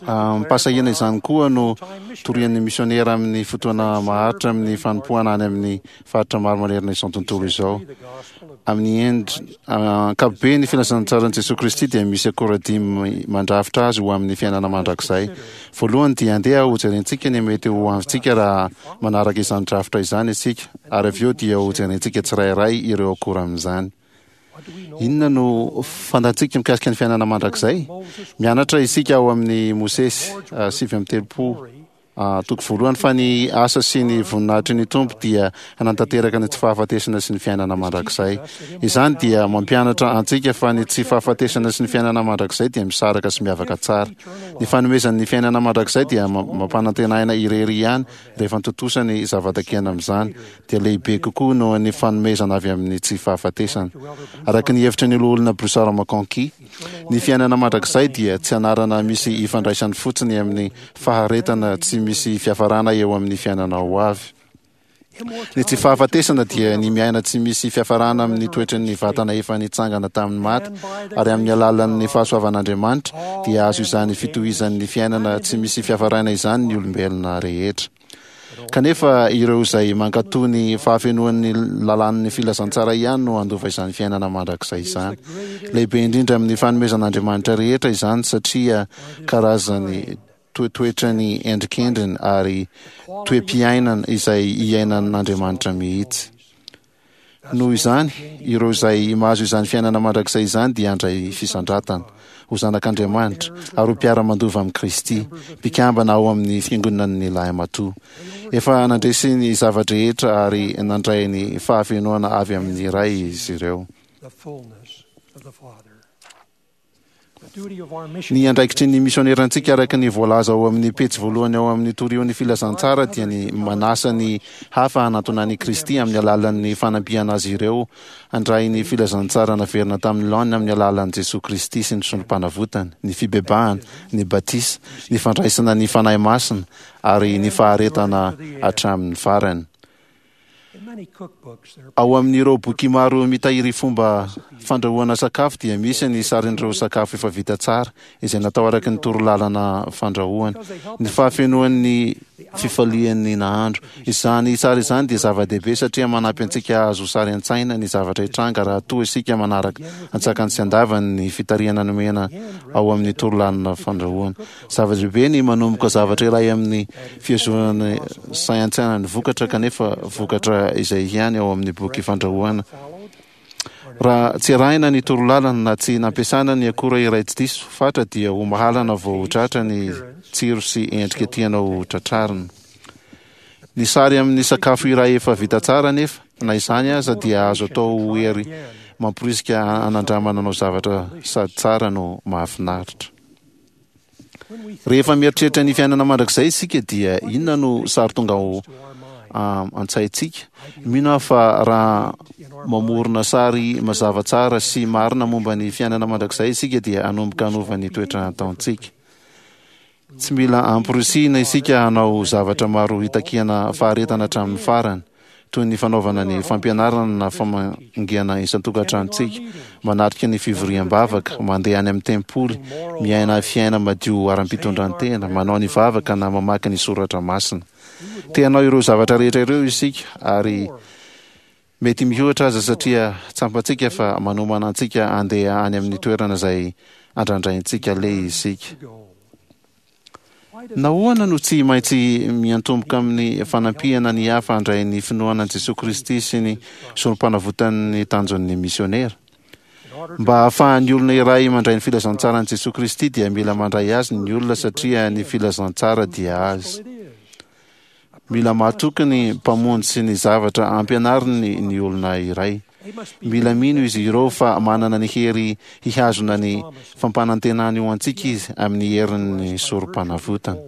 Amim-pahasahiana izany koa no torian'ny misionera amin'ny fotoana maharitra amin'ny fanompoana any amin'ny faritra maro manerana izao tontolo izao. Amin'ny endriny ankapobeny, ny filazantsaran'i Jesoa Kristy dia misy akora dimy mandrafitra azy ho amin'ny fiainana mandrakizay. Voalohany dia andeha hojerentsika ny mety ho avintsika raha manaraka izany drafitra izany isika, ary avy eo dia hojerentsika tsirairay ireo akora amin'izany. Inona no fantatsika mikasika ny fiainana mandrakizay? Mianatra isika ao amin'ny Mosesy sivy amby telopolo toko voalohany fa ny asa sy ny voninahitry ny Tompo dia hanatanteraka ny tsy fahafatesana sy ny fiainana mandrakizay. Izany dia mampianatra antsika fa ny tsy fahafatesana sy ny fiainana mandrakizay dia misaraka sy miavaka tsara. Ny fanomezan'ny fiainana mandrakizay dia mampanantenaina irery ihany rehefa tontosa ny zava-takiana amin'izany, dia lehibe kokoa noho ny fanomezana avy amin'ny tsy fahafatesana. Araka ny hevitry ny loholona Bruce R. McConkie, ny fiainana mandrakizay dia tsy anarana misy ifandraisany fotsiny amin'ny faharetana tsy misy fiafarana eo amin'ny fiainana ho avy. Ny tsy fahafatesana dia ny miaina tsy misy fiafarana amin'ny toetran'ny vatana efa nitsangana tamin'ny maty, ary amin'ny alalan'ny fahasoavan'Andriamanitra dia azo izany fitohizan'ny fiainana tsy misy fiafarana izany ny olombelona rehetra. Kanefa ireo izay mankatò ny fahafenoan'ny lalàn'ny filazantsara ihany no handova izany fiainana mandrakizay izany. Lehibe indrindra amin'ny fanomezan'Andriamanitra rehetra izany satria karazany toetoetrany endrikendriny ary toe-piainana izay iainan'Andriamanitra mihitsy. Noho izany, ireo izay mahazo izany fiainana mandrakizay izany dia handray fisandratana, ho zanak'Andriamanitra, ary ho mpiara-mandova amin'i Kristy, mpikambana ao amin'ny fiangonan'ny lahimatoa. Efa nandresy ny zava-drehetra ary nandray ny fahafenoana avy amin'ny Ray izy ireo. Ny andraikitry ny misionerantsika araka ny voalaza ao amin'ny pejy voalohany ao amin'ny Torio ny Filazantsara dia ny manasa ny hafa hanatona an'i Kristy amin'ny alalan'ny fanampiana azy ireo handray ny filazantsara naverina tamin'ny laoniny amin'ny alalan'i Jesoa Kristy sy ny solom-panavotany, ny fibebahana, ny batisa, ny fandraisana ny Fanahy Masina ary ny faharetana hatramin'ny farany. Ao amin'ireo boky maro mitahiry fomba fandrahoana sakafo dia misy ny sarin'ireo sakafo efa vita tsara izay natao araka ny torolalana fandrahoana, ny fahafenoan'ny fifalian'ny nahandro. Izany sary izany dia zava-dehibe satria manampy antsika hahazo sary an-tsaina ny zavatra hitranga raha toa isika manaraka antsakany sy andavany ny fitarihana nomena ao amin'ny torolalana fandrahoana. Zava-dehibe ny manomboka zavatra iray amin'ny fihazonana sain-tsaina ny vokatra kanefa vokatra izay ihany ao amin'ny boky fandrahoana. Raha tsy arahina ny torolalana na tsy nampiasana ny akora iray tsy diso fatra dia ho mahalana vao ho tratra ny tsiro sy endrika tianao ho tratrarina. Ny sary amin'ny sakafo iray efa vita tsara anefa, na izany aza, dia azo atao ho hery mamporisika hanandramana anao zavatra sady tsara no mahafinaritra. Rehefa mieritreritra ny fiainana mandrakizay isika dia inona no sary tonga ao an-tsaintsika? Mino aho fa raha mamorona sary mazava tsara sy marina momba ny fiainana mandrakizay isika dia hanomboka hanova ny toetra ataontsika. Tsy mila amporisihina isika hanao zavatra maro hitakiana faharetana hatramin'ny farany, toy ny fanaovana ny fampianarana na famangiana isan-tokantranontsika, manatrika ny fivoriam-bavaka, mandeha any amin'ny tempoly, miaina fiaina madio ara-pitondran-tena, manao ny vavaka na mamaky ny soratra masina. Te hanao ireo zavatra rehetra ireo isika ary mety mihoatra aza satria tsapantsika fa manomana antsika handeha any amin'ny toerana izay andrandraintsika aleha isika. Nahoana no tsy maintsy miantomboka amin'ny fanampiana ny hafa handray ny finoana an'i Jesoa Kristy sy ny sorompanavotan'ny tanjon'ny misionera? Mba hahafahan'ny olona iray mandray ny filazantsaran'i Jesoa Kristy dia mila mandray azy ny olona satria ny filazantsara dia azy. Mila mahatoky ny Mpamonjy sy ny zavatra ampianariny ny olona iray. Mila mino izy ireo fa manana ny hery hihazona ny fampanantenany ho antsika Izy amin'ny herin'ny Sorompanavotana.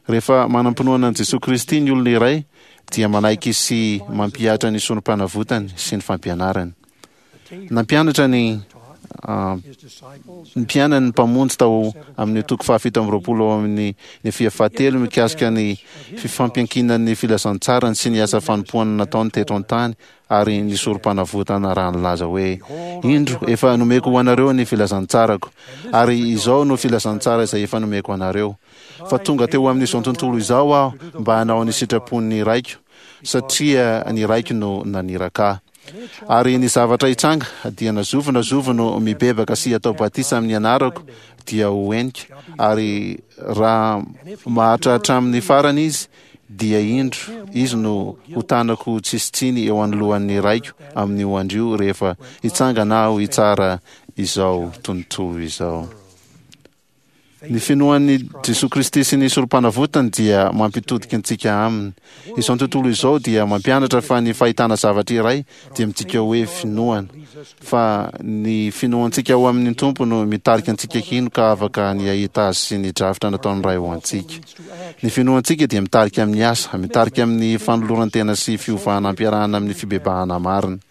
Rehefa manam-pinoana an'i Jesoa Kristy ny olona iray dia manaiky sy mampihatra ny Sorompanavotany sy ny fampianarany. Nampianatra ny ny mpianany ny Mpamonjy tao amin'ny toko fahafito amby roapolo ao amin'ny Nefia fahatelo mikasika ny fifampiankinan'ny filazantsarany sy ny asa fanompoana nataony teto an-tany ary ny sorom-panavotana raha nilaza hoe, Indro, efa nomeko ho anareo ny filazantsarako, ary izao no filazantsara izay efa nomeko anareo, fa tonga teo amin'izao tontolo izao Aho mba hanao ny sitrapon'ny Raiko, satria ny Raiko no naniraka Ahy. Ary ny zavatra hitranga, dia na zovy na zovy no mibebaka sy atao batisa amin'ny anarako dia ho henika, ary raha maharitra hatramin'ny farany izy, dia indro, izy no ho tanako tsisy tsiny eo anoloan'ny Raiko amin'io andro io rehefa hitsangana Aho hitsara izao tontolo izao. Ny finoan'i Jesoa Kristy sy ny Sorompanavotany dia mampitodika antsika Aminy. Izao tontolo izao dia mampianatra fa ny fahitana zavatra iray dia midika hoe finoana, fa ny finoantsika ao amin'ny Tompo no mitarika antsika hino ka afaka ny hahita Azy sy ny drafitra nataon'ny Ray ho antsika. Ny finoantsika dia mitarika amin'ny asa, mitarika amin'ny fanoloran-tena sy fiovana ampiarahana amin'ny fibebahana marina.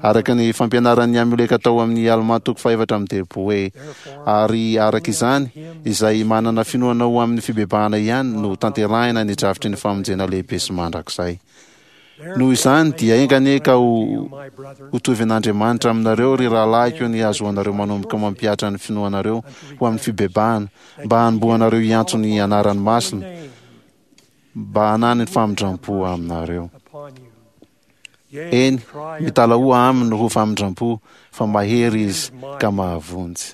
Araka ny fampianaran'i Amioleka tao amin'ny Almà toko fahefatra amby telopolo hoe, Ary araka izany, izay manana finoana ho amin'ny fibebahana ihany no tanterahina ny drafitry ny famonjena lehibe sy mandrakizay. Noho izany, dia enga anie ka ho hotovin'Andriamanitra aminareo, ry rahalahiko, ny hahazoanareo manomboka mampihatra ny finoanareo ho amin'ny fibebahana, mba hanombohanareo hiantso ny anarany masina, mba hanany famindram-po aminareo. Eny, mitalahoa aminy ho famindram-po, fa mahery izy ka mahavonjy.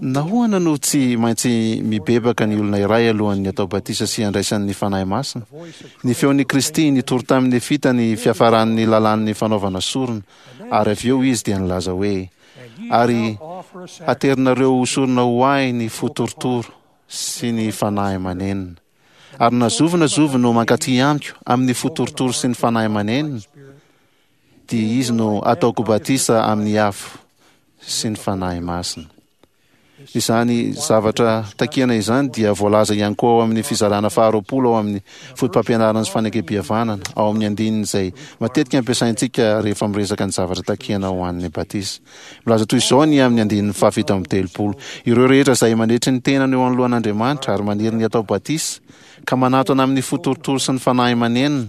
Nahoana no tsy maintsy mibebaka ny olona iray alohan'ny atao batisa sy handraisany ny Fanahy Masina? Ny feon'i Kristy nitory tamin'ny Nefita ny fiafaran'ny lalàn'ny fanaovana sorona, ary avy eo Izy dia nilaza hoe, Ary haterinareo ho sorona ho Ahy ny fo torotoro sy ny fanahy manenina. Ary na zovy na zovy no mankaty Amiko amin'ny fo torotoro sy ny fanahy manenina, dia izy no ataoko batisa amin'ny afo sy ny Fanahy Masina. Izany zavatra takiana izany dia voalaza ihany koa ao amin'ny fizarana faharoapolo ao amin'ny Fotopampianarana sy Fanekempihavanana, ao amin'ny andininy izay matetika ampiasaintsika rehefa miresaka ny zavatra takiana ho an'ny batisa. Milaza toy izao ny amin'ny andininy fahafito amby telopolo, Ireo rehetra izay manetry ny tenany eo anoloan'Andriamanitra ary maniry ny hatao batisa, ka manatona amin'ny fo torotoro sy ny fanahy manenina,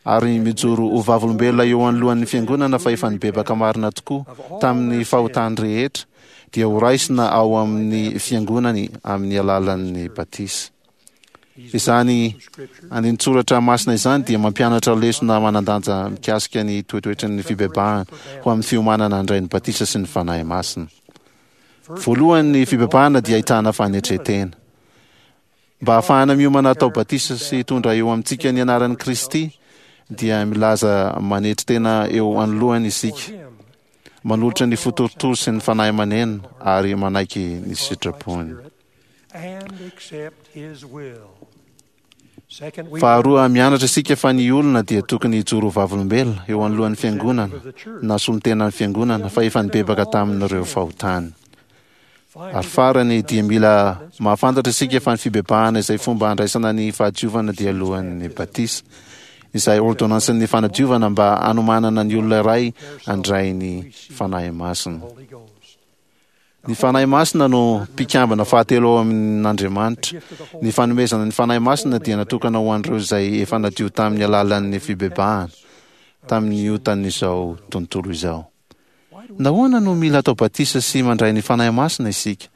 ary mijoro ho vavolombelona eo anoloan'ny fiangonana fa efa nibebaka marina tokoa tamin'ny fahotany rehetra, dia horaisina ao amin'ny fiangonany amin'ny alalan'ny batisa. Izany andinin-tsoratra masina izany dia mampianatra lesona manan-danja mikasika ny toetoetry ny fibebahana ho amin'ny fiomanana handray ny batisa sy ny Fanahy Masina. Voalohany, ny fibebahana dia ahitana fanetren-tena. Mba hahafahana miomana hatao batisa sy hitondra eo amintsika ny anaran'i Kristy, dia milaza manetry tena eo anoloany isika, manolotra ny fo torotoro sy ny fanahy maneno ary manaiky ny sitrapony. Faharoa, mianatra isika fa ny olona dia tokony hijoro ho vavolombelona eo anoloan'ny fiangonana na solontenan'ny fiangonana fa efa nibebaka tamin'ireo fahotany. Ary farany, dia mila mahafantatra isika fa ny fibebahana izay fomba handraisana ny fahadiovana dia alohan'ny batisa, izay ôrdônansin'ny fanadiovana mba hanomanana ny olona iray handray ny Fanahy Masina. Ny Fanahy Masina no mpikambana fahatelo ao amin'Andriamanitra. Ny fanomezana ny Fanahy Masina dia natokana ho an'ireo izay efa nadio tamin'ny alalan'ny fibebahana tamin'ny otan'izao tontolo izao. Nahoana no mila atao batisa sy mandray ny Fanahy Masina isika?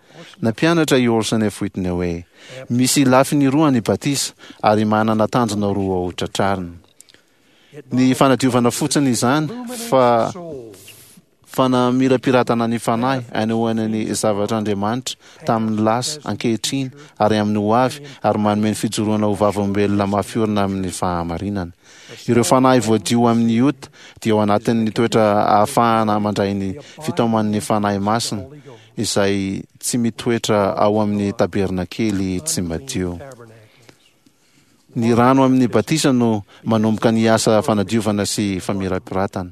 Nampianatra i Orson F. Whitney hoe, Misy lafiny roa ny batisa, ary manana tanjona roa ho tratrarina. Ny fanadiovana fotsiny izany, fa fanamirapiratana ny fanahy anehoana ny zavatr'Andriamanitra tamin'ny lasa, ankehitriny, ary amin'ny ho avy, ary manome ny fijoroana ho vavolombelona mafy orina amin'ny fahamarinana. Ireo fanahy voadio amin'ny ota dia ao anatin'ny toetra ahafahana mandray ny fitaoman'ny Fanahy Masina, izay tsy mitoetra ao amin'ny tabernakely tsy madio. Ny rano amin'ny batisa no manomboka ny asa fanadiovana sy famirapiratana.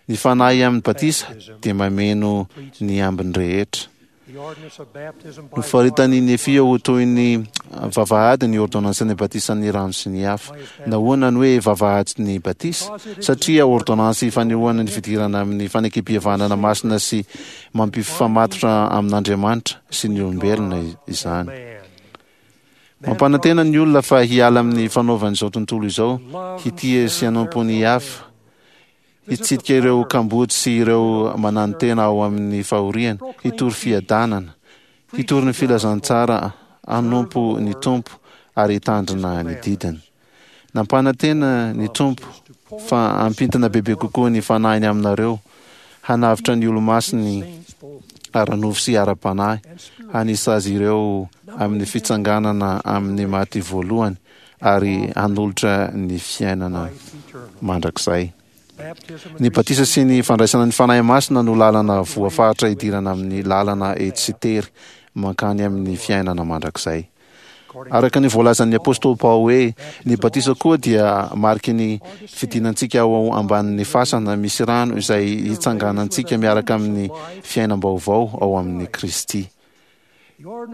Ny Fanahy amin'ny batisa dia mameno ny ambiny rehetra. Nofaritan'i Nefia ho toy ny vavahady ny ôrdônansin'ny batisan'ny rano sy ny afo. Nahoana no hoe vavahady ny batisa? Satria ôrdônansy fanehoana ny fidirana amin'ny fanekempihavanana masina sy mampifamatotra amin'Andriamanitra sy ny olombelona izany. Mampanantena ny olona fa hiala amin'ny fanaovan'izao tontolo izao, hitia sy hanompo ny hafa, hitsidika ireo kamboty sy ireo mananotena ao amin'ny fahoriana, hitory fiadanana, hitory ny filazantsara, hanompo ny Tompo ary hitandrina ny didiny. Nampanantena ny Tompo fa hampintina bebe kokoa ny fanahiny aminareo, hanavotra ny olo-masiny ara-nofo sy ara-panahy, hanisa azy ireo amin'ny fitsanganana amin'ny maty voalohany ary hanolotra ny fiainana mandrakizay. Ny batisa sy ny fandraisana ny Fanahy Masina no lalana voafaritra hidirana amin'ny lalana etsy sy tery mankany amin'ny fiainana mandrakizay. Araka ny voalazan'ny apostoly Paoly hoe ny batisa koa dia mariky ny fidinantsika ao ambanin'ny fasana misy rano izay hitsanganantsika miaraka amin'ny fiainam-baovao ao amin'i Kristy.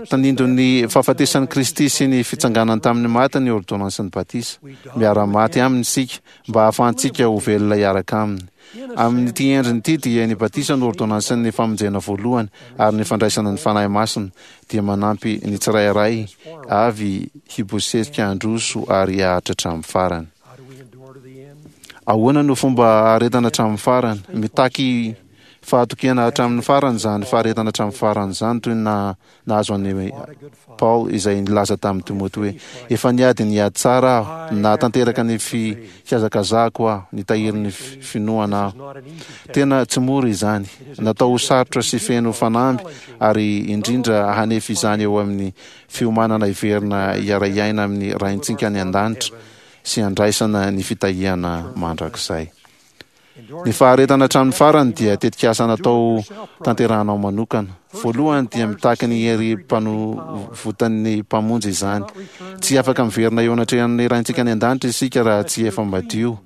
Tandindon'ny fahafatesan'i Kristy sy ny fitsanganany tamin'ny maty ny ôrdônansin'ny batisa. Miara-maty aminy isika mba hahafahantsika ho velona hiaraka aminy. Amin'ity endriny ity dia ny batisa no ôrdônansin'ny famonjena voalohany ary ny fandraisana ny Fanahy Masina dia manampy ny tsirairay avy hibosesika handroso ary haharitra hatramin'ny farany. Ahoana no fomba haharetana hatramin'ny farany? Mitaky fahatokiana hatramin'ny farany izany faharetana hatramin'ny farany izany, toy ny nahazo an'i Paoly izay nilaza tamin'i Timoty hoe, Efa niady ny ady tsara aho, nahatanteraka ny fihazakazahako aho, nitahiry ny finoana aho. Tena tsy mora izany. Natao ho sarotra sy feno fanamby ary indrindra hanefy izany eo amin'ny fiomanana hiverina hiara-hiaina amin'ny Raintsika any an-danitra sy handraisana ny fitahiana mandrakizay. Ny faharetana hatramin'ny farany dia tetikasa natao tanterahanao manokana. Voalohany dia mitaky ny hery mpanovotan'ny Mpamonjy izany. Tsy afaka miverina eo anatrehan'ny Raintsika any an-danitra isika raha tsy efa madio,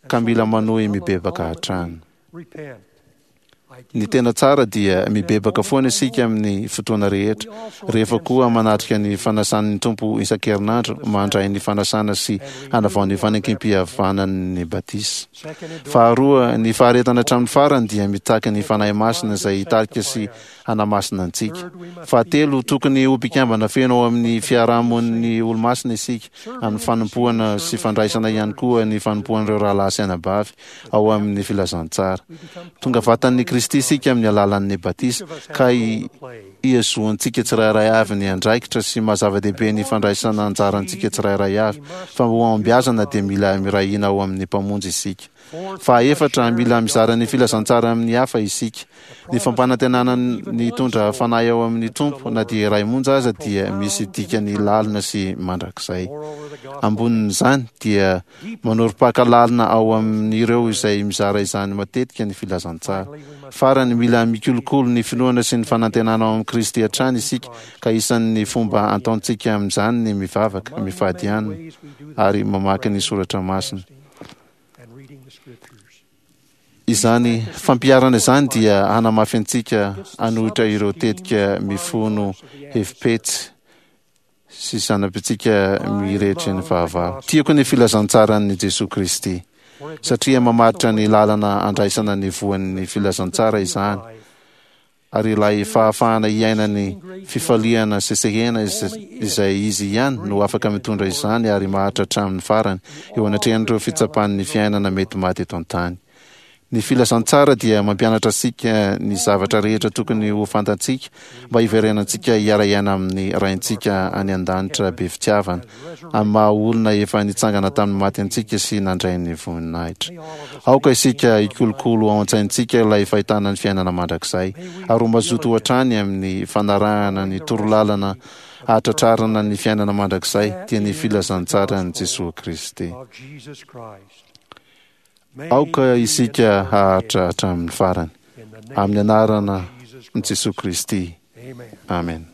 ka mila manohy mibebaka hatrany. Ny tena tsara dia mibebaka foana isika amin'ny fotoana rehetra, rehefa koa manatrika ny fanasan'ny Tompo isan-kerinandro, mandray ny fanasana sy hanavao ny fanekempihavanan'ny batisa. Faharoa, ny faharetana hatramin'ny farany dia mitaky ny Fanahy Masina izay hitarika sy hanamasina antsika. Fahatelo, tokony ho mpikambana feno ao amin'ny fiarahamonin'ny olomasina isika, amin'ny fanompoana sy fandraisana ihany koa ny fanompoan'ireo rahalahy sy anabavy ao amin'ny filazantsara. Tonga vatan'i Kristy isika amin'ny alalan'ny batisa, ka ihazoantsika tsirairay avy ny andraikitra sy maha zava-dehibe ny fandraisana anjarantsika tsirairay avy, fa mba ho ahombiazana dia mila miray hina ao amin'ny Mpamonjy isika. Fahaefatra, mila mizara ny filazantsara amin'ny hafa isika. Ny fampanantenana ny hitondra fanahy ao amin'ny Tompo, na dia iray monja aza, dia misy dikany lalina sy mandrakizay. Ambonin'izany, dia Manorim-paka lalina ao amin'ireo izay mizara izany matetika ny filazantsara. Farany, mila mikolokolo ny finoana sy ny fanantenana ao amin'i Kristy hatrany isika, ka isan'ny fomba ataontsika amin'izany ny mivavaka, mifady hanina, ary mamaky ny soratra masina. Izany fampiharana izany dia hanamafy antsika hanohitra ireo tetika mifono hevi-petsy sy zanapitsika mirehetry ny fahavalo. Tiako ny filazantsaran'i Jesoa Kristy, satria mamaritra ny lalana andraisana ny voan'ny filazantsara izany, ary ilay fahafahana hiaina ny fifaliana sesehena izay Izy ihany no afaka mitondra izany ary maharitra hatramin'ny farany eo anatrehan'ireo fitsapan'ny fiainana mety maty eto an-tany. Ny filazantsara dia mampianatra antsika ny zavatra rehetra tokony ho fantatsika mba hiverenantsika hiara-hiaina amin'ny Raintsika any an-danitra be fitiavana, amin'ny maha-olona efa nitsangana tamin'ny maty antsika sy nandray ny voninahitra. Aoka isika hikolokolo ao an-tsaintsika ilay fahitana ny fiainana mandrakizay, ary ho mazoto hatrany amin'ny fanarahana ny torolalana hahatratrarana ny fiainana mandrakizay, dia ny filazantsaran'i Jesoa Kristy. Aoka isika haharitra hatramin'ny farany. Amin'ny anarana an'i Jesoa Kristy. Amen.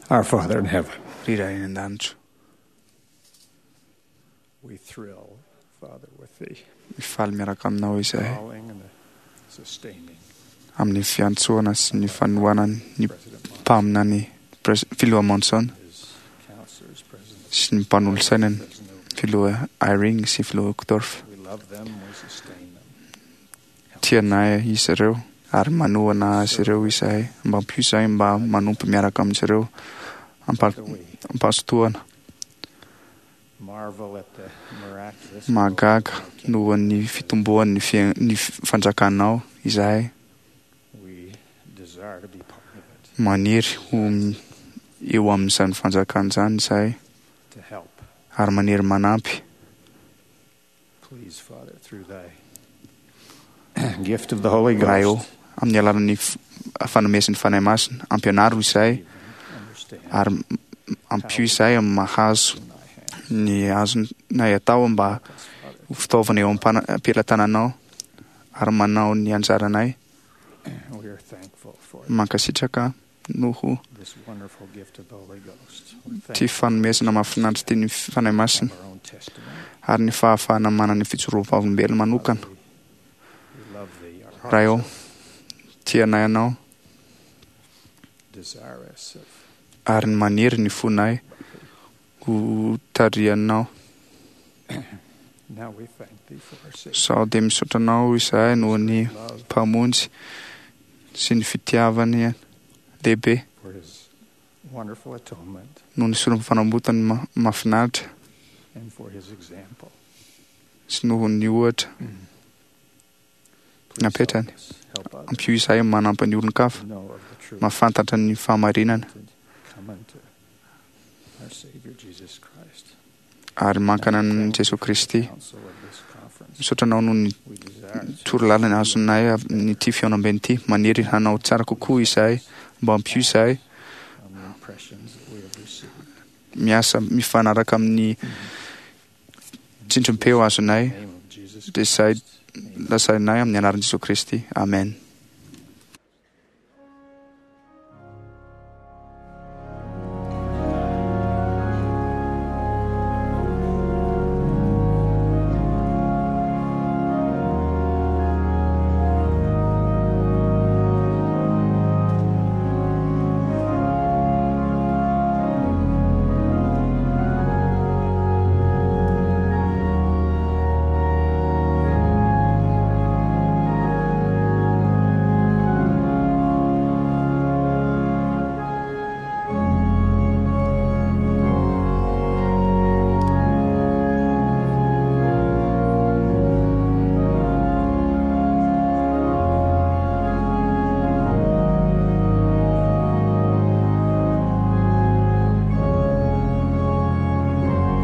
Our Father in heaven. Ry Ray any an-danitra. We thrill, Father, with the Mifaly miaraka aminao izahay calling and the sustaining amin'ny fiantsoana sy ny fanohanany ny mpaminany Pres- filoha Monson counselors, President. sy ny mpanolotsainany filoha Eyring sy filoha Uchtdorf. We love them, we sustain them. Tianay izy ireo ary manohana azy ireo izahay mba ampio izahay mba manompo miaraka amin'izy ireo ampa- ampahazotoana. Marvel at the miraculous Mahagaga noho ny fitomboan'ny fia- ny fanjakanao izahay. we desire to be part of it, Maniry ho m- eo amin'izany fanjakana izany izahay to help. ary maniry manampy. Please, Father, through thy gift of the Holy Ray ô, Ghost, amin'ny alalan'ny f- fanomezan'ny Fanahy Masina, ampianaro izahay ary m- ampio izahay amin'ny mahazo ny azonay atao mba ho fitaovana eo am-pana- am-pelatananao ary manao ny anjaranay. we are thankful for Mankasitraka noho this wonderful gift of the Holy Ghost. We're ty thankful fanomezana mahafinaritra ty ny Fanahy Masina for our own testimony. ary ny fahafahana manana ny fijoroam-vavolombelona manokana. We love thee. Our Ray ô, hearts tianay anao are desirous of ary ny maniry ny fonay ho tarihanao. Now we thank thee for our Savior. Sao dia misaotra anao izahay noho ny Mpamonjy sy ny fitiavany lehibe for his wonderful atonement noho ny solon'ny fanambotany ma- mahafinaritra and for his example. sy noho ny ohatra napetrany. Help others Ampio izahay manampy ny olon-kafa know of the truth mahafantatra ny fahamarinana and come unto our Savior Jesus Christ. ary mankana amin'i Jesoa Kristy. Council of this conference. Misaotra anao noho ny We desire to torolalana azonay amin'ity fihaonambe ity. Maniry hanao tsara kokoa izahay mba ampio izahay on the impressions that we have received. miasa mifanaraka amin'ny tsindrim-peo azonay In the name of Jesus dia izay lazainay amin'ny anaran'i Jesoa Kristy. Amen.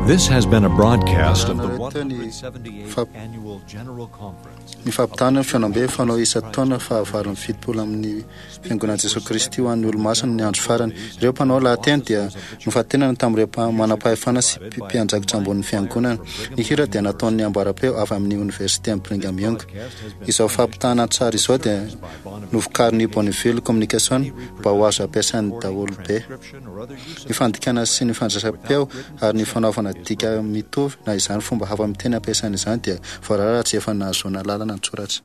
This has been a broadcast of the Nareo ny one hundred seventy-eighth fap- Annual General Conference. ny fampitana ny fihaonambe fanao isan-taona fahavalo amby fitopolo amin'ny fiangonan'i Jesoa Kristy ho an'ny olomasina ny andro farany. Ireo mpanao lahateny dia nofantenana tamin'ireo mpa- manam-pahefana sy mpi- mpiandraikitra ambonin'ny fiangonana. Ny hira dia nataon'ny ambaram-peo avy amin'ny oniversite amin'ny Brigham Young. Izao fampitana an-tsary izao dia novokarin'ny Bonneville Communication mba ho azo ampiasain'ny daholobe. Ny fandikana sy ny fandraisam-peo ary ny fanaovana dika mitovy na izany fomba hafa miteny ampiasaina izany dia voarara raha tsy efa nahazoana lalana an-tsoratra.